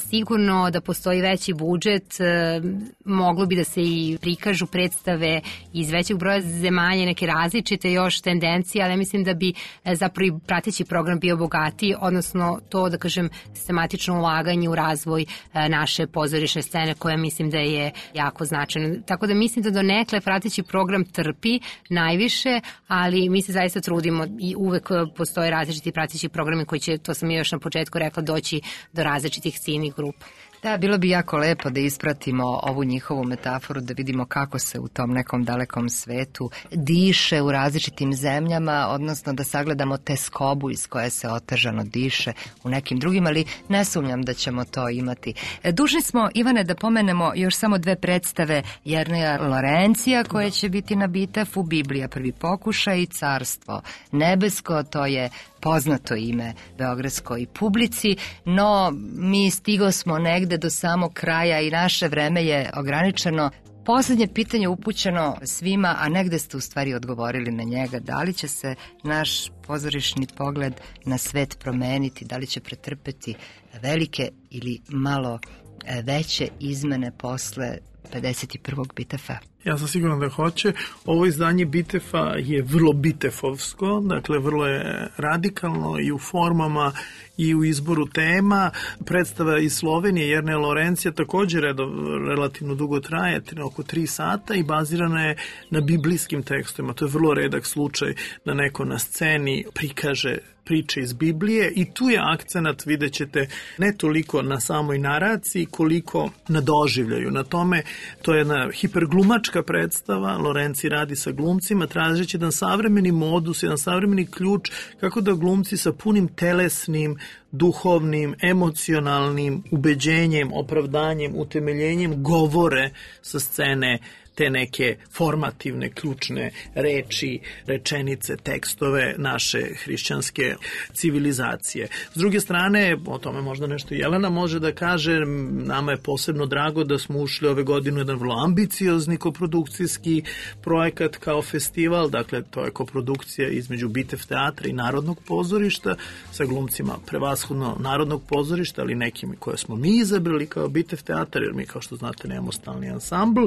Speaker 9: Sigurno da postoji veći budžet, moglo bi da se i prikažu predstave iz većeg broja zemalja, neke različite još tendencije, ali mislim da bi zapravo i prateći program bio bogatiji, odnosno to da kažem sistematično ulaganje u razvoj naše pozorišne scene koja mislim da je jako značajno. Tako da mislim da do nekle prateći program trpi najviše, ali mi se zaista trudimo i uvek postoje različiti prateći programi koji će, to sam još na početku rekla, doći do različitih ciljnih grupa.
Speaker 1: Da, bilo bi jako lepo da ispratimo ovu njihovu metaforu, da vidimo kako se u tom nekom dalekom svetu diše u različitim zemljama, odnosno da sagledamo teskobu iz koje se otežano diše u nekim drugim, ali ne sumnjam da ćemo to imati. Dužni smo, Ivane, da pomenemo još samo dve predstave Jerneja Lorencija koje će biti na Bitefu, Biblija prvi pokušaj i Carstvo nebesko, to je poznato ime beogradskoj publici, no mi stigo smo negde do samog kraja i naše vreme je ograničeno. Poslednje pitanje upućeno svima, a negde ste u stvari odgovorili na njega. Da li će se naš pozorišni pogled na svet promeniti, da li će pretrpeti velike ili malo veće izmene posle pedeset prvog Bitefa?
Speaker 8: Ja sam siguran da hoće. Ovo izdanje Bitefa je vrlo bitefovsko, dakle vrlo je radikalno i u formama i u izboru tema. Predstava iz Slovenije Jerneja Lorencija također relativno dugo traje, oko tri sata i bazirana je na biblijskim tekstovima. To je vrlo redak slučaj da neko na sceni prikaže priče iz Biblije i tu je akcenat, vidjet ćete, ne toliko na samoj naraciji koliko na doživljaju. Na tome, to je jedna hiperglumačka predstava, Lorenci radi sa glumcima, tražeći jedan savremeni modus, jedan savremeni ključ kako da glumci sa punim telesnim, duhovnim, emocionalnim ubeđenjem, opravdanjem, utemeljenjem govore sa scene te neke formativne, ključne reči, rečenice, tekstove naše hrišćanske civilizacije. S druge strane, o tome možda nešto Jelena može da kaže, nama je posebno drago da smo ušli ove godine u jedan vrlo ambiciozni koprodukcijski projekat kao festival, dakle to je koprodukcija između Bitev teatra i Narodnog pozorišta sa glumcima prevashodno Narodnog pozorišta, ali nekim koje smo mi izabrali kao Bitev teatar, jer mi kao što znate nemamo stalni ansambl.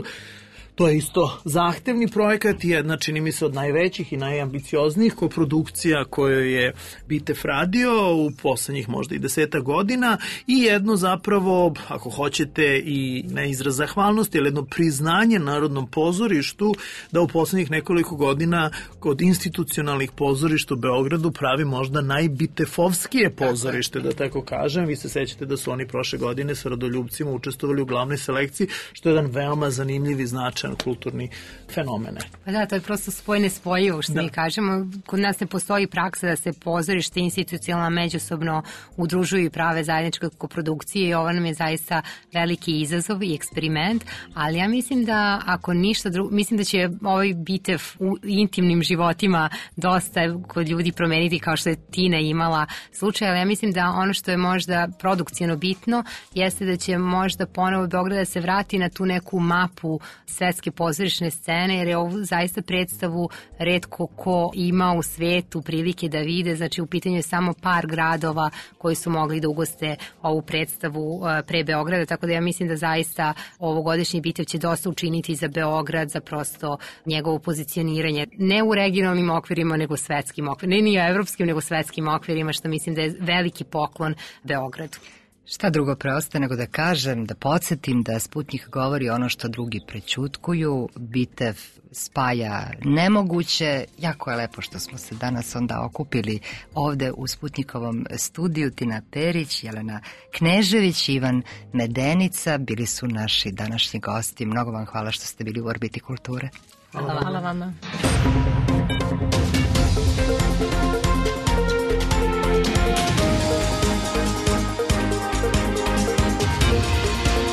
Speaker 8: To je isto zahtevni projekat i jedna, čini mi se, od najvećih i najambicioznijih koprodukcija koje je Bitev radio u poslednjih možda i deseta godina i jedno zapravo, ako hoćete, i ne izraz zahvalnosti, ali jedno priznanje Narodnom pozorištu da u poslednjih nekoliko godina kod institucionalnih pozorišta u Beogradu pravi možda najbitefovskije pozorište, da tako kažem. Vi se sećate da su oni prošle godine sa Rodoljubcima učestvovali u glavnoj selekciji, što je jedan veoma zanimljiv i značajan kulturni fenomene.
Speaker 9: Pa da, to je prosto spojne spojivo, što da. mi kažemo. Kod nas ne postoji praksa da se pozorište institucionalno međusobno udružuju i prave zajedničke koprodukcije i ovo nam je zaista veliki izazov i eksperiment, ali ja mislim da ako ništa drugo, mislim da će ovaj Bitev u intimnim životima dosta kod ljudi promeniti kao što je Tina imala slučaj, ali ja mislim da ono što je možda produkcijno bitno jeste da će možda ponovo Beograd da se vrati na tu neku mapu sve svetske pozorišne scene, jer je ovu zaista predstavu retko ko ima u svetu prilike da vide, znači u pitanju je samo par gradova koji su mogli da ugoste ovu predstavu pre Beograda, tako da ja mislim da zaista ovogodišnji bitev će dosta učiniti za Beograd, za prosto njegovo pozicioniranje, ne u regionalnim okvirima, nego svetskim okvirima, ne ni u evropskim, nego svetskim okvirima, što mislim da je veliki poklon Beogradu.
Speaker 1: Šta drugo preostaje nego da kažem, da podsjetim da Sputnjik govori ono što drugi prećutkuju, bitev spaja nemoguće. Jako je lepo što smo se danas onda okupili ovde u Sputnjikovom studiju. Tina Perić, Jelena Knežević, Ivan Medenica bili su naši današnji gosti. Mnogo vam hvala što ste bili u Orbiti kulture.
Speaker 10: Hvala, hvala vama.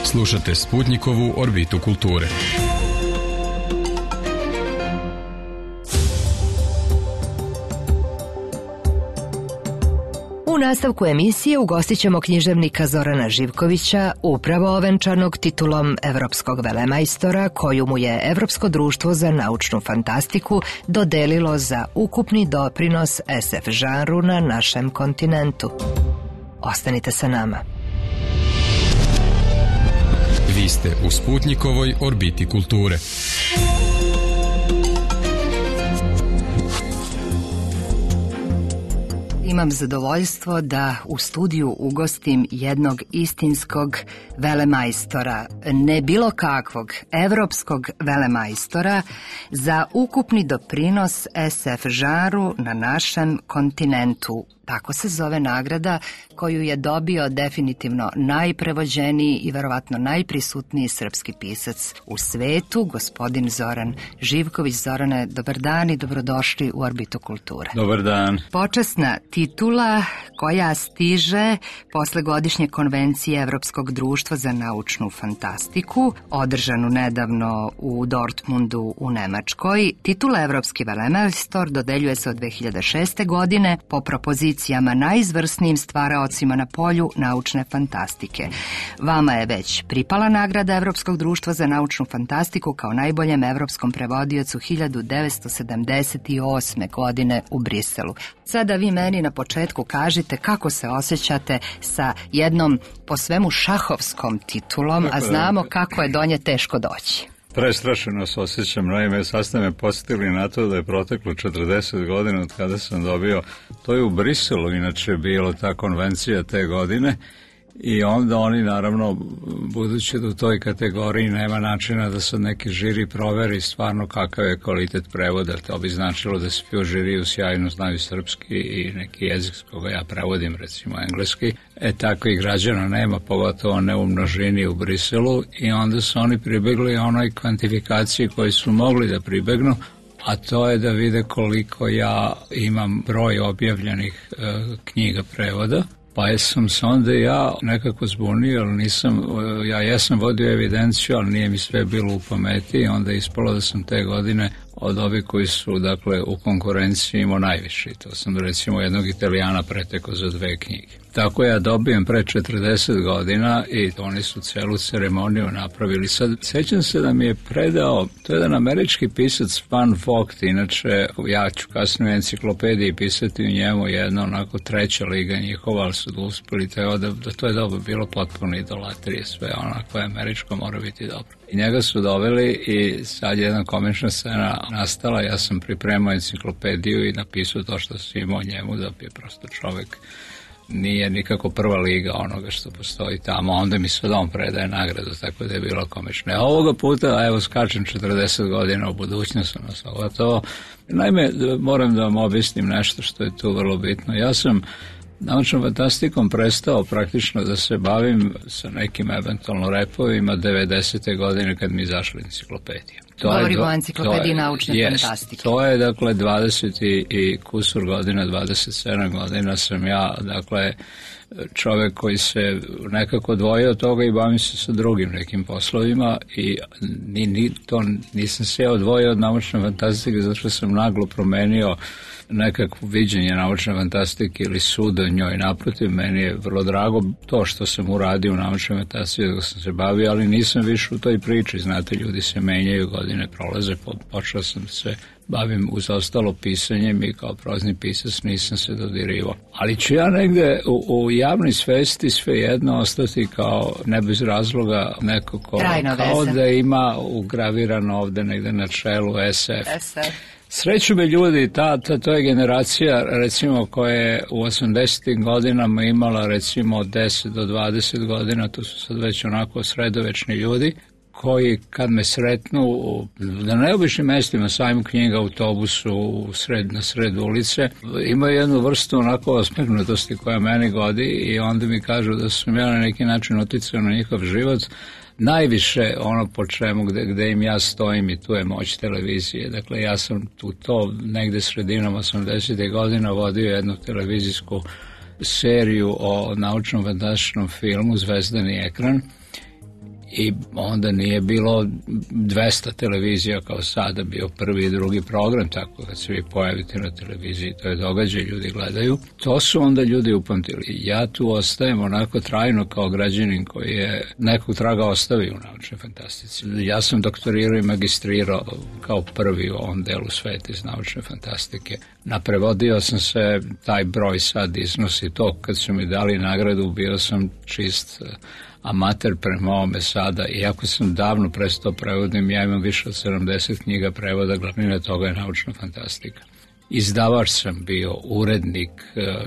Speaker 2: Slušate Sputnjikovu Orbitu kulture.
Speaker 1: U nastavku emisije ugostit ćemo književnika Zorana Živkovića, upravo ovenčanog titulom Evropskog velemajstora, koju mu je Evropsko društvo za naučnu fantastiku dodelilo za ukupni doprinos es ef žanru na našem kontinentu. Ostanite sa nama.
Speaker 2: Vi ste u Sputnjikovoj Orbiti kulture.
Speaker 1: Imam zadovoljstvo da u studiju ugostim jednog istinskog velemajstora, ne bilo kakvog, evropskog velemajstora za ukupni doprinos es ef žanru na našem kontinentu. Tako se zove nagrada koju je dobio definitivno najprevođeniji i verovatno najprisutniji srpski pisac u svetu, gospodin Zoran Živković. Zorane, dobar dan i dobrodošli u Orbitu kulture.
Speaker 11: Dobar dan.
Speaker 1: Počasna titula koja stiže posle godišnje konvencije Evropskog društva za naučnu fantastiku, održanu nedavno u Dortmundu u Nemačkoj. Titula Evropski velemajstor dodeljuje se od dve hiljade šeste. godine po propoziciji najizvrsnijim stvaraocima na polju naučne fantastike. Vama je već pripala nagrada Evropskog društva za naučnu fantastiku kao najboljem evropskom prevodiocu hiljadu devetsto sedamdeset osme. godine u Briselu. Sada vi meni na početku kažite kako se osjećate sa jednom po svemu šahovskom titulom, a znamo kako je do nje teško doći.
Speaker 11: Prestrašeno se osjećam, naime, sad ste me podsjetili na to da je proteklo četrdeset godina od kada sam dobio, to je u Briselu inače bilo ta konvencija te godine, i onda oni naravno, budući da u toj kategoriji nema načina da se neki žiri proveri stvarno kakav je kvalitet prevoda, to bi značilo da svi u žiriju sjajno znaju srpski i neki jezik s koga ja prevodim, recimo engleski, e tako i građana nema, pogotovo ne u množini u Briselu, i onda su oni pribegli onoj kvantifikaciji koji su mogli da pribegnu, a to je da vide koliko ja imam broj objavljenih e, knjiga prevoda. Pa sam se onda ja nekako zbunio, ali nisam, ja jesam vodio evidenciju, ali nije mi sve bilo u pameti, i onda je ispalo da sam te godine od ovih koji su, dakle, u konkurenciji imao najviše. To sam, recimo, jednog Italijana pretekao za dve knjige. Tako ja dobijem pre četrdeset godina i oni su celu ceremoniju napravili. Sad, sećam se da mi je predao, to je jedan američki pisac Van Vogt, inače ja ću kasnije u enciklopediji pisati u njemu jedno onako treća liga njihova, ali su da uspeli to, da, da to je dobro bilo potpuno idolatrije, sve onako je američko, mora biti dobro. I njega su doveli i sad jedna komična scena nastala, ja sam pripremao enciklopediju i napisao to što sam imao njemu, da bi prosto čovek nije nikako prva liga onoga što postoji tamo, onda mi sad on predaje nagradu, tako da je bilo komično. A ovoga puta, evo, skačem četrdeset godina u budućnost, ono to. Naime, moram da vam objasnim nešto što je tu vrlo bitno. Ja sam naučnom fantastikom prestao praktično da se bavim sa nekim eventualno repovima devedesete godine kad mi izašla enciklopedija.
Speaker 1: Govorimo o enciklopediji naučne
Speaker 11: jest,
Speaker 1: fantastike.
Speaker 11: To je, dakle, dvadeset i, i kusur godina, dvadeset sedam godina sam ja, dakle, čovek koji se nekako odvojio od toga i bavim se sa drugim nekim poslovima i ni, ni, to nisam se ja odvojio od naučne fantastike zato što sam naglo promenio nekakvo viđenje naučne fantastike ili sud o njoj. Naprotiv, meni je vrlo drago to što sam uradio u naučnoj fantastiki dok sam se bavio, ali nisam više u toj priči. Znate, ljudi se menjaju, godine prolaze, počeo sam se bavim uz ostalo pisanjem i kao prozni pisac nisam se dodirivao. Ali ću ja negde u, u javnoj svesti svejedno ostati kao ne bez razloga neko ko, kao da ima ugravirano ovde negde na čelu S F.
Speaker 1: S F.
Speaker 11: Sreću me ljudi, ta, ta, to je generacija recimo koja je u osamdesetim godinama imala recimo od deset do dvadeset godina, to su sad već onako sredovečni ljudi, koji kad me sretnu na neobičnim mestima, sajmu knjiga, autobusu, sred, na sred ulice, imaju jednu vrstu onako osmehnutosti koja meni godi i onda mi kažu da sam ja na neki način uticao na njihov život. Najviše ono po čemu gde, gde im ja stojim i tu je moć televizije. Dakle, ja sam tu to negde sredinom osamdesetih godina vodio jednu televizijsku seriju o naučnom fantastičnom filmu Zvezdani ekran i onda nije bilo dvesta televizija kao sada, bio prvi i drugi program, tako kad se vi pojavite na televiziji, to je događaj, ljudi gledaju. To su onda ljudi upamtili. Ja tu ostajem onako trajno kao građanin koji je nekog traga ostavio u naučnoj fantastici. Ja sam doktorirao i magistrirao kao prvi u ovom delu sveta iz naučne fantastike. Naprevodio sam se, taj broj sad iznosi to, kad su mi dali nagradu, bio sam čist amater prema ovome sada, iako sam davno prestao prevodim, ja imam više od sedamdeset knjiga prevoda, glavnina toga je naučna fantastika. Izdavač sam bio, urednik,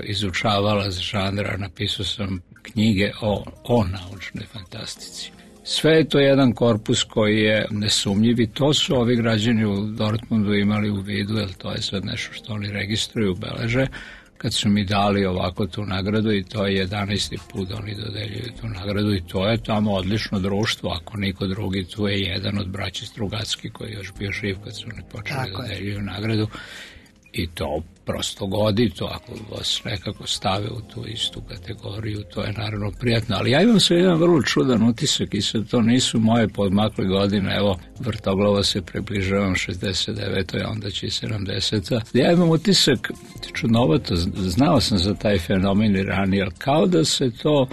Speaker 11: izučavalac žanra, napisao sam knjige o, o naučnoj fantastici. Sve je to jedan korpus koji je nesumnjiv i to su ovi građani u Dortmundu imali u vidu, jer to je sad nešto što oni registruju, beleže, kad su mi dali ovako tu nagradu i to je jedanaesti put da oni dodeljuju tu nagradu i to je tamo odlično društvo, ako niko drugi, tu je jedan od braći Strugacki koji je još bio živ kad su oni počeli dodeljuju nagradu i to prosto godi, to ako vas nekako stave u tu istu kategoriju, to je naravno prijatno, ali ja imam sve jedan vrlo čudan utisak i sad to nisu moje podmakle godine, evo vrtoglavo se približavam šezdeset devetoj a onda će i sedamdeseta Ja imam utisak, čudnovato, znao sam za taj fenomen i ranije, ali kao da se to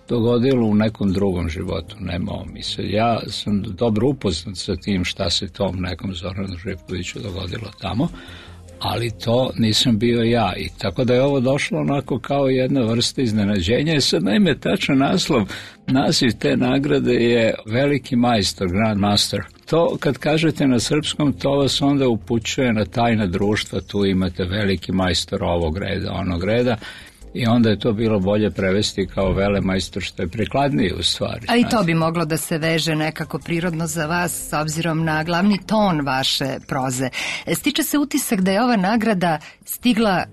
Speaker 11: dogodilo u nekom drugom životu, nema ovo misle. Ja sam dobro upoznat sa tim šta se tom nekom Zoranu Živkoviću dogodilo tamo, ali to nisam bio ja i tako da je ovo došlo onako kao jedna vrsta iznenađenja i sad naime tačan naslov, naziv te nagrade je Veliki majstor, Grand Master. To kad kažete na srpskom, to vas onda upućuje na tajna društva, tu imate veliki majstor ovog reda, onog reda i onda je to bilo bolje prevesti kao velemajstor, što je prikladnije u stvari.
Speaker 1: A i to bi moglo da se veže nekako prirodno za vas s obzirom na glavni ton vaše proze. Stiče se utisak da je ova nagrada stigla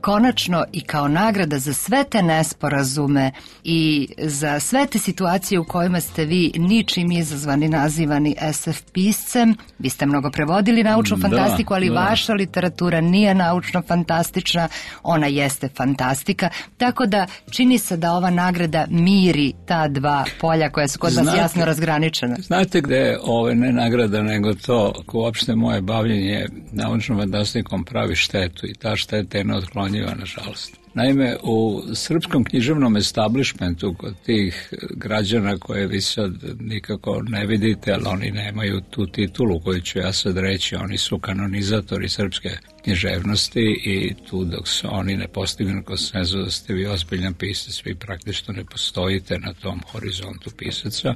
Speaker 1: konačno i kao nagrada za sve te nesporazume i za sve te situacije u kojima ste vi ničim izazvani nazivani S F piscem. Vi ste mnogo prevodili naučnu fantastiku, ali da. Vaša literatura nije naučno fantastična, ona jeste fantastika, tako da čini se da ova nagrada miri ta dva polja koja su kod vas jasno razgraničena.
Speaker 11: Znate gde je ovo ne nagrada, nego to ko uopšte moje bavljenje naučnom fantastikom pravi štetu i ta šteta je neotklonjiva, nažalost. Naime, u srpskom književnom establishmentu kod tih građana koje vi sad nikako ne vidite, ali oni nemaju tu titulu koju ću ja sad reći, oni su kanonizatori srpske književnosti i tu dok se oni ne postignu konsenzus da ste vi ozbiljan pisac, vi praktično ne postojite na tom horizontu pisaca.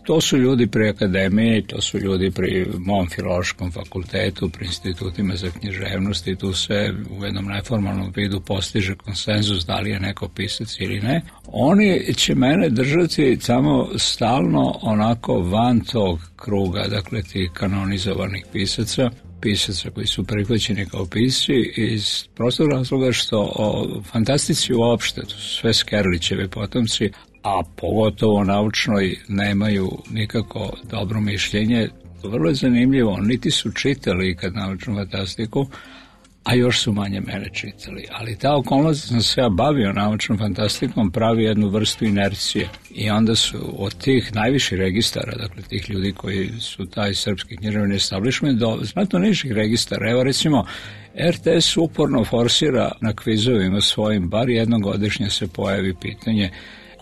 Speaker 11: To su ljudi pri akademiji, to su ljudi pri mom filološkom fakultetu, pri institutima za književnost i tu se u jednom neformalnom vidu postiže konsenzus da li je neko pisac ili ne. Oni će mene držati samo stalno onako van tog kruga, dakle tih kanonizovanih pisaca, pisaca koji su prihvaćeni kao pisci iz prostog razloga što o fantastici uopšte, to su sve Skerlićevi potomci, a pogotovo naučnoj nemaju nikako dobro mišljenje. Vrlo je zanimljivo, niti su čitali ikad naučnu fantastiku, a još su manje mene čitali. Ali ta okolnost da sam se ja bavio naučnom fantastikom pravi jednu vrstu inercije. I onda su od tih najviših registara, dakle tih ljudi koji su taj srpski književni establishment, do znatno nižih registara. Evo recimo, er te es uporno forsira na kvizovima svojim, bar jednom godišnje se pojavi pitanje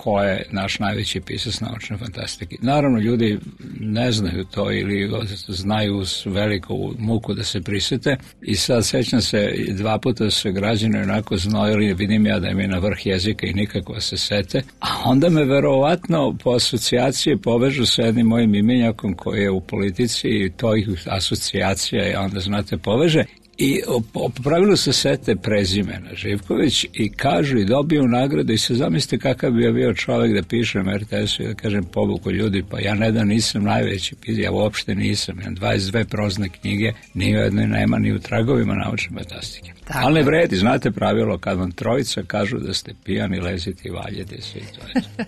Speaker 11: ko je naš najveći pisac naučne fantastike. Naravno, ljudi ne znaju to ili znaju uz veliku muku da se prisete i sad sećam se, dva puta su se građani onako znojili, vidim ja da im je na vrh jezika i nikako se sete, a onda me verovatno po asocijacije povežu sa jednim mojim imenjakom koji je u politici i to ih asocijacija i onda znate poveže. I po pravilu se sete prezimena Živković i kažu i dobiju nagradu i se zamislite kakav bi ja bio čovjek da pišem er te esu i da kažem povuku ljudi, pa ja ne da nisam najveći, ja uopšte nisam, imam dvadeset dve prozne knjige, ni u jednoj nema, ni u tragovima naučne fantastike. Tako. Ali ne vredi, znate pravilo, kad vam trojica kažu da ste pijani, lezite i valjete svi to je.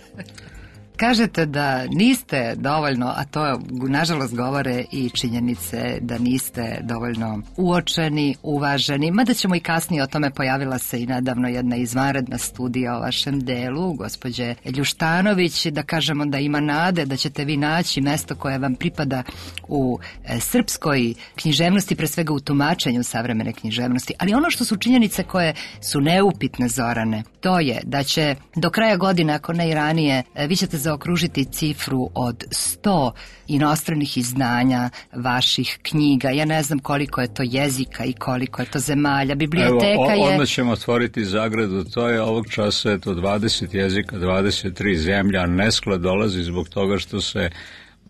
Speaker 1: Kažete da niste dovoljno, a to nažalost govore i činjenice da niste dovoljno uočeni, uvaženi, mada ćemo i kasnije o tome, pojavila se i nedavno jedna izvanredna studija o vašem delu, gospođe Ljuštanović, da kažemo da ima nade da ćete vi naći mesto koje vam pripada u e, srpskoj književnosti, pre svega u tumačenju savremene književnosti, ali ono što su činjenice koje su neupitne, Zorane, to je da će do kraja godine, ako ne i ranije, e, vi ćete zaokružiti cifru od sto inostranih izdanja vaših knjiga. Ja ne znam koliko je to jezika i koliko je to zemalja. Biblioteka Evo, o, je... Odmah
Speaker 11: ćemo otvoriti zagradu. To je ovog časa je to dvadeset jezika, dvadeset tri zemlja. Nesklad dolazi zbog toga što se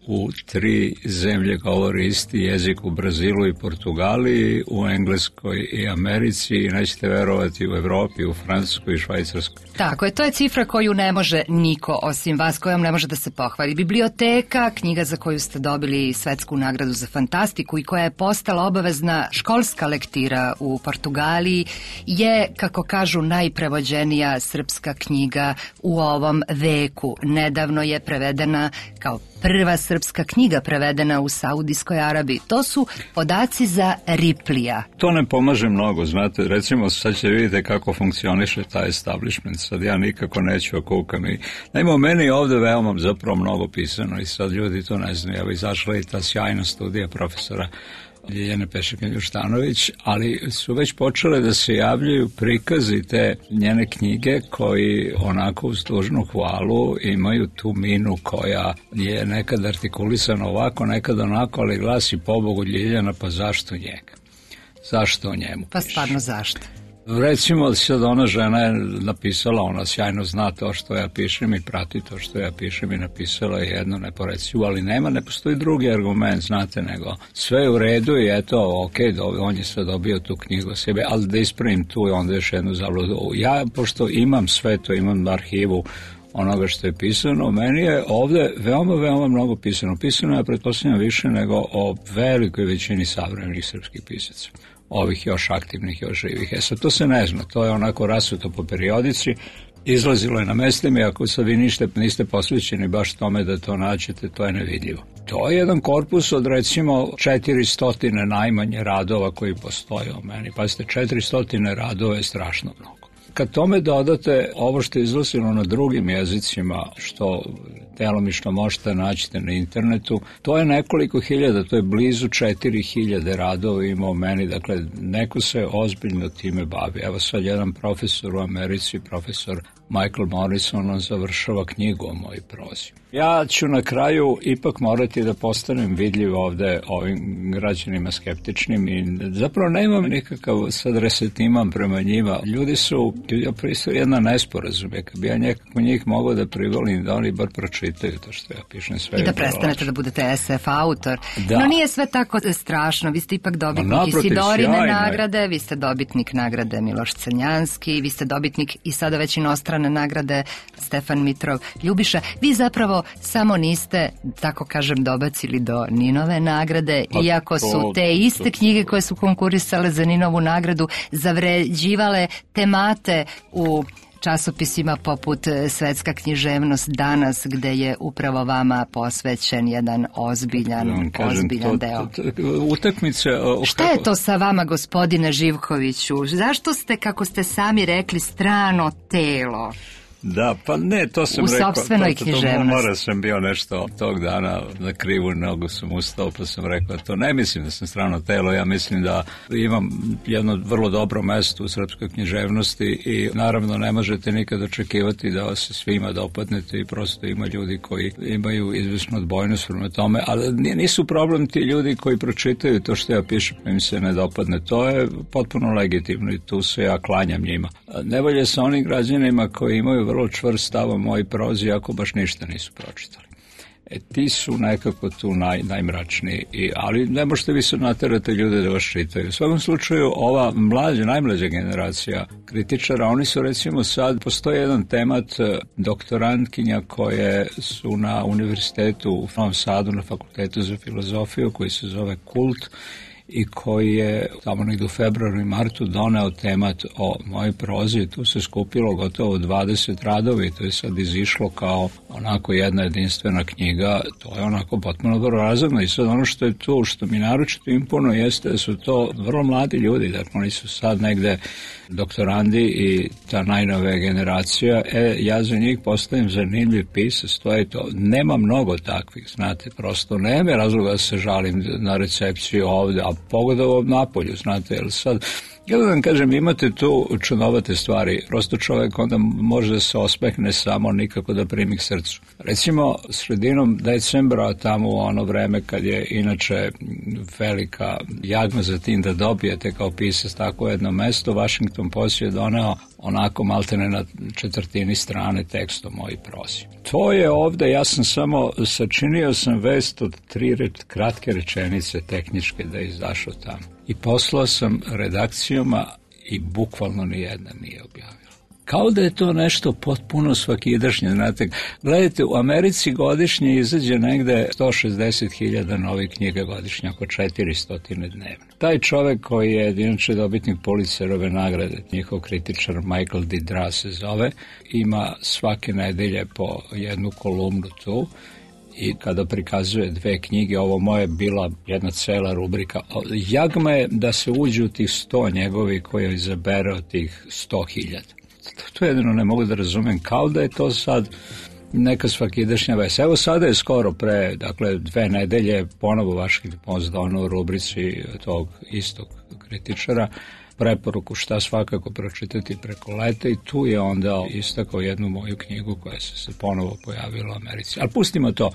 Speaker 11: u tri zemlje govori isti jezik, u Brazilu i Portugaliji, u Engleskoj i Americi i nećete verovati u Evropi, u Francuskoj i Švajcarskoj.
Speaker 1: Tako je, to je cifra koju ne može niko osim vas, kojom ne može da se pohvali. Biblioteka, knjiga za koju ste dobili svetsku nagradu za fantastiku i koja je postala obavezna školska lektira u Portugaliji, je, kako kažu, najprevođenija srpska knjiga u ovom veku. Nedavno je prevedena kao prva srpska knjiga prevedena u Saudijskoj Arabiji. To su podaci za Riplija.
Speaker 11: To ne pomaže mnogo, znate, recimo sad će vidite kako funkcioniše taj establishment, sad ja nikako neću okukam i naime, meni je ovde veoma zapravo mnogo pisano i sad ljudi to ne znaju, evo izašla i ta sjajna studija profesora Ljiljane Pešek-Ljuštanović, ali su već počele da se javljaju prikazi te njene knjige koji onako uz dužnu hvalu imaju tu minu koja je nekad artikulisana ovako, nekad onako, ali glasi pobogu Ljiljana, pa zašto njega? Zašto o njemu?
Speaker 1: Pa stvarno zašto?
Speaker 11: Recimo, sad ona žena je napisala, ona sjajno zna to što ja pišem i prati to što ja pišem i napisala je jedno neporecivo, ali nema, ne postoji drugi argument, znate, nego sve je u redu i eto, ok, on je sad dobio tu knjigu sebe, ali da ispravim tu i onda još jednu zabludu. Ja, pošto imam sve to, imam arhivu onoga što je pisano, meni je ovde veoma, veoma mnogo pisano. Pisano je, pretpostavljam, više nego o velikoj većini savremenih srpskih pisaca. Ovih još aktivnih, još živih. E sad, to se ne zna, to je onako rasuto po periodici, izlazilo je na mestima i ako sad vi nište, niste posvećeni baš tome da to naćete, to je nevidljivo. To je jedan korpus od recimo četiristo najmanje radova koji postoje o meni. Pazite, četiristo radova je strašno mnogo. Kad tome dodate ovo što je izlazilo na drugim jezicima, što telomično možete naći na internetu, to je nekoliko hiljada, to je blizu četiri hiljade radova ima o meni, dakle neko se ozbiljno time bavi. Evo sad jedan profesor u Americi, profesor Michael Morrison, on završava knjigu o mojoj prozi. Ja ću na kraju ipak morati da postanem vidljiv ovde ovim građanima skeptičnim i zapravo nemam nikakav sad resentiman prema njima. Ljudi su, ja pristup jedna nesporazume, kad bi ja nekako njih mogao da privolim da oni bar pročitaju to što ja pišem sve.
Speaker 1: I da prestanete da budete es ef autor. Da. No nije sve tako strašno, vi ste ipak dobitnik Isidorine nagrade, vi ste dobitnik nagrade Miloš Crnjanski, vi ste dobitnik i sada već inostrane nagrade Stefan Mitrov Ljubiša. Vi zapravo samo niste, tako kažem, dobacili do Ninove nagrade, pa iako su to, te iste to, knjige koje su konkurisale za Ninovu nagradu zavređivale temate u časopisima poput Svetska književnost danas, gde je upravo vama posvećen jedan ozbiljan, kažem, ozbiljan to, deo.
Speaker 11: To, to, utakmice... O,
Speaker 1: Šta kako... je to sa vama, gospodine Živkoviću? Zašto ste, kako ste sami rekli, strano telo?
Speaker 11: Da, pa ne, to sam
Speaker 1: u
Speaker 11: rekao.
Speaker 1: U sopstvenoj
Speaker 11: to,
Speaker 1: književnosti.
Speaker 11: To, to mora sam bio nešto tog dana, na krivu nogu sam ustao, pa sam rekao to. Ne mislim da sam strano telo, ja mislim da imam jedno vrlo dobro mesto u srpskoj književnosti i naravno ne možete nikad očekivati da vas se svima dopadnete i prosto ima ljudi koji imaju izvesnu odbojnost prema tome, ali nisu problem ti ljudi koji pročitaju to što ja pišem pa im se ne dopadne. To je potpuno legitimno i tu se ja klanjam njima. Ne volje sa onim građanima koji imaju vrlo čvrst stav o mojoj prozi, ako baš ništa nisu pročitali. E, ti su nekako tu naj, najmračniji, I, ali ne možete vi se naterati ljude da vas čitaju. U svakom slučaju, ova mlađa, najmlađa generacija kritičara, oni su recimo sad, postoji jedan temat doktorantkinja koje su na univerzitetu u Novom Sadu, na fakultetu za filozofiju, koji se zove Kult, i koji je tamo negdje u februaru i martu doneo temat o mojoj prozi. Tu se skupilo gotovo dvadeset radovi, to je sad izišlo kao onako jedna jedinstvena knjiga, to je onako potpuno vrlo razumno. I sad ono što je tu, što mi naročito imponuje, jeste da su to vrlo mladi ljudi, dakle oni su sad negde doktorandi i ta najnovija generacija, e, ja za njih postavim zanimljiv pisac, to je to. Nema mnogo takvih, znate, prosto nema razloga da se žalim na recepciju ovde, a pogotovo napolju, znate, jer sad, ja da vam kažem, imate tu čudnovate stvari, prosto čovjek onda može da se osmehne samo, nikako da primi k srcu. Recimo, sredinom decembra, tamo u ono vreme kad je inače velika jagma za tim da dobijete kao pisac tako jedno mesto, Washington Post je doneo onako maltene na četvrtini strane tekst o mojoj prozi. To je ovde, ja sam samo sačinio sam vest od tri reč, kratke rečenice tehničke da je izašao tamo. I poslao sam redakcijama i bukvalno ni jedna nije objavila. Kao da je to nešto potpuno svakidašnje, znate. Gledajte, u Americi godišnje izađe negde sto šezdeset hiljada novih knjiga godišnje, oko četiristo dnevno. Taj čovek koji je inače dobitnik Pulitzerove nagrade, njihov kritičar Michael Didra se zove, ima svake nedelje po jednu kolumnu tu. I kada prikazuje dve knjige, ovo moje bila jedna cela rubrika. Jagma je da se uđe u tih sto njegovi koje izabere od tih sto hiljada. To jedino ne mogu da razumem, kao da je to sad neka svakidašnja vest. Evo sada je skoro pre, dakle, dve nedelje ponovo Washington Post doneo u rubrici tog istog kritičara preporuku šta svakako pročitati preko leta i tu je onda istakao jednu moju knjigu koja se, se ponovo pojavila u Americi. Ali pustimo to.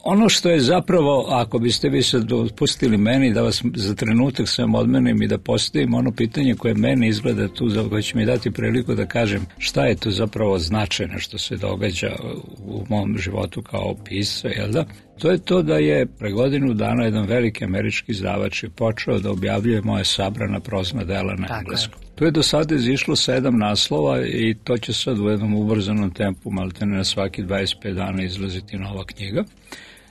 Speaker 11: Ono što je zapravo, ako biste vi sad dopustili meni da vas za trenutak sam odmenim i da postavim ono pitanje koje meni izgleda tu, za koje će mi dati priliku da kažem šta je to zapravo značajno što se događa u mom životu kao pisca, jel da? To je to da je pre godinu dana jedan veliki američki izdavač je počeo da objavljuje moje sabrana prozna dela na engleskom. Tu je do sada izišlo sedam naslova i to će sad u jednom ubrzanom tempu, maltene na svaki dvadeset pet dana izlaziti nova knjiga.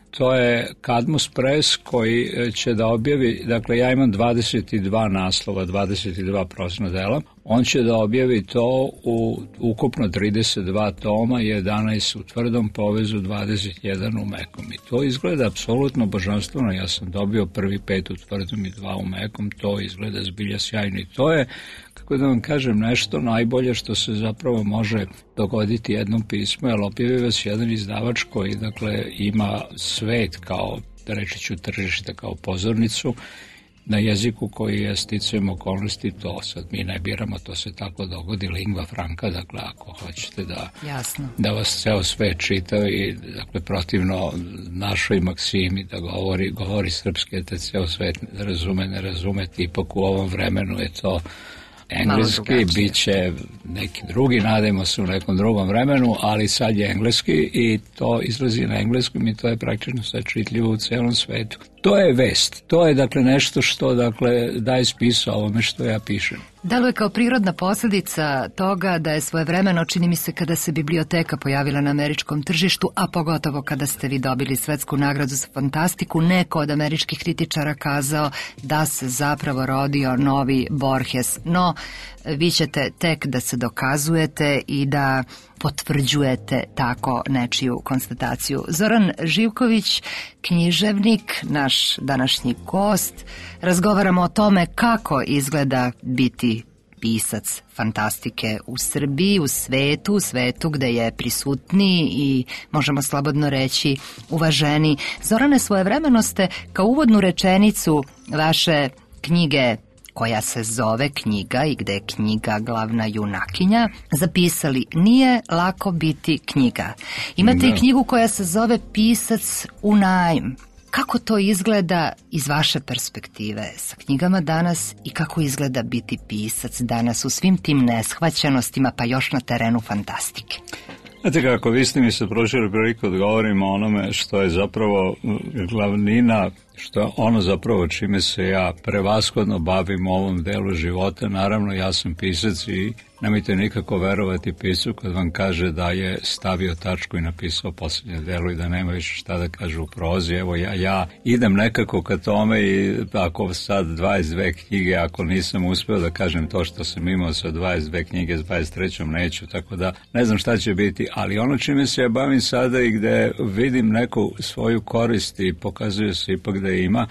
Speaker 11: To je Kadmus Press koji će da objavi, dakle ja imam dvadeset dva naslova, dvadeset dva prozna dela, on će da objavi to u ukupno trideset dva toma, jedanaest u tvrdom povezu, dvadeset jedan u mekom. I to izgleda apsolutno božanstveno, ja sam dobio prvi pet u tvrdom i dva u mekom, to izgleda zbilja sjajno i to je, kako da vam kažem, nešto najbolje što se zapravo može dogoditi jednom pismu, jer objavi vas jedan izdavač koji, dakle, ima svet kao, da reći ću, tržište kao pozornicu, na jeziku koji je sticajem okolnosti, to sad mi ne biramo, to se tako dogodi, lingva franca, dakle ako hoćete da, da vas ceo svet čita i dakle protivno našoj maksimi da govori, govori srpski, da ceo svet razume, ne razume, ipak u ovom vremenu je to engleski, bit će neki drugi, nadajmo se u nekom drugom vremenu, ali sad je engleski i to izlazi na engleskom i to je praktično sad čitljivo u celom svetu. To je vest, to je dakle nešto što dakle daje smisao ovome što ja pišem.
Speaker 1: Deluje kao prirodna posljedica toga da je svojevremeno, čini mi se, kada se biblioteka pojavila na američkom tržištu, a pogotovo kada ste vi dobili svetsku nagradu za fantastiku, neko od američkih kritičara kazao da se zapravo rodio novi Borges. No, vi ćete tek da se dokazujete i da potvrđujete tako nečiju konstataciju. Zoran Živković, književnik, naš današnji gost, razgovaramo o tome kako izgleda biti pisac fantastike u Srbiji, u svetu, u svetu gde je prisutniji i, možemo slobodno reći, uvaženi. Zorane, svojevremeno ste kao uvodnu rečenicu vaše knjige, koja se zove Knjiga i gde je knjiga glavna junakinja, zapisali: nije lako biti knjiga. Imate i knjigu koja se zove Pisac u najam. Kako to izgleda iz vaše perspektive sa knjigama danas i kako izgleda biti pisac danas u svim tim neshvaćenostima, pa još na terenu fantastike?
Speaker 11: Znate kako, vi ste mi se prošli priliku da govorimo o onome što je zapravo glavnina, što je ono zapravo čime se ja prevashodno bavim u ovom delu života. Naravno, ja sam pisac i nemojte nikako verovati pisu kad vam kaže da je stavio tačku i napisao posljednje delo i da nema više šta da kaže u prozi. Evo, ja, ja idem nekako ka tome i ako sad dvadeset dve knjige, ako nisam uspeo da kažem to što sam imao sa dvadeset dve knjige, s dvadeset trećom neću, tako da ne znam šta će biti, ali ono čime se ja bavim sada i gde vidim neku svoju korist i pokazuje se ipak da ima,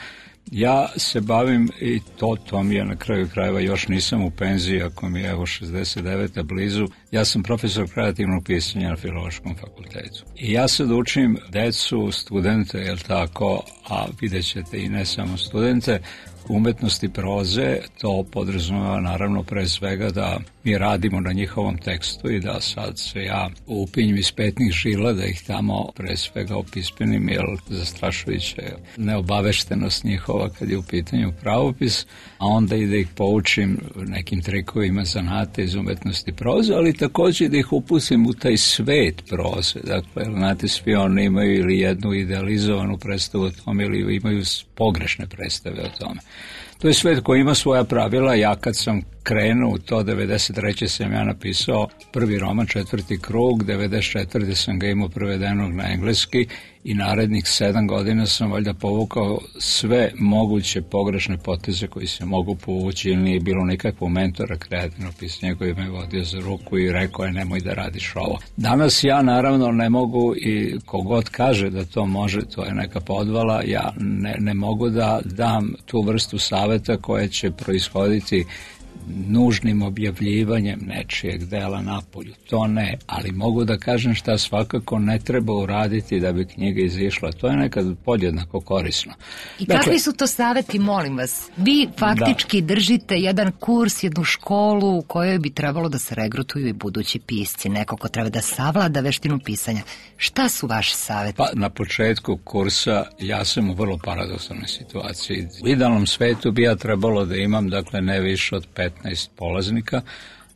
Speaker 11: ja se bavim i to, to mi je na kraju krajeva, još nisam u penziji, ako mi je evo šezdeset deveta blizu, ja sam profesor kreativnog pisanja na Filološkom fakultetu. I ja sad učim decu, studente, jel tako, a vidjet ćete i ne samo studente, umetnosti proze. To podrazumeva naravno pre svega da mi radimo na njihovom tekstu i da sad se ja upinjim iz petnih žila, da ih tamo pre svega opismenim, jer zastrašujuća je neobaveštenost njihova kad je u pitanju pravopis, a onda i da ih poučim nekim trikovima zanata iz umetnosti proze, ali također da ih upustim u taj svet proze. Dakle, znate, svi oni imaju ili jednu idealizovanu predstavu o tome ili imaju pogrešne predstave o tome. To je svet koji ima svoja pravila. Ja kad sam krenuo u to, devedeset treće sam ja napisao prvi roman, Četvrti krug, devedeset četvrte sam ga imao prevedenog na engleski i narednih sedam godina sam valjda povukao sve moguće pogrešne poteze koji se mogu povući, ili nije bilo nikakvog mentora kreativnog pisanja koji me vodio za ruku i rekao je nemoj da radiš ovo. Danas ja naravno ne mogu, i kogod kaže da to može, to je neka podvala, ja ne, ne mogu da dam tu vrstu saveta koja će proishoditi nužnim objavljivanjem nečijeg dela napolju. To ne, ali mogu da kažem šta svakako ne treba uraditi da bi knjiga izišla. To je nekad podjednako korisno.
Speaker 1: I dakle, kakvi su to saveti, molim vas? Vi faktički da. držite jedan kurs, jednu školu u kojoj bi trebalo da se regrutuju i budući pisci, neko ko treba da savlada veštinu pisanja. Šta su vaši saveti?
Speaker 11: Pa na početku kursa ja sam u vrlo paradoksalnoj situaciji. U idealnom svetu bi ja trebalo da imam, dakle, ne više od petnaest polaznika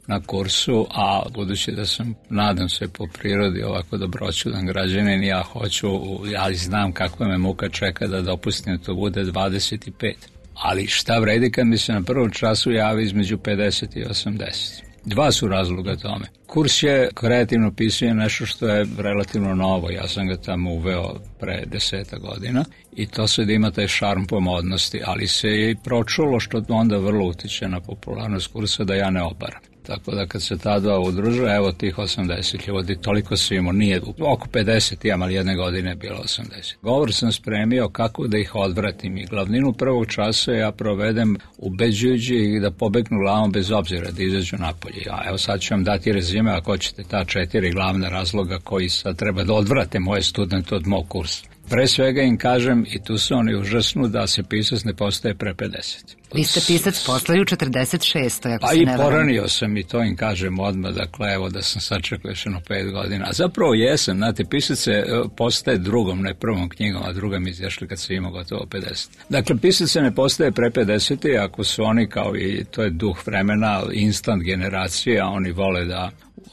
Speaker 11: na kursu, a budući da sam, nadam se, po prirodi ovako dobroćudan građanin, ja hoću, ja znam kakva me muka čeka da dopustim to bude dvadeset pet. Ali šta vredi kad mi se na prvom času javi između pedeset i osamdeset? Dva su razloga tome. Kurs je kreativno pisanje nešto što je relativno novo. Ja sam ga tamo uveo pre deseta godina i to sad ima taj šarm pomodnosti, ali se je i pročulo, što onda vrlo utiče na popularnost kursa, da ja ne obaram. Tako da kad se ta dva udruže, evo tih osamdeset ljudi, toliko se imamo, nije oko pedeset imam, ali jedne godine je bilo osamdeset. Govor sam spremio kako da ih odvratim i glavninu prvog časa ja provedem ubeđujući ih da pobegnu glavom bez obzira, da izađu napolje. A evo sad ću vam dati rezime, ako hoćete, ta četiri glavna razloga koji sad treba da odvrate moje studente od mog kursa. Pre svega im kažem, i tu su oni užasnu, da se pisac ne postaje pre pedeset.
Speaker 1: Vi ste pisac postali u četrdeset šestoj ako
Speaker 11: pa
Speaker 1: se ne
Speaker 11: varam. Pa i poranio sam i to im kažem odmah, dakle evo da sam sačekao još jedno pet godina. A zapravo jesam, znate, pisac se postaje drugom, ne prvom knjigom, a druga mi izjašli kad se ima gotovo pedeset. Dakle, pisac se ne postaje pre pedeset, ako su oni kao i, to je duh vremena, instant generacije, a oni vole da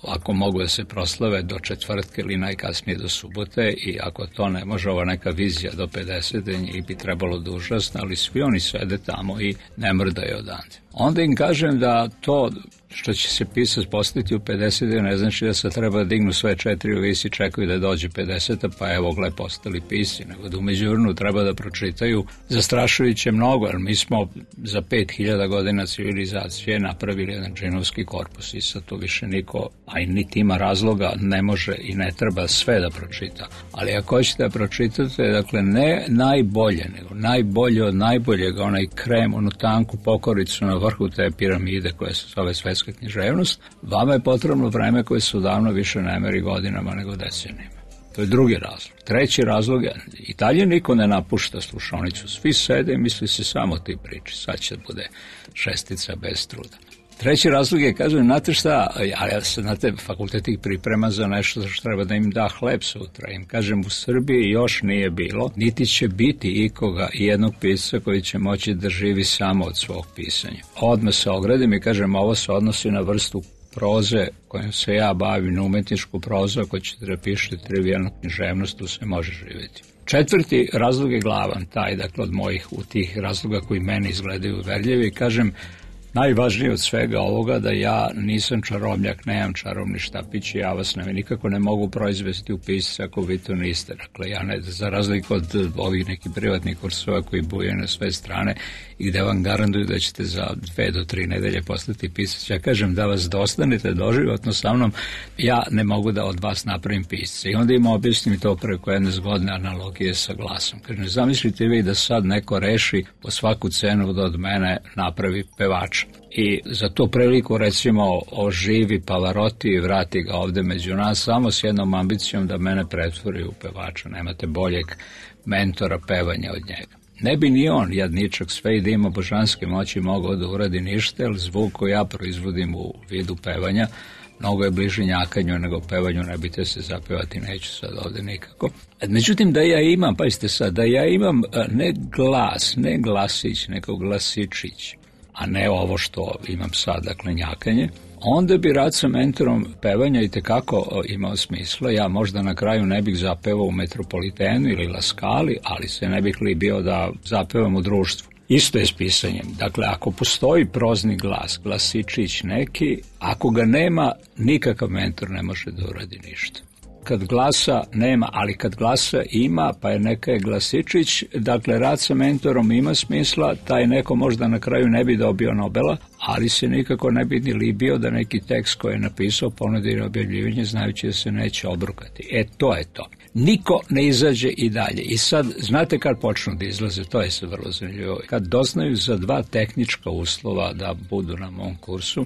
Speaker 11: ako mogu da se proslave do četvrtke ili najkasnije do subote, i ako to ne može, ova neka vizija do pedesete, njih bi trebalo da užasne, ali svi oni sede tamo i ne mrdaju odande. Onda im kažem da to što će se pisati postaviti u pedesete ne znači da se treba dignu sve četiri u visi, čekaju da dođe pedeseta, pa evo gle postali pisci, nego da u međuvremenu treba da pročitaju zastrašujuće mnogo, jer mi smo za pet hiljada godina civilizacije napravili jedan džinovski korpus i sad to više niko, a i niti ima razloga, ne može i ne treba sve da pročita. Ali ako hoćete da pročitate, dakle ne najbolje, nego najbolje od najboljega, onaj krem, onu tanku pokoricu na vrhu te piramide koja se zove svetska književnost, vama je potrebno vreme koje se odavno više ne meri godinama nego decenijama. To je drugi razlog. Treći razlog je, i dalje niko ne napušta slušaonicu, svi sede i misli se samo ti priči, sad će bude šestica bez truda. Treći razlog je, kažem, znate šta, ja se, znate, fakultet ih priprema za nešto što treba da im da hleb sutra. Im kažem, u Srbiji još nije bilo, niti će biti ikoga i jednog pisca koji će moći da živi samo od svog pisanja. Odmah se ogradim i kažem, ovo se odnosi na vrstu proze kojom se ja bavim, na umetničku prozu, ako ćete da pišete trivijalnu književnost, tu se može živjeti. Četvrti razlog je glavan, taj, dakle, od mojih, u tih razloga koji meni izgledaju uverljivi, kažem, najvažnije od svega ovoga da ja nisam čarobnjak, nemam čarobni štapić i ja vas ne, nikako ne mogu proizvesti u pisce ako vi to niste. Dakle, ja ne, za razliku od ovih nekih privatnih kursova koji buje na sve strane i gde vam garantuju da ćete za dve do tri nedelje postati pisac. Ja kažem da vas dostanete doživotno sa mnom, ja ne mogu da od vas napravim pisce. I onda im objasnim to preko jedne zgodne analogije sa glasom. Kažem, zamislite vi da sad neko reši po svaku cenu da od mene napravi pevača. I za tu priliku, recimo, oživi Pavarotti i vrati ga ovde među nas samo s jednom ambicijom da mene pretvori u pevača. Nemate boljeg mentora pevanja od njega. Ne bi ni on, jadničak, sve i da ima božanske moći, mogao da uradi ništa, jer zvuk koji ja proizvodim u vidu pevanja mnogo je bliži njakanju nego pevanju, ne bite se zapevati, neću sad ovde nikako. Međutim, da ja imam, pazite sad, da ja imam ne glas, ne glasić, nego glasičić, a ne ovo što imam sad, dakle njakanje, onda bi rad sa mentorom pevanja i tekako imao smisla. Ja možda na kraju ne bih zapevao u Metropolitenu ili La Scali, ali se ne bih li bio da zapevam u društvu. Isto je s pisanjem. Dakle, ako postoji prozni glas, glasičić neki, ako ga nema, nikakav mentor ne može da uradi ništa. Kad glasa nema, ali kad glasa ima, pa je neka je glasičić, dakle, rad sa mentorom ima smisla, taj neko možda na kraju ne bi dobio Nobela, ali se nikako ne bi ni libio da neki tekst koji je napisao ponudi na objavljivanje, znajući da se neće obrukati. E, to je to. Niko ne izađe i dalje. I sad, znate kad počnu da izlaze, to je sad vrlo zanimljivo. Kad doznaju za dva tehnička uslova da budu na mom kursu,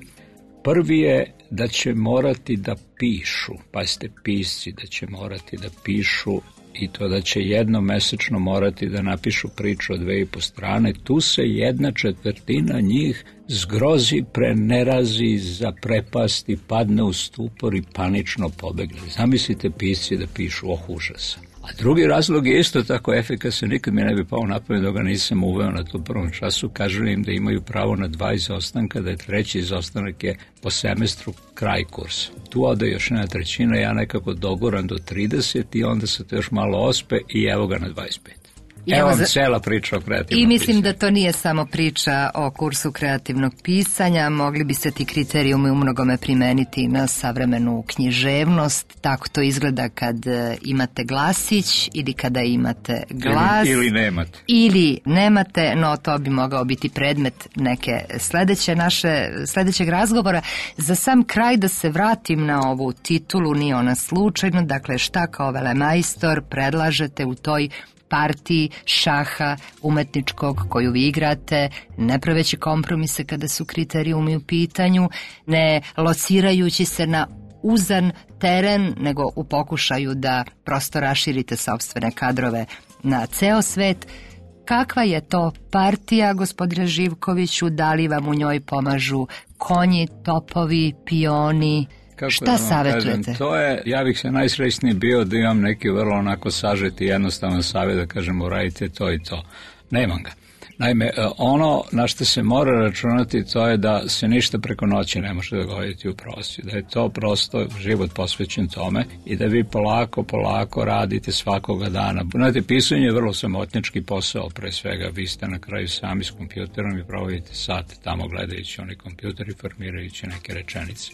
Speaker 11: prvi je da će morati da pišu, pazite, pisci, da će morati da pišu i to da će jednom mesečno morati da napišu priču od dve i po strane. Tu se jedna četvrtina njih zgrozi, prenerazi, zaprepasti, padne u stupor i panično pobegne. Zamislite pisci da pišu, oh užasa. A drugi razlog je isto tako efikasan, nikad mi ne bi pao na pamet da ga nisam uveo na tom prvom času. Kažu im da imaju pravo na dva izostanka, da je treći izostanak je po semestru kraj kursa. Tu ode još jedna trećina, ja nekako doguram do trideset i onda se to još malo ospe i evo ga na dvadeset pet. Evo vam cela priča o kreativnom
Speaker 1: I mislim
Speaker 11: pisanju.
Speaker 1: da to nije samo priča o kursu kreativnog pisanja, mogli bi se ti kriterijumi u mnogome primeniti na savremenu književnost. Tako to izgleda kad imate glasić ili kada imate glas.
Speaker 11: Ili, ili nemate.
Speaker 1: Ili nemate, no to bi mogao biti predmet neke sledeće naše, sledećeg razgovora. Za sam kraj da se vratim na ovu titulu, nije ona slučajno, dakle šta kao velemajstor predlažete u toj partiji šaha umetničkog koju vi igrate, ne praveći kompromise kada su kriterijumi u pitanju, ne locirajući se na uzan teren, nego u pokušaju da prosto raširite sopstvene kadrove na ceo svet. Kakva je to partija, gospodine Živkoviću, da li vam u njoj pomažu konji, topovi, pioni?
Speaker 11: Kako
Speaker 1: šta
Speaker 11: da
Speaker 1: savjetujete?
Speaker 11: Kažem, to je, ja bih se najsrećniji bio da imam neki vrlo onako sažeti jednostavan savjet da kažem uradite to i to. Nemam ga. Naime, ono na što se mora računati to je da se ništa preko noći ne može dogoditi u prosvjedu, da je to prosto život posvećen tome i da vi polako, polako radite svakoga dana. Znate, pisanje je vrlo samotnički posao, pre svega vi ste na kraju sami s kompjuterom i provodite sat tamo gledajući onaj kompjuter i formirajući neke rečenice.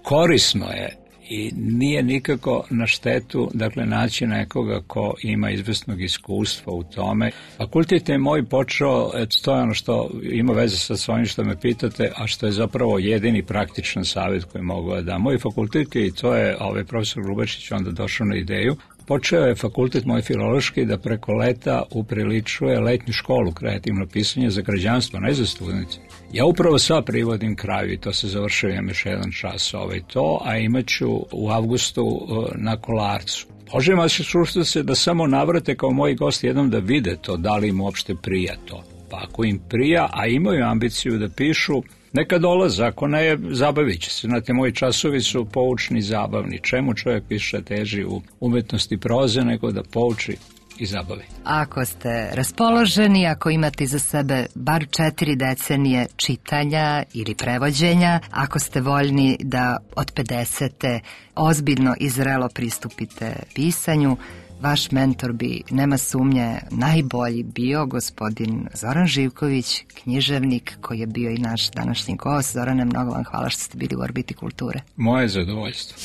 Speaker 11: Korisno je i nije nikako na štetu, dakle, naći nekoga ko ima izvesnog iskustva u tome. Fakultet je moj počeo, eto, to je ono što ima veze sa svojim što me pitate, a što je zapravo jedini praktičan savjet koji mogu da dam. Moj fakultet je, i to je ovaj profesor Grubačić onda došao na ideju, počeo je fakultet moj filološki da preko leta upriličuje letnju školu kreativno pisanje za građanstvo, ne za studente. Ja upravo sad privodim kraju i to se završujem još jedan čas ovaj to, a imat ću u avgustu na Kolarcu. Možem vas šušta se da samo navrate kao moji gosti jednom da vide to, da li im uopšte prija to. Pa ako im prija, a imaju ambiciju da pišu, neka dolaze, ako ne, zabavit će se. Znate, moji časovi su poučni i zabavni. Čemu čovjek više teži u umetnosti proze nego da pouči i zabavi.
Speaker 1: Ako ste raspoloženi, ako imate iza sebe bar četiri decenije čitanja ili prevođenja, ako ste voljni da od pedesete ozbiljno i zrelo pristupite pisanju, vaš mentor bi, nema sumnje, najbolji bio gospodin Zoran Živković, književnik koji je bio i naš današnji gost. Zorane, mnogo vam hvala što ste bili u Orbiti kulture.
Speaker 11: Moje zadovoljstvo.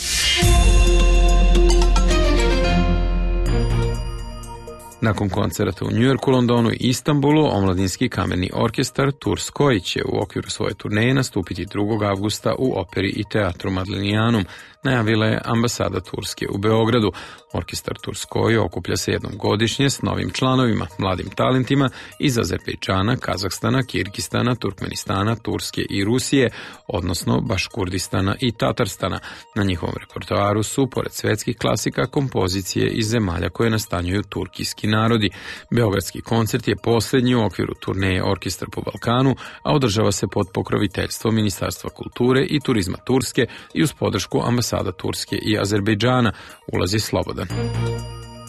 Speaker 2: Nakon koncerata u Njujorku, Londonu i Istanbulu, omladinski kamerni orkestar Tours koji će u okviru svoje turneje nastupiti drugog avgusta u operi i teatru Madlenijanum, najavila je ambasada Turske u Beogradu. Orkestar Tours koji okuplja se jednom godišnje s novim članovima, mladim talentima iz Azerbejdžana, Kazahstana, Kirgistana, Turkmenistana, Turske i Rusije, odnosno Baškurdistana i Tatarstana. Na njihovom repertoaru su, pored svetskih klasika, kompozicije iz zemalja koje nastanjuju turkijski narodi. Beogradski koncert je posljednji u okviru turneje Orkestar po Balkanu, a održava se pod pokroviteljstvom Ministarstva kulture i turizma Turske i uz podršku ambasada Turske i Azerbejdžana. Ulaz je slobodan.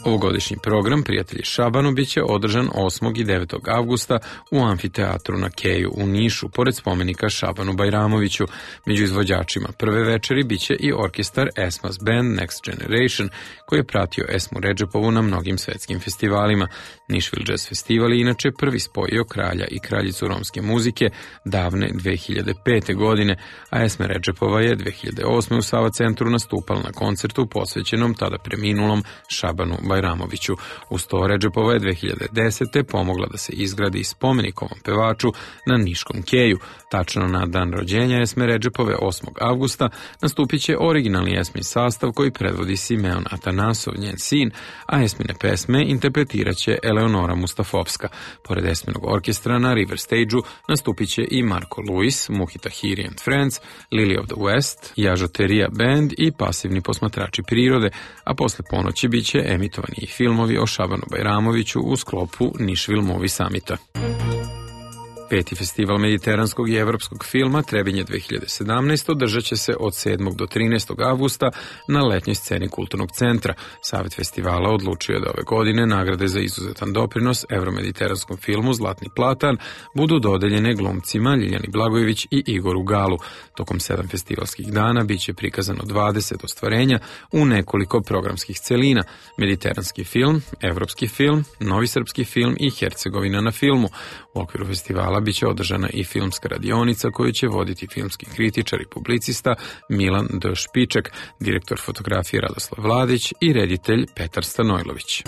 Speaker 2: Ovogodišnji program Prijatelji Šabanu biće održan osmog i devetog avgusta u amfiteatru na Keju u Nišu, pored spomenika Šabanu Bajramoviću. Među izvođačima prve večeri biće i orkestar Esmas Band Next Generation, koji je pratio Esmu Redžepovu na mnogim svetskim festivalima. Nashville Jazz Festival je inače prvi spojio kralja i kraljicu romske muzike davne dve hiljade pete. godine, a Esme Redžepova je dve hiljade osme. u Sava centru nastupala na koncertu posvećenom tada preminulom Šabanu Bajramoviću. Uz to Redžepova je dve hiljade desete. pomogla da se izgradi spomenik ovom pevaču na Niškom Keju. Tačno na dan rođenja Esme Redžepove osmog avgusta nastupit će originalni Esmin sastav koji predvodi Simeon Atanasov, njen sin, a Esmine pesme interpretirat će Eleonora Mustafovska. Pored Esminog orkestra na River Stage-u nastupit će i Marko Lewis, Muhi Tahiri and Friends, Lily of the West, Jažoterija Band i pasivni posmatrači prirode, a posle ponoći bit će emitovani i filmovi o Šabanu Bajramoviću u sklopu Nashville Movie Summita. Peti festival mediteranskog i evropskog filma Trebinje dve hiljade sedamnaeste. održat će se od sedmog do trinaestog avgusta na letnjoj sceni Kulturnog centra. Savet festivala odlučio je da ove godine nagrade za izuzetan doprinos evromediteranskom filmu Zlatni platan budu dodeljene glumcima Ljiljani Blagojević i Igoru Galu. Tokom sedam festivalskih dana bit će prikazano dvadeset ostvarenja u nekoliko programskih celina: mediteranski film, evropski film, novi srpski film i Hercegovina na filmu. U okviru festivala biće održana i filmska radionica koju će voditi filmski kritičar i publicista Milan D. Špiček, direktor fotografije Radoslav Vladić i reditelj Petar Stanojlović.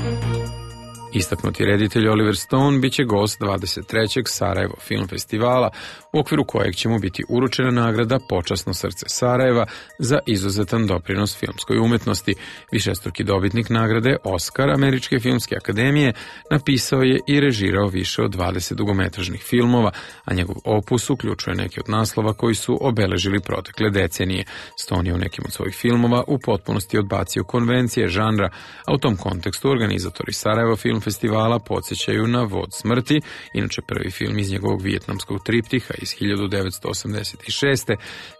Speaker 2: Istaknuti reditelj Oliver Stone biće gost dvadeset trećeg Sarajevo film festivala, u okviru kojeg će mu biti uručena nagrada Počasno srce Sarajeva za izuzetan doprinos filmskoj umetnosti. Višestruki dobitnik nagrade Oskar Američke filmske akademije napisao je i režirao više od dvadeset dugometražnih filmova, a njegov opus uključuje neke od naslova koji su obeležili protekle decenije. Stone je u nekim od svojih filmova u potpunosti odbacio konvencije žanra, a u tom kontekstu organizatori Sarajevo film film festivala podsjećaju na Vod smrti, inače prvi film iz njegovog vijetnamskog triptiha iz hiljadu devetsto osamdeset šeste.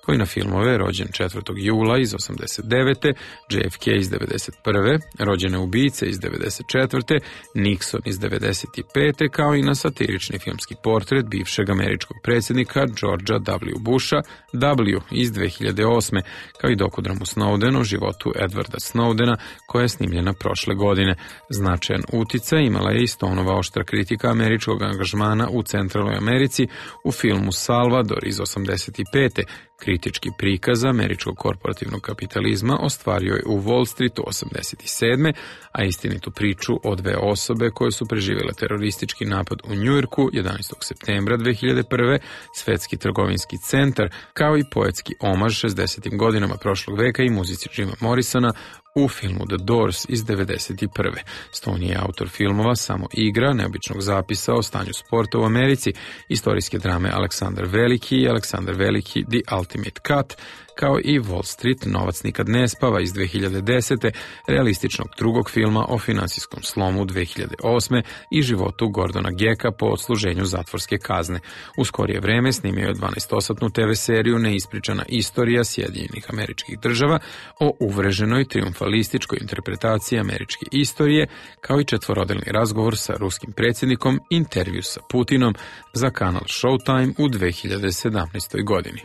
Speaker 2: koji na filmove rođen četvrtog jula iz osamdeset devete. J F K iz devedeset prve. Rođene ubice iz devedeset četvrte. Nixon iz devedeset pete. kao i na satirični filmski portret bivšeg američkog predsjednika Georgea W. Busha W. iz dve hiljade osme. kao i dokudramu Snowden o životu Edwarda Snowdena koja je snimljena prošle godine. Značajan uticaj imala je i Stoneova oštra kritika američkog angažmana u Centralnoj Americi u filmu Salvador iz osamdeset pete. Kritički prikaz američkog korporativnog kapitalizma ostvario je u Wall Streetu osamdeset sedme. a istinitu priču o dve osobe koje su preživjele teroristički napad u Njujorku jedanaestog septembra dve hiljade prve. Svetski trgovinski centar, kao i poetski omaž šezdesetim godinama prošlog veka i muzici Jima Morrisona u filmu The Doors iz devedeset prve. Stone je autor filmova Samo igra, neobičnog zapisa o stanju sporta u Americi, istorijske drame Aleksandar Veliki i Aleksandar Veliki The Ultimate Cut, kao i Wall Street, Novac nikad ne spava iz dve hiljade desete, realističnog drugog filma o finansijskom slomu dve hiljade osme. i životu Gordona Gecka po odsluženju zatvorske kazne. U skorije vreme snimio je dvanaestosatnu te ve seriju Neispričana istorija Sjedinjenih Američkih Država o uvreženoj triumfalističkoj interpretaciji američke istorije, kao i četvorodelni razgovor sa ruskim predsjednikom, intervju sa Putinom za kanal Showtime u dve hiljade sedamnaestoj. godini.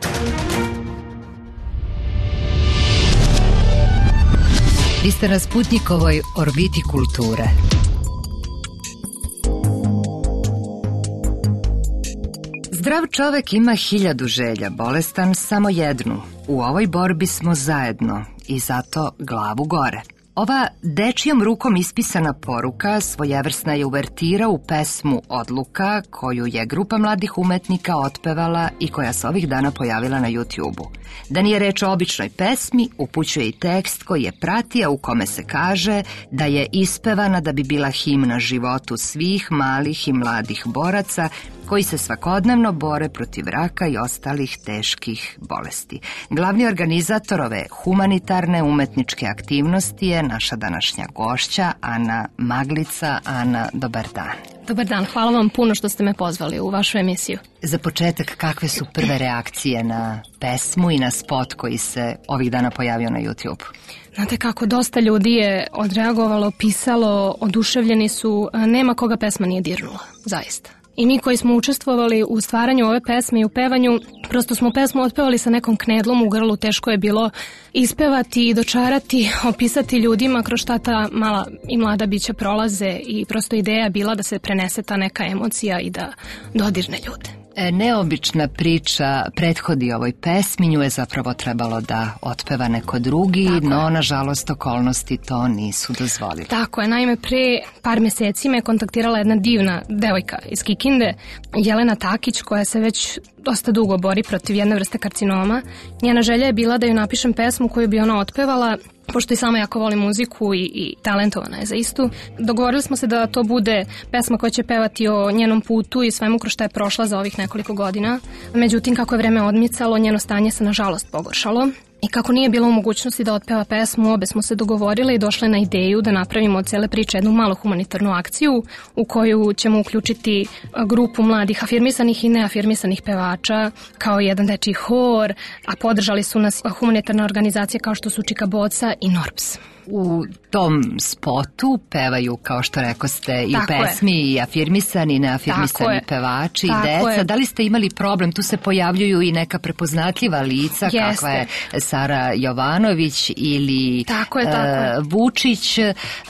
Speaker 1: Vi ste na Sputnikovoj orbiti kulture. Zdrav čovek ima hiljadu želja, bolestan samo jednu. U ovoj borbi smo zajedno i zato glavu gore. Ova dečijom rukom ispisana poruka svojevrsna je uvertira u pesmu Odluka, koju je grupa mladih umetnika otpevala i koja se ovih dana pojavila na YouTubeu. Da nije reč o običnoj pesmi, upućuje i tekst koji je pratija u kome se kaže da je ispevana da bi bila himna životu svih malih i mladih boraca koji se svakodnevno bore protiv raka i ostalih teških bolesti. Glavni organizator ove humanitarne umetničke aktivnosti je naša današnja gošća Ana Maglica. Ana, dobar dan.
Speaker 12: Dobar dan, hvala vam puno što ste me pozvali u vašu emisiju.
Speaker 1: Za početak, kakve su prve reakcije na pesmu i na spot koji se ovih dana pojavio na YouTube?
Speaker 12: Znate kako, dosta ljudi je odreagovalo, pisalo, oduševljeni su, nema koga pesma nije dirnula, zaista. I mi koji smo učestvovali u stvaranju ove pesme i u pevanju, prosto smo pesmu otpevali sa nekom knedlom u grlu, teško je bilo ispevati i dočarati, opisati ljudima kroz šta ta mala i mlada bića prolaze i prosto ideja je bila da se prenese ta neka emocija i da dodirne ljude.
Speaker 1: Neobična priča prethodi ovoj pesmi, nju je zapravo trebalo da otpeva neko drugi, Tako no je. nažalost okolnosti to nisu dozvolili.
Speaker 12: Tako je, naime pre par meseci me je kontaktirala jedna divna devojka iz Kikinde, Jelena Takić, koja se već dosta dugo bori protiv jedne vrste karcinoma. Njena želja je bila da ju napišem pesmu koju bi ona otpevala, pošto i sama jako voli muziku i, i talentovana je za istu. Dogovorili smo se da to bude pesma koja će pevati o njenom putu i svemu kroz šta je prošla za ovih nekoliko godina. Međutim, kako je vreme odmicalo, njeno stanje se nažalost pogoršalo. I kako nije bilo u mogućnosti da otpeva pesmu, obe smo se dogovorile i došle na ideju da napravimo od cele priče jednu malu humanitarnu akciju u koju ćemo uključiti grupu mladih afirmisanih i neafirmisanih pevača, kao jedan dečiji hor, a podržali su nas humanitarne organizacije kao što su Čika Boca i Norps.
Speaker 1: U tom spotu pevaju, kao što rekoste, i
Speaker 12: Tako
Speaker 1: u pesmi
Speaker 12: je.
Speaker 1: i afirmisani i neafirmisani pevači
Speaker 12: Tako
Speaker 1: i deca.
Speaker 12: je.
Speaker 1: Da li ste imali problem? Tu se pojavljuju i neka prepoznatljiva lica,
Speaker 12: Jeste.
Speaker 1: kakva je Sara Jovanović ili
Speaker 12: Tako je, tako je.
Speaker 1: uh, Vučić.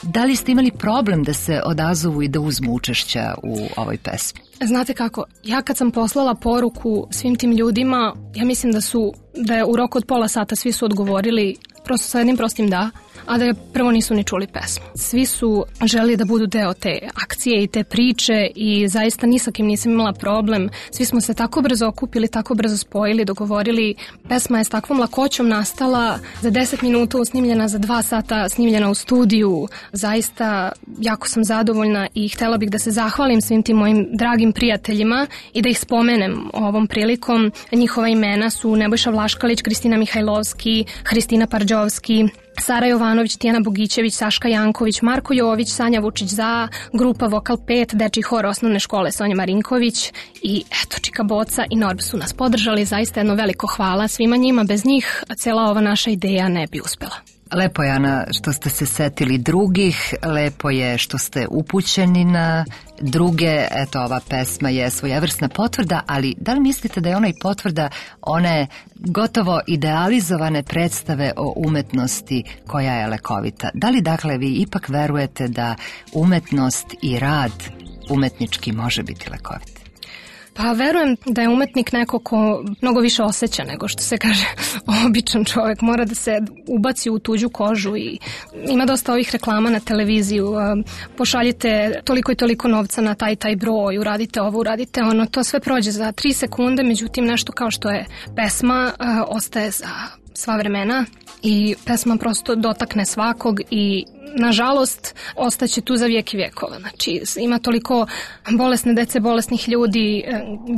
Speaker 1: Da li ste imali problem da se odazovu i da uzmu učešća u ovoj pesmi?
Speaker 12: Znate kako, ja kad sam poslala poruku svim tim ljudima, ja mislim da su, da je u roku od pola sata svi su odgovorili prosto sa jednim prostim da, a da je prvo nisu ni čuli pesmu. Svi su želi da budu deo te akcije i te priče i zaista ni sa kim nisam imala problem. Svi smo se tako brzo okupili, tako brzo spojili, dogovorili. Pesma je s takvom lakoćom nastala, za deset minuta snimljena, za dva sata snimljena u studiju. Zaista jako sam zadovoljna i htela bih da se zahvalim svim tim mojim dragim prijateljima i da ih spomenem ovom prilikom. Njihova imena su Nebojša Vlaškalić, Kristina Mihajlovski, Hristina Parđovski, Sara Jovanović, Tijana Bogićević, Saška Janković, Marko Jović, Sanja Vučić za, grupa Vokal pet, dečji hor osnovne škole Sonja Marinković i eto Čika Boca i Norb su nas podržali. Zaista jedno veliko hvala svima njima. Bez njih cela ova naša ideja ne bi uspela.
Speaker 1: Lepo je, Ana, što ste se setili drugih, lepo je što ste upućeni na druge, eto ova pesma je svojevrsna potvrda, ali da li mislite da je ona i potvrda one gotovo idealizovane predstave o umetnosti koja je lekovita? Da li dakle vi ipak verujete da umetnost i rad umetnički može biti lekovit?
Speaker 12: Pa verujem da je umetnik neko ko mnogo više osjeća nego što se kaže običan čovjek. Mora da se ubaci u tuđu kožu i ima dosta ovih reklama na televiziju. Pošaljite toliko i toliko novca na taj taj broj, uradite ovo, uradite ono. To sve prođe za tri sekunde, međutim nešto kao što je pesma ostaje za sva vremena i pesma prosto dotakne svakog i nažalost ostaće tu za vijek i vjekova. Znači ima toliko bolesne dece, bolesnih ljudi.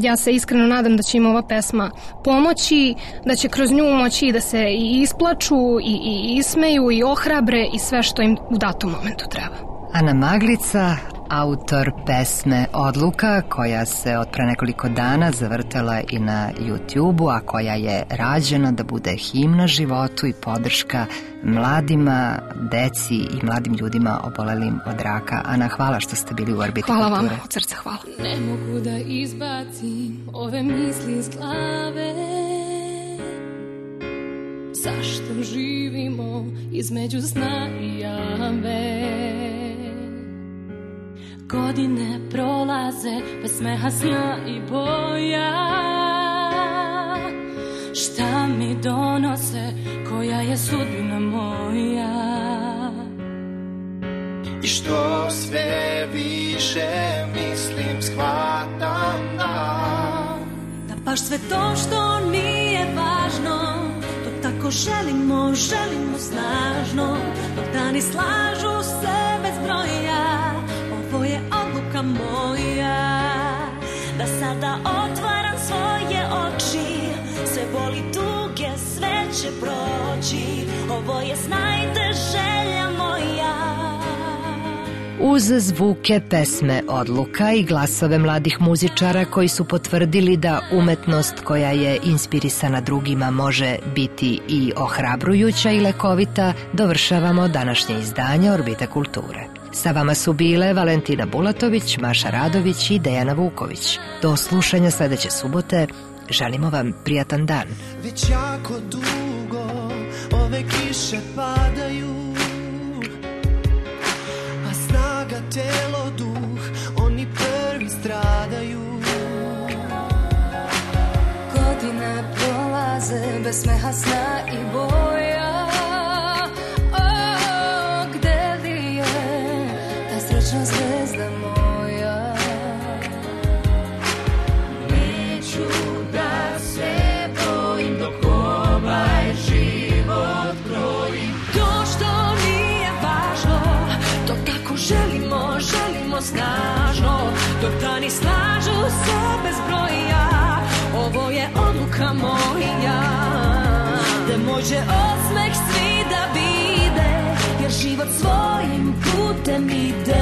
Speaker 12: Ja se iskreno nadam da će im ova pesma pomoći, da će kroz nju moći da se i isplaču i, i ismeju i ohrabre i sve što im u datom momentu treba.
Speaker 1: Ana Maglica, autor pesme Odluka, koja se od pre nekoliko dana zavrtela i na YouTube-u, a koja je rađena da bude himna životu i podrška mladima, deci i mladim ljudima obolelim od raka. Ana, hvala što ste bili u Orbiti
Speaker 12: Kulture.
Speaker 1: Hvala
Speaker 12: vam, od srca hvala.
Speaker 13: Ne mogu da izbacim ove misli iz glave. Zašto živimo između sna i jave? Godine prolaze bez smeha, sna i boja. Šta mi donose, koja je sudbina moja?
Speaker 14: I što sve više mislim, shvatam da
Speaker 13: Da baš sve to što nije važno, dok tako želimo, želimo snažno, dok dani slažu se bez broja. Ovo je odluka moja, da sada otvaram svoje oči. Sve boli tuge, sve će proći. Ovo je znajte želja moja.
Speaker 1: Uz zvuke pesme Odluka i glasove mladih muzičara koji su potvrdili da umetnost koja je inspirisana drugima može biti i ohrabrujuća i lekovita, dovršavamo današnje izdanje Orbita kulture. Sa vama su bile Valentina Bulatović, Maša Radović i Dejana Vuković. Do slušanja sledeće subote. Želimo vam prijatan dan.
Speaker 14: Već jako dugo ove kiše padaju, a snaga, telo, duh, oni prvi stradaju.
Speaker 13: Godine prolaze bez smeha, sna i boja. O, gde li je ta srećna zvezda moja? Neću da se bojim dok ovaj život krojim. To što nije važno, dok tako želimo, želimo snažno, dok dani slažu se bez broja. Ovo je odluka moja, da može osmeh svi da vide, jer život svojim putem ide.